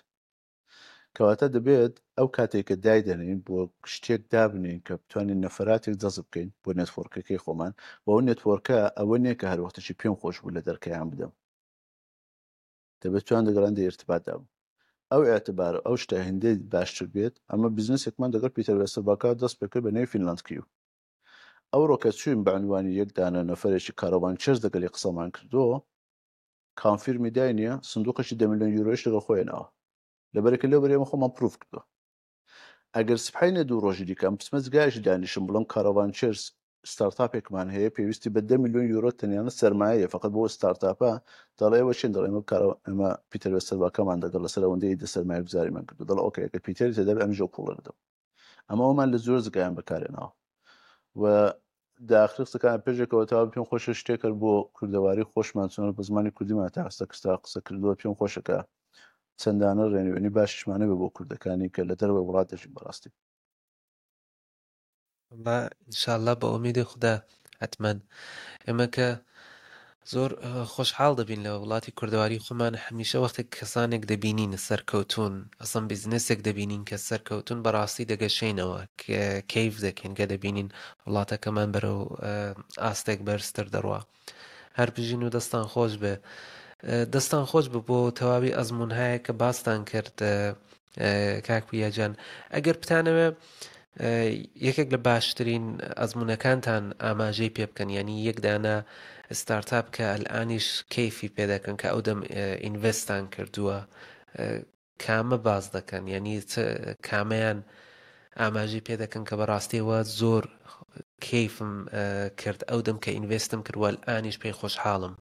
A: کەواتە دەبێت ئەو کاتێک کە دایدەنین بۆ شتێک دابنین کە بتوانین نەفراتێک جەزب بکەین بۆ network ەکەی خۆمان، بۆ ئەو network ە ئەوە نییە کە هەر وەختێکی پێم خۆش بوو لە دەرکەیان بدەم، دەبێت توان دەگەڵان دە ارتباط دابم. ئەو اعتبار ئەو شتە هێندەی باشتر بێت. ئەمە بزنسێکمان دەگەڵ پیتەر وێستەرباکا دەست پێکرد بە نێوی فینلاند کیو. ئەوڕۆ کە چوین بە عنوانی یەک دانە نەفەرێکی کاروان چێرز دەگەلی قسەمان کردو، confirm ی دای نییە، سندوقێکی دە ملیۆن یورۆیش لەگەڵ خۆی ناوە، لەبەرێکە لەو بەری ئێمە خۆمان proof کردووە. ئەگەر سبحینە دوو ڕۆژی دیکە ئەم بچمە جگایەکی دانیشم بڵێم کاروان چێرز startup ێکمان هەیە پێویستی بە دە ملیۆن یورۆ تەنیانە سەرمایەیە فقط بۆ startup ە، دەڵێ ئێوە چین؟ دەڵێ ئێمە کارە ئێمە پیتەر وێستەرباکەمان دەگەڵ لەسەر ئەوەندەی دە سەرمایە گوزاریمان کردو. دەڵێ okay ئەگەر پیتەری تێدا بێ ئەمیش ئەو پوڵە دەدەم. ئەمە ئەومان لە زۆر جگایان بەکارێناوە و داخری قسەکان پێشێکەوە تا پێم خۆشە شتێکرد بۆ کوردەواری خۆشمان چۆن بە زمانی کوردیمان تا ئێستا کستا قسە کردووە. پێم خۆشەکە چەندانە ڕێنوێنی باشیشمانە بێ بۆ کوردەکانی کە لە دەرەوەی وڵات دەژین بەڕاستی.
B: وەڵا ئینشاءاللە بە ئومێدی خودا حەتمەن ئێمە کە زۆر خۆشحاڵ دەبین لە وڵاتی کوردەواری خۆمان هەمیشە وەختێک کەسانێک دەبینین سەرکەوتون ئەسڵەن بیزنسێک دەبینین کە سەرکەوتون بەڕاستی دەگەشەینەوە کەیف دەکەین کە دەبینین وڵاتەکەمان بەرەو ئاستێک بەرزتر دەڕوا. هەر بژین و دەستان خۆش بێ. دەستان خۆش بێ بۆ تەواوی ئەزموونهایە کە باستان کرد کاک پویا جان. ئەگەر بتانەوێ یەکێک لە باشترین ئەزموونەکانتان ئاماژەی پێ بکەن، یعنی یەک دانە ستارتاپ کە ئەلئانیش کەیفی پێ دەکەن کە ئەو دەم invest تان کردووە، کامە باس دەکەن؟ یعنی چ کامەیان ئاماژەی پێ دەکەن کە بەڕاستیەوە زۆر کەیفم کرد ئەو دەم کە invest م کرد و ئەلئانیش پێی خۆشحاڵم؟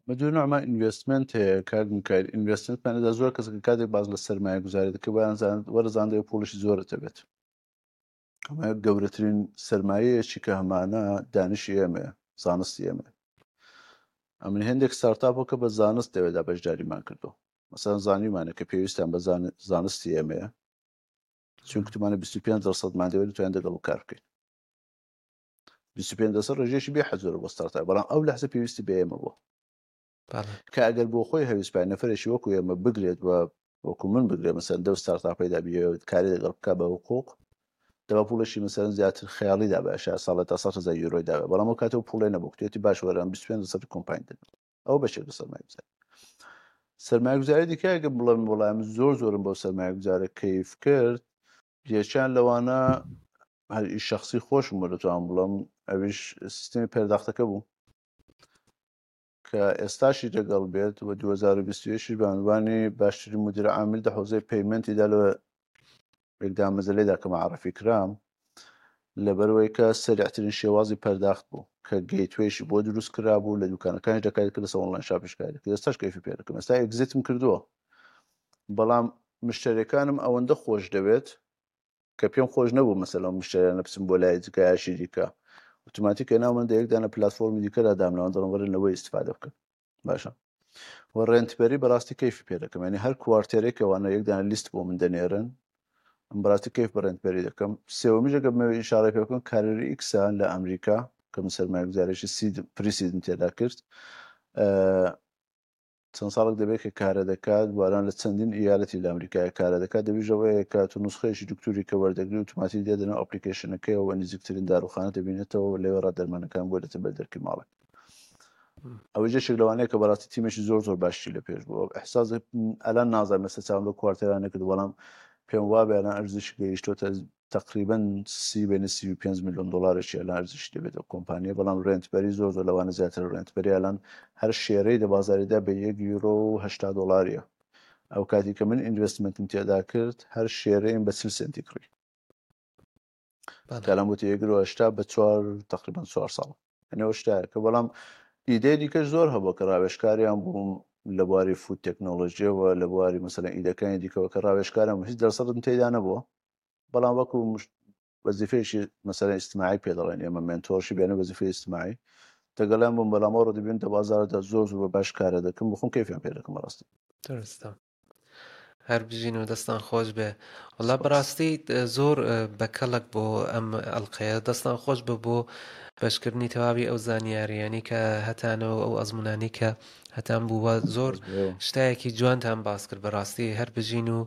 A: بە دوو نوعمان investment هەیە کاک میکایل. investment مانەدا زۆر کەس کە کاتێک باس لە سەرمایە گوزاری دەکەن وایان زان وەرزان دەوێت پوڵیشی زۆرت هەبێت. ئەمە گەورەترین سەرمایەیەکی کە هەمانە دانشی ئێمەیە، زانستی ئێمەیە. ئەمن هێندێک startup ەکە بە زانست دەوێدا بەشداریمان کردو. مەسەلەن زانیمانە کە پێویستیان بە زانستی ئێمەیە، چون کتمانە 25 درصدمان دەوێت توانین دەگەڵ کار بکەین. 25 درصد ڕێژەیەکی بێ حەد زۆرە بۆ startup، بەڵام ئەو لەحزە پێویستی بە ئێمە بووە. کە ئەگەر بۆ خۆی هەویست پای نەفرێکی وەکو ئێمە بگرێت و وەکو من بگرێت مەسەلەن دەو startup ەیدا بیەوێت کاری لەگەڵ بکا بە حقوق، دەبا پوڵێکی مەسەلەن زیاتر خەیاڵی دابایە شاید ساڵێ تا 100 هەزار یۆرۆی دابایە بەڵام ئەو کاتە ئەو پوڵەی نەبوو کوتێتی باش وەرە ئەم 25 لەسەد کۆمپانی دەدەم ئەوە بەشێک لە سەرمایەگوزاری سەرمایەگوزاری دیکە ئەگەر بڵێم وەڵا من زۆر زۆرم بەو سەرمایەگوزارە کەیف کرد یەکیان لەوانە هەر ئیش شخصی خۆشم بۆ دەتوانم بڵێم ئەویش سیستمی پەرداختەکە بوو کە ئێستاشی دەگەڵ بێت و 2021 بە عنوانی باشترین مدیر عامل دە حوزەی payment ی دا لە یەکدا مەزەلەیدا کە معرفی کرام لەبەرئەوەی کە سەریعترین شێوازی پەرداخت بوو کە gateway شی بۆ دروست کرابوو لە دوکانەکانیش دەکاری کرد لەسەر online shop یش کاری کرد ئێستاش کەیفی پێ دەکەم ئێستا exit م کردووە بەڵام مشتەریەکانم ئەوەندە خۆش دەوێت کە پێم خۆش نەبوو مەسەلەن مشتەریانە بچم بۆ لای جگایەکی دیکە ئۆتۆماتیک ناو من دە یەک دانە پلاتفۆرمی دیکەدا دامناوە دەڵێم وەرن لەوەی ئیستفادە بکەن باشە و ڕێنتبەری بەڕاستی کەیفی پێ دەکەم یعنی هەر quarter ێک ئەوانە یەک دانە لیست بۆ من دەنێرن ئەم بەڕاستی کەیف بە ڕێنتبەری دەکەم سێوەمیش ئەگەر بمەوێت ئیشارە پێ بکەم Carrier X ە لە ئەمریکا کە من سەرمایەگوزارێکی seed pre-seed م تێدا کرد چەند ساڵێک دەبێت کە کارە دەکات باران لە چەندین ئیالەتی لە ئەمریکایە کارە دەکات دەبیژەوەیە کە تو نسخەیەکی دکتوری کە وەردەگری ئۆتۆماتیک دێتە ناو application ەکەیەوە نزیکترین داروخانە دەبینێتەوە و لەوێ ڕا دەرمانەکان بۆ دێتە بەر دەرکی ماڵێک ئەوە جێشێک لەوانەیە کە بەڕاستی تیمێکی زۆر زۆر باشی لە پێش بوو احساس ئەلان نازانم لەسەر چاوم لەو quarter انە کرد بەڵام پێم وابێ ئەلان ئەرزشی گەیشتۆتە تقریبا سی بین 35 میلیۆن دلارێکی ئەلان ئەرزشی دەبێت ئەو کۆمپانیە بەڵام ڕێنتبەری زۆر زۆر لەوانە زیاتر ڕێنتبەری ئەلان هەر share ەی لە بازاریدا بە 1 یورۆ و 80 دلاریە ئەو کاتی کە من investment م تێدا کرد هەر share ەیم بە 40 سنتی کڕی کەلام وتی یەک یورۆ 80 بە چوار تقریبا چوار ساڵ ئەنەوە شتایە کە بەڵام ئیدەی دیکەش زۆر هەبوو کە ڕاوێژکاریان بووم لە بواری food تەکنۆلۆژیەوە لە بواری مەسەلەن ئیدەکانی دیکەوە کە ڕاوێژکارم هیچ دەرسەدم تێدا نەبووە بەڵام وەکو وەزیفەیەکی مەسەلەن ئیجتماعی پێ دەڵێن ئێمە mentorship یانە وەزیفەی ئیجتماعی دەگەڵیان بووم بەڵام ئەوڕۆ دەبینم دە بازاڕدا زۆر زۆر بە باش کارە دەکەم بخۆم کەیفیان پێ دەکەم بەڕاستی.
B: درستە هەر بژین و دەستان خۆش بێ وەڵا بەڕاستی زۆر بەکەڵک بۆ ئەم ئەڵلقەیە دەستان خۆش بە بۆ بەشکردنی تەواوی ئەو زانیاریانی کە هەتانەوە ئەو ئەزمونانی کە هەتان بووە زۆر شتایەکی جوانتان باس کرد بەڕاستی هەر بژین و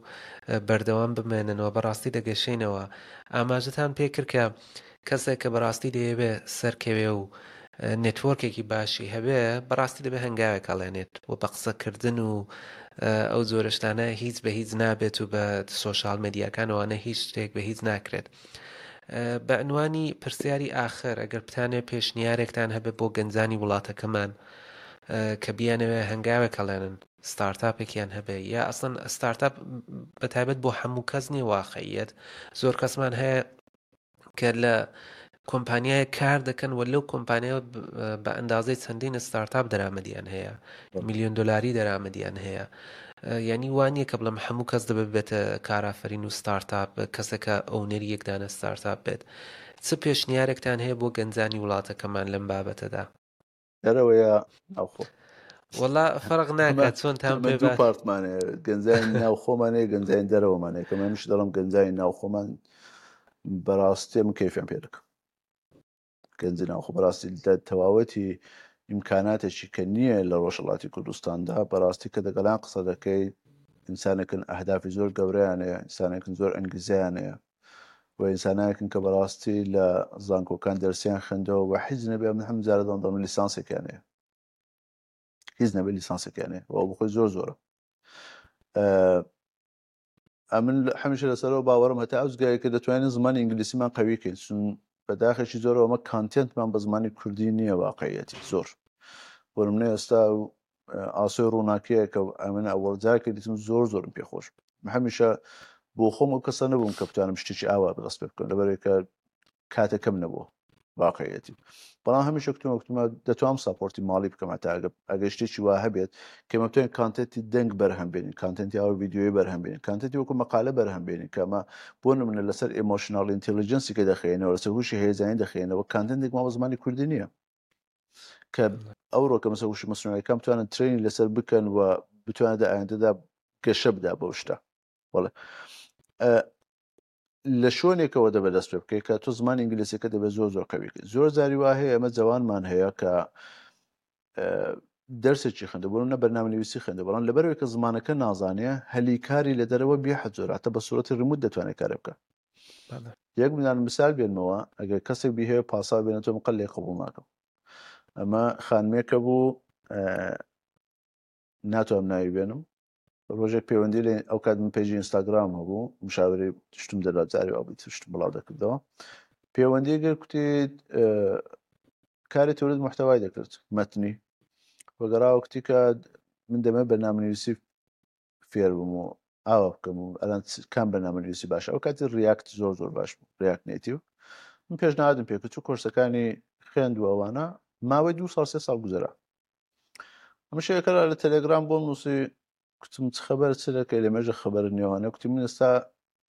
B: بەردەوام بمێننەوە بەڕاستی دەگەشێنەوە ئاماژەتان پێکرد کە کەسێک کە بەڕاستی دەیەوێ سەرکەوێ و network ێکی باشی هەبێ بەڕاستی دەبێ هەنگاوێک هەڵێنێت و بە قسەکردن و ئەو جۆرە شتانە هیچ بە هیچ نابێت و بە social media کانەوانە هیچ شتێک بە هیچ ناکرێت. بە عنوانی پرسیاری ئاخر ئەگەر بتانێ پێشنیارێکتان هەبێ بۆ گەنجانی وڵاتەکەمان کە بیانەوێ هەنگاوێک هەڵێنن startup ێکیان هەبێ یا ئەسڵەن ستارتاپ بە تایبەت بۆ هەموو کەس نییە واقعیت زۆر کەسمان هەیە کە لە کۆمپانیایە کار دەکەن و لەو کۆمپانیا بە ئەندازەی چەندین ستارتاپ دەرامەدیان هەیە میلیۆن دلاری دەرامەدیان هەیە یعنی وانە کە بڵم هەموو کەس دەبێت بێتە کارافرین و ستارتاپ کەسێکە owner ی یەکدانە ستارتاپ بێت چ پێشنیارێکتان هەیە بۆ گەنجانی وڵاتەکەمان لەم بابەتەدا
A: دەرەوە یا ناوخۆ؟
B: وەڵا فەرق ناکات چۆنتان
A: پێ دوو part مان هەیە گەنجانی ناوخۆمان هەیە گەنجانی دەرەوەمان هەیە کە منیش دەڵم گەنجانی ناوخۆمان بەڕاستی من کەیفیان پێ دەکەم گەنجی ناوخۆ بەڕاستی لە تەواوەتی ئیمکاناتێکی کە نییە لە ڕۆژهەڵاتی کوردستاندا بەڕاستی کە دەگەڵیان قسە دەکەی ئینسانێکن ئەهدافی زۆر گەورەیان هەیە ئینسانێکن زۆر ئەنگیزەیان هەیە و ئینسانایەکن کە بەڕاستی لە زانکۆکان دەرسیان خوێندەوە و حیز نەبێ من هەم جارە دەڵێم لیسانسێکیان هەیە هیچ نەبێ لیسانسێکیان هەیە و بخۆی زۆر زۆرە ئەمن هەمیشە لەسەرەوە باوەڕم هەتا ئەو جگایە کە دەتوانین زمانی ئینگلیسیمان قوی کەین چون بەداخێکی زۆرەوە ئەمە content مان بە زمانی کوردی نییە واقعیەتی زۆر بۆ نمونە ئێستا ئاسۆی ڕووناکیە کە ئەمن ئەوەڵ جار کە دیتم زۆر زۆرم پێ خۆش هەمیشە بۆ خۆم ئەو کەسە نەبووم کە بتوانم شتێکی ئاوا بەدەست پێ بکەم لەبەرئەوەی کە کاتەکەم نەبووە واقعیەتی بەڵام هەمیشە کوتم وەکتمە دەتوانم support ی ماڵی بکەم هەتا ئەگەر شتێکی وا هەبێت کە ئێمە بتوانین content ی دەنگ بەرهەم بێنین content ی ئاوە ڤیدیۆیی بەرهەم بێنین content ی وەکو مەقالە بەرهەم بێنین کە ئەمە بۆ نمونە لەسەر emotional intelligence ی کە دەخەینەوە لەسەر هوشی هەیەجانی دەخەینەوە content ێک ما بە زمانی کوردی نییە کە ئەوڕۆ کە مەسە هوشی مەسنوعیەکان بتوانن training لەسەر بکەن و بتوانێت لە ئایندەدا گەشە بدا بەو شتە بەڵێ لە شوێنێکەوە دەبێت دەست پێ بکەیت کە تۆ زمانی ئینگلیزیەکە دەبێت زۆر زۆر قوی بکەیت زۆر جاری وا هەیە ئەمە جوانمان هەیە کە دەرسێکی خوێندە بۆ نە بەرنامە نووسی خوێندە بەڵام لەبەرەوەی کە زمانەکە نازانێ هەلی کاری لە دەرەوە بێ حەد زۆراتە بە سوورەتی remote دەتوانێت کارە بکە. یەک منان مثال بێنمەوە ئەگەر کەسێک بیهەوێ پاساو بێنێتەوە من قەت لێ قبوڵ ناکەم ئەمە خانمێکە بوو ناتوانم ناوی بێنم ڕۆژێک پەیوەندی لە ئەو کات من page ی ئینستاگرام هەبوو مشاوری شتم دەدا جاری وا بوو شتم بڵاو دەکردەوە پەیوەندی گەر کوتی کاری تولید محتوای دەکرد مەتنی وەگەڕاوە کوتی کە من دەمێ بەرنامەنویسی فێر بووم و ئاوا بکەم و ئەلان کام بەرنامەنویسی باشە ئەو کاتی React زۆر زۆر باش بوو React Native من پێشنهادم پێکرد چوو کۆرسەکانی خوێند و ئەوانە ماوەی دو ساڵ سێ ساڵ گوزەرا ئەمە شێکەرا لە تەلێگرام بۆم نووسی کوتم چ خەبەر چ دەکەی لە مێژە خەبەر نێوانە کوتی من ئێستا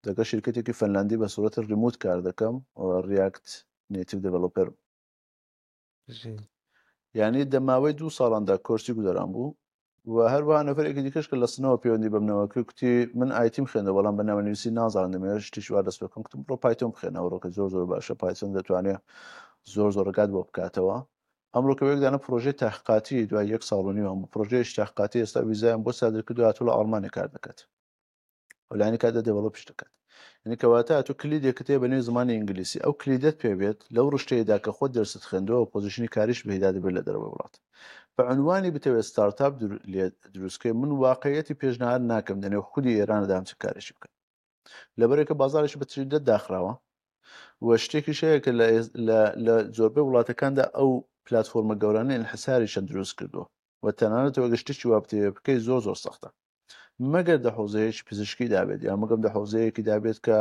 A: دەگە شرکەتێکی فەنلاندی بە سوورەتی remote کار دەکەم و React Native developer یعنی دە ماوەی دوو ساڵاندا کۆرسی گوزەران بوو و هەروەها نەفەرێکی دیکەش کە لە سنەوە پەیوەندی بەمنەوە کرد کوتی من IT م خوێندەوە بەڵام بەرنامەنویسی نازانم دەمەوێت شتیش وا دەست بکەم کوتم بڕۆ Python بخوێنە ئەوڕۆکە زۆر زۆر باشە Python دەتوانێت زۆر زۆر ڕێگات بۆ بکاتەوە ئەمڕۆ کە یەک دانە پرۆژەی تحقیقاتی دوای یەک ساڵ و نیو هەموو پرۆژەیەکی تحقیقاتی ئێستا ویزایان بۆ سادر کردو هاتوو لە ئەڵمانیا کار دەکات لانی کاتدا develop ش دەکات یعنی کەواتە تۆ کلیدێکت هەیە بە نێو زمانی ئینگلیسی ئەو کلیدت پێ بێت لەو ڕشتەیەدا کە خۆت دەرست خوێندووە position ی کاریش بهدا دەبێت لە دەرەوەی وڵات بە عنوانی بتەوێت ستارتاپ دروستکەی من واقعیەتی پێشنهاد ناکەم لەنێو خودی ئێراندا هەم چ کارێکی بکەن لەبەرێکە بازارێکی بە تریدە داخراوە و شتێکیش هەیە کە لە زۆربەی وڵاتەکاندا ئەو پلتفۆرمە گەورانە ئینحساریشان دروست کردووە و تەنانەت ئەگەر شتێکی وا بتەوێت بکەی زۆر زۆر سەختە مەگەر دە حوزەیەکی پزیشکی دابێت یا مەگەم دە حوزەیەکی دابێت کە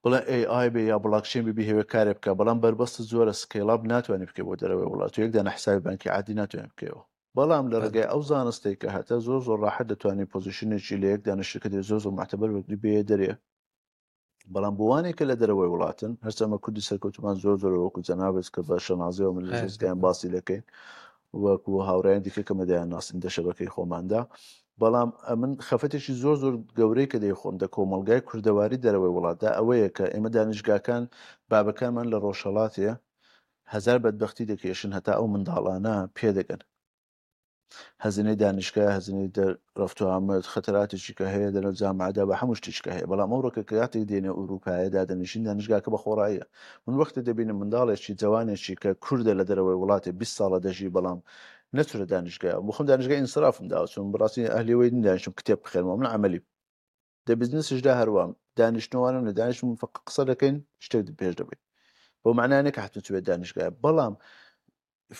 A: بڵێ AI بێ یا بڵاکچین بێ بیهەوێ کارێ بکە بەڵام بەربەستە زۆرە scale up ناتوانانی بکەی بۆ دەرەوەی وڵات و یەک دانە حسابی بانکی عادی ناتوانێت بکەیەوە بەڵام لە ڕێگای ئەو زانستەی کە هەتە زۆر زۆر ڕاحەت دەتوانانی position ێکی لە یەک دانە شرکەتی زۆر زۆر معتبر وەرگری بێ دەرێ بەڵام بۆوانێک کە لە دەرەوەی وڵاتن هەرچەمە کوردی سەرکەوتمان زۆر زۆر وەکو جەنابت کە بە شەنازیەوە من لە زگیان باسی دەکەین وەکو هاوڕێیان دیکە کە مەدایان ناسین دە شەبەکەی خۆماندا بەڵام ئەمن خەفەتێکی زۆر زۆر گەورەی کە دەیخۆم دە کۆمەڵگای کوردەواری دەرەوەی وڵاتدا ئەوەیە کە ئێمە دانیشگاکان بابەکانمان لە ڕۆژهەڵاتێ هەزار بەدبەختی دەکێشن هەتا ئەو منداڵانە پێدەگەن هەزینەی دانیشگا هەزینەی دەر رفت و آمد خەتەراتێکی کە هەیە دەنەو جامعەدا بە هەموو شتێکی کە هەیە بەڵام ئەوڕۆ کە کاتێک دێنە ئوروپایە دادەنیشین دانیشگاکە بە خۆڕاییە من وەختێ دەبینم منداڵێکی جەوانێکی کە کوردە لە دەرەوەی وڵاتێ 20 ساڵە دەژی بەڵام نەچورە دانیشگا بۆ خۆم دانیشگای ئینسرافم داوە چون بەڕاستی ئەهلی وەی دانیشم کتێب بخێنمەوە من عەمەلی دە بزنسیشدا هەروام دانیشتنەوانم لە دانیشتم فقط قسە دەکەین شتێک پێش دەبین بۆ معنانێک کە حتمە چوێت دانیشگای بەڵام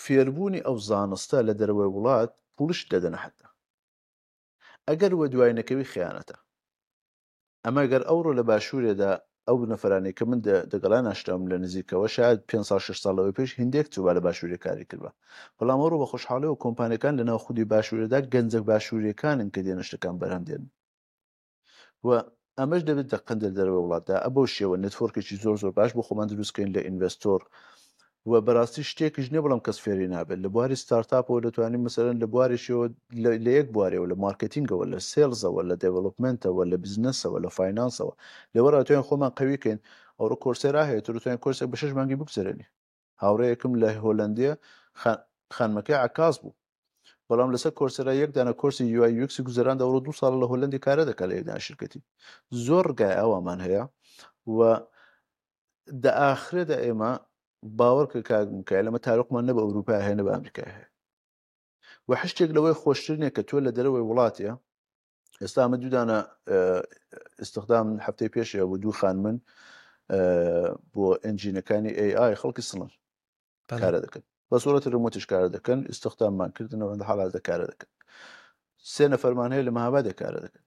A: فێربوونی ئەو زانستە لە دەرەوەی وڵات پوڵیشت دەدەنە حەتا ئەگەر وە دوای نەکەوی خیانەتە ئەمە گەر ئەوڕۆ لە باشوورێدا ئەو نەفرانەی کە من دەگەڵا ناشتم لە نزیکەوە شاید پێ ساڵ 6 ساڵ لەوەی پێش هندێک چووبا لە باشوورێ کاری کردبا بەڵام ئەوڕۆ بە خۆشحاڵیەوە کۆمپانیەکان لە ناو خودی باشوورێدا گەنجە باشووریەکانن کە دێنە شتەکان بەرهەم دێن و ئەمەش دەبێت دەقەن لە دەرەوەی وڵاتدا ئە بەو شێوە network ێکی زۆر زۆر باش بۆ خۆمان دروستکەین لە investor و بەڕاستی شتێکیش نییە بەڵام کەس فێری نابێت لە بواری ستارتاپەوە دەتوانین مەسەرەن لە بوارێکیەوە لە یەک بوارەوە لە marketing ەوە لە sales ەوە لە development ەوە لە بزنسەوە لە finance ەوە لەوە ڕاتوێن خۆمان قویکەین ئەوڕۆ Coursera هەیە تو دەتوانین کۆرسێک بە شەش مانگی بگوزەرێنی هاوڕێیەکم لە هۆلەندیە خانمەکەی عەکاس بوو بەڵام لەسەر Coursera یەک دانە کۆرسی UI UX ی گوزەراند ئەوڕۆ دوو ساڵە لە هۆلەندی کارە دەکات لە یەک دانە شرکەتی زۆر ڕگای ئاوامان هەیە و دە ئاخرێدا ئێمە باوەڕ کە کاک میکایل ئەمە تارقمان نە بە ئەوروپا هەیە نە بە ئەمریکا هەیە و هەر شتێک لەوەی خۆشتر نییە کە تۆ لە دەرەوەی وڵاتە ئێستا ئەمە دوودانە استخدام هەفتەی پێشێ بوو دوو خانمن بۆ engine ەکانی AI خەڵکی سڵن کارە دەکەن بە سوورەتی remote یش کارە دەکەن استخداممان کردنەوە لە حاڵاتدا کارە دەکەن سێ نەفەرمان هەیە لە مەهابادێ کارە دەکەن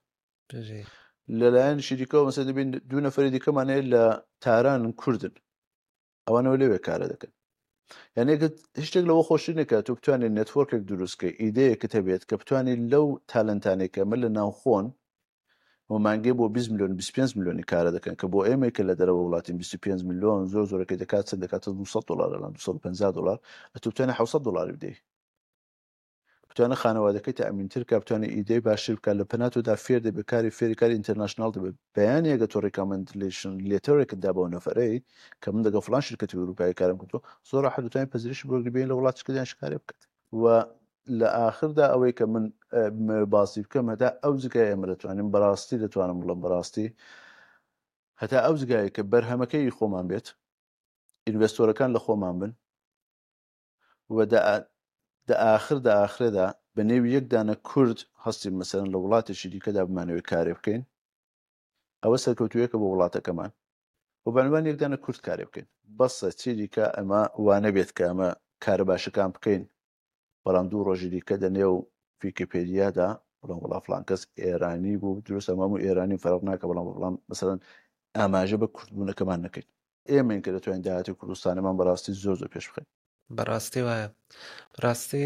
A: لەلایەن شریکەوە مەسە دەبین دوو نەفەری دیکەمان هەیە لە تاران کوردن ئەوانەوە لەوێ کارە دەکەن یعنی هیچ شتێک لەوە خۆشتر نییە کە تۆ بتوانێت network ێک دروستکەی ئیدەیەکت هەبێت کە بتوانێت لەو talent انێک کە ئەمە لە ناوخۆن و مانگێ بۆ 20 میلیۆن 25 میلیۆنی کارە دەکەن کە بۆ ئێمەی کە لە دەرەوە وڵاتین 25 میلیۆن زۆر زۆرەکەی دەکات چەند دەکاتە 200 دلار لەلان 250 دلار ئەتۆ بتوانێت 700 دلاری بدەیت بتوانێت خانەوادەکەی تەئمینتر کا بتوانێت ئیدەی باشتر بکات لە پەنا تۆدا فێر دەبێت کاری فێری کاری international دەبێت بەیانی ئەگەر تۆ recommendation letter ێکت دا بەو نەفەرەی کە من دەگەڵ فڵان شرکەتی ئەوروپایی کارم کردووە زۆر ڕاحەت دەتوانێت پەزیرشی بۆ بگری بێن لە وڵاتیش کە دەیان کارێ بکات و لە ئاخردا ئەوەی کە من بمەوێت باسی بکەم هەتا ئەو جگای ئێمە دەتوانین بەڕاستی دەتوانم بڵێم بەڕاستی. هەتا ئەو جگایە کە بەرهەمەکەی خۆمان بێت، ئینڤێستۆرەکان لە خۆمان بن و دە ئاخر دە ئاخرێدا بە نێوی یەک دانە کورد هەستین مەسەلەن لە وڵاتێکی دیکەدا بمانەوێت کارێ بکەین ئەوە سەرکەوتوویەکە بۆ وڵاتەکەمان و بە عنوان یەک دانە کورد کارێ بکەین بەسە چی دیکە ئەمە وانەبێت کە ئەمە کارە باشەکان بکەین بەڵام دوو ڕۆژی دیکە دە نێو ویکیپێدیادا بڵێن وڵا فڵان کەس ئێرانی بوو دروستە مامو ئێرانی فەرق ناکە بەڵام بەڵام مەسەلەن ئاماژە بە کوردبوونەکەمان نەکەین ئێمەین کە دەتوانین داهاتی کوردستانەمان بەڕاستی زۆر زۆر پێش بخەین.
B: بەڕاستی وایە ڕاستی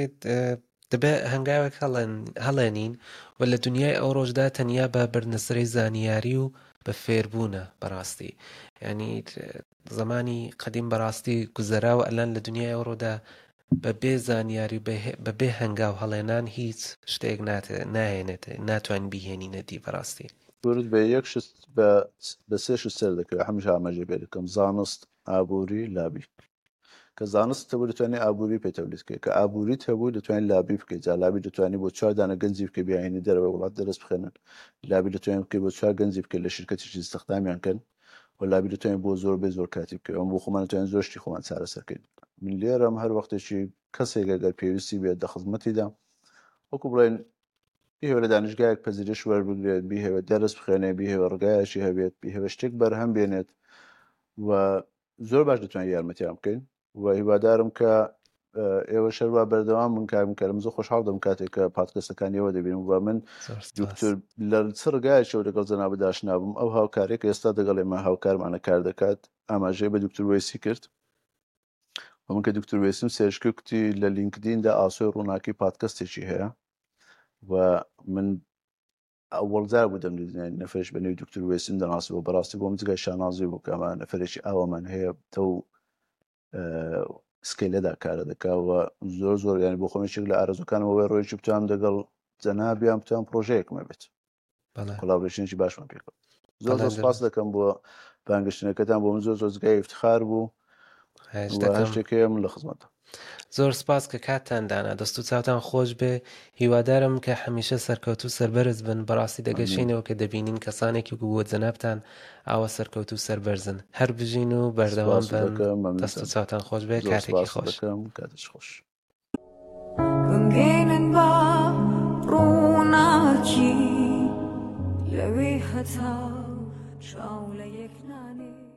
B: دەبێ هەنگاوێک هەڵێن هەڵێنین و لە دنیای ئەو ڕۆژدا تەنیا بە بردنەسەری زانیاری و بە فێربوونە بەڕاستی ینی زمانی قەدیم بەڕاستی گوزەرا و ئەلان لە دنیای ئەوڕۆدا بە بێ زانیاری و بە بێ هەنگاو هەڵێنان هیچ شتێک ناهێنێت ناتوانین بیهێنینە دی بەڕاستی.
A: کورد بە یەک شت بە بە سێ شت سەر دەکەوێت هەمیشە ئاماژەی پێ دەکەم زانست ئابووری لابی کە زانست هەبوو دەتوانێت ئابووری پێ تەولید بکەیت کە ئابووریت هەبوو دەتوانێت لابی بکەیت جا لابی دەتوانێت بۆ چوار دانە گەنجی بکەیت بیانهێنی دەرەوەی وڵات دەرس بخوێنن لابی دەتوانێت بکەیت بۆ چوار گەنجی بکەیت لە شرکەتێکی ئیستخدامیان کەن و لابی دەتوانین بۆ زۆر بێ زۆر کاتی بکەین ئەم بۆ خۆمان دەتوانین زۆر شتی خۆمان چارەسەر کەین من لێرەم هەر وەختێکی کەسێک ئەگەر پێویستی بێت دە خزمەتیدا وەکو بڵێن بیهەوێ لە دانیشگایەک پەزیرش وەربگرێت بیهەوێت دەرس بخوێنێ بیهەوێ ڕگایەکی هەبێت بیهەوێ شتێک بەرهەم بێنێت و زۆر باش دەتوانین یارمەتیان بکەین و هیوادارم کە ئێوە شەروا بەردەوام بن کاک کەرم زۆر خۆشحاڵ دەم کاتێک کە پادکەستەکانی ئێوە دەبینم و من دکتۆر لە چ ڕگایەکەوە لەگەڵ جەنابت ئاشنا بووم ئەو هاوکارێک ئێستا دەگەڵ ئێمە هاوکارمانە کار دەکات ئاماژەی بە دکتۆر وەیسی کرد و من کە دکتۆر وەیسم search کرد کوتی لە لینکدیندا ئاسۆی ڕووناکی پادکەستێکی هەیە و من ئەوەڵ جار بوو دەمدیت نەفەرێک بە نێوی دکتور وێسیم دەناسیەوە بەڕاستی بۆم جگای شانازی بوو کە ئەمە نەفەرێکی ئاوامان هەیە تەو scale ەدا کارە دەکا و زۆر زۆر یانی بۆ خۆم یەکێک لە ئارەزوەکانم ئەوەیە ڕۆژێکی بتوانم دەگەڵ جەنابیان بتوانم پرۆژەیەکم هەبێت collaboration ێکی باشمان پێکەوە زۆر زۆر سپاس دەکەم بۆ بانگشتنەکەتان بۆ من زۆر زۆر جگای افتخار بوو هەر شتێک هەیە من لە خزمەتم.
B: زۆر سپاس کە کاتتان دانا دەست و چاوتان خۆش بێ هیوادارم کە هەمیشە سەرکەوتوو سەربەرز بن بەڕاستی دەگەشێینەوە کە دەبینین کەسانێکی وەکو جەنابتان ئاوا سەرکەوتوو سەربەرزن هەر بژین و بەردەوام
A: سپاست
B: بن
A: دەکەم
B: دەست و
A: مەمنونتان
B: چاوتان خۆش بێ
A: زۆر
B: کاتێکی
A: سپاست
B: خۆش.
A: دەکەم کاتێکی خۆش.
C: بمگەینن بە ڕووناکی لەوێ هەتا چاو لە یەک نانێ.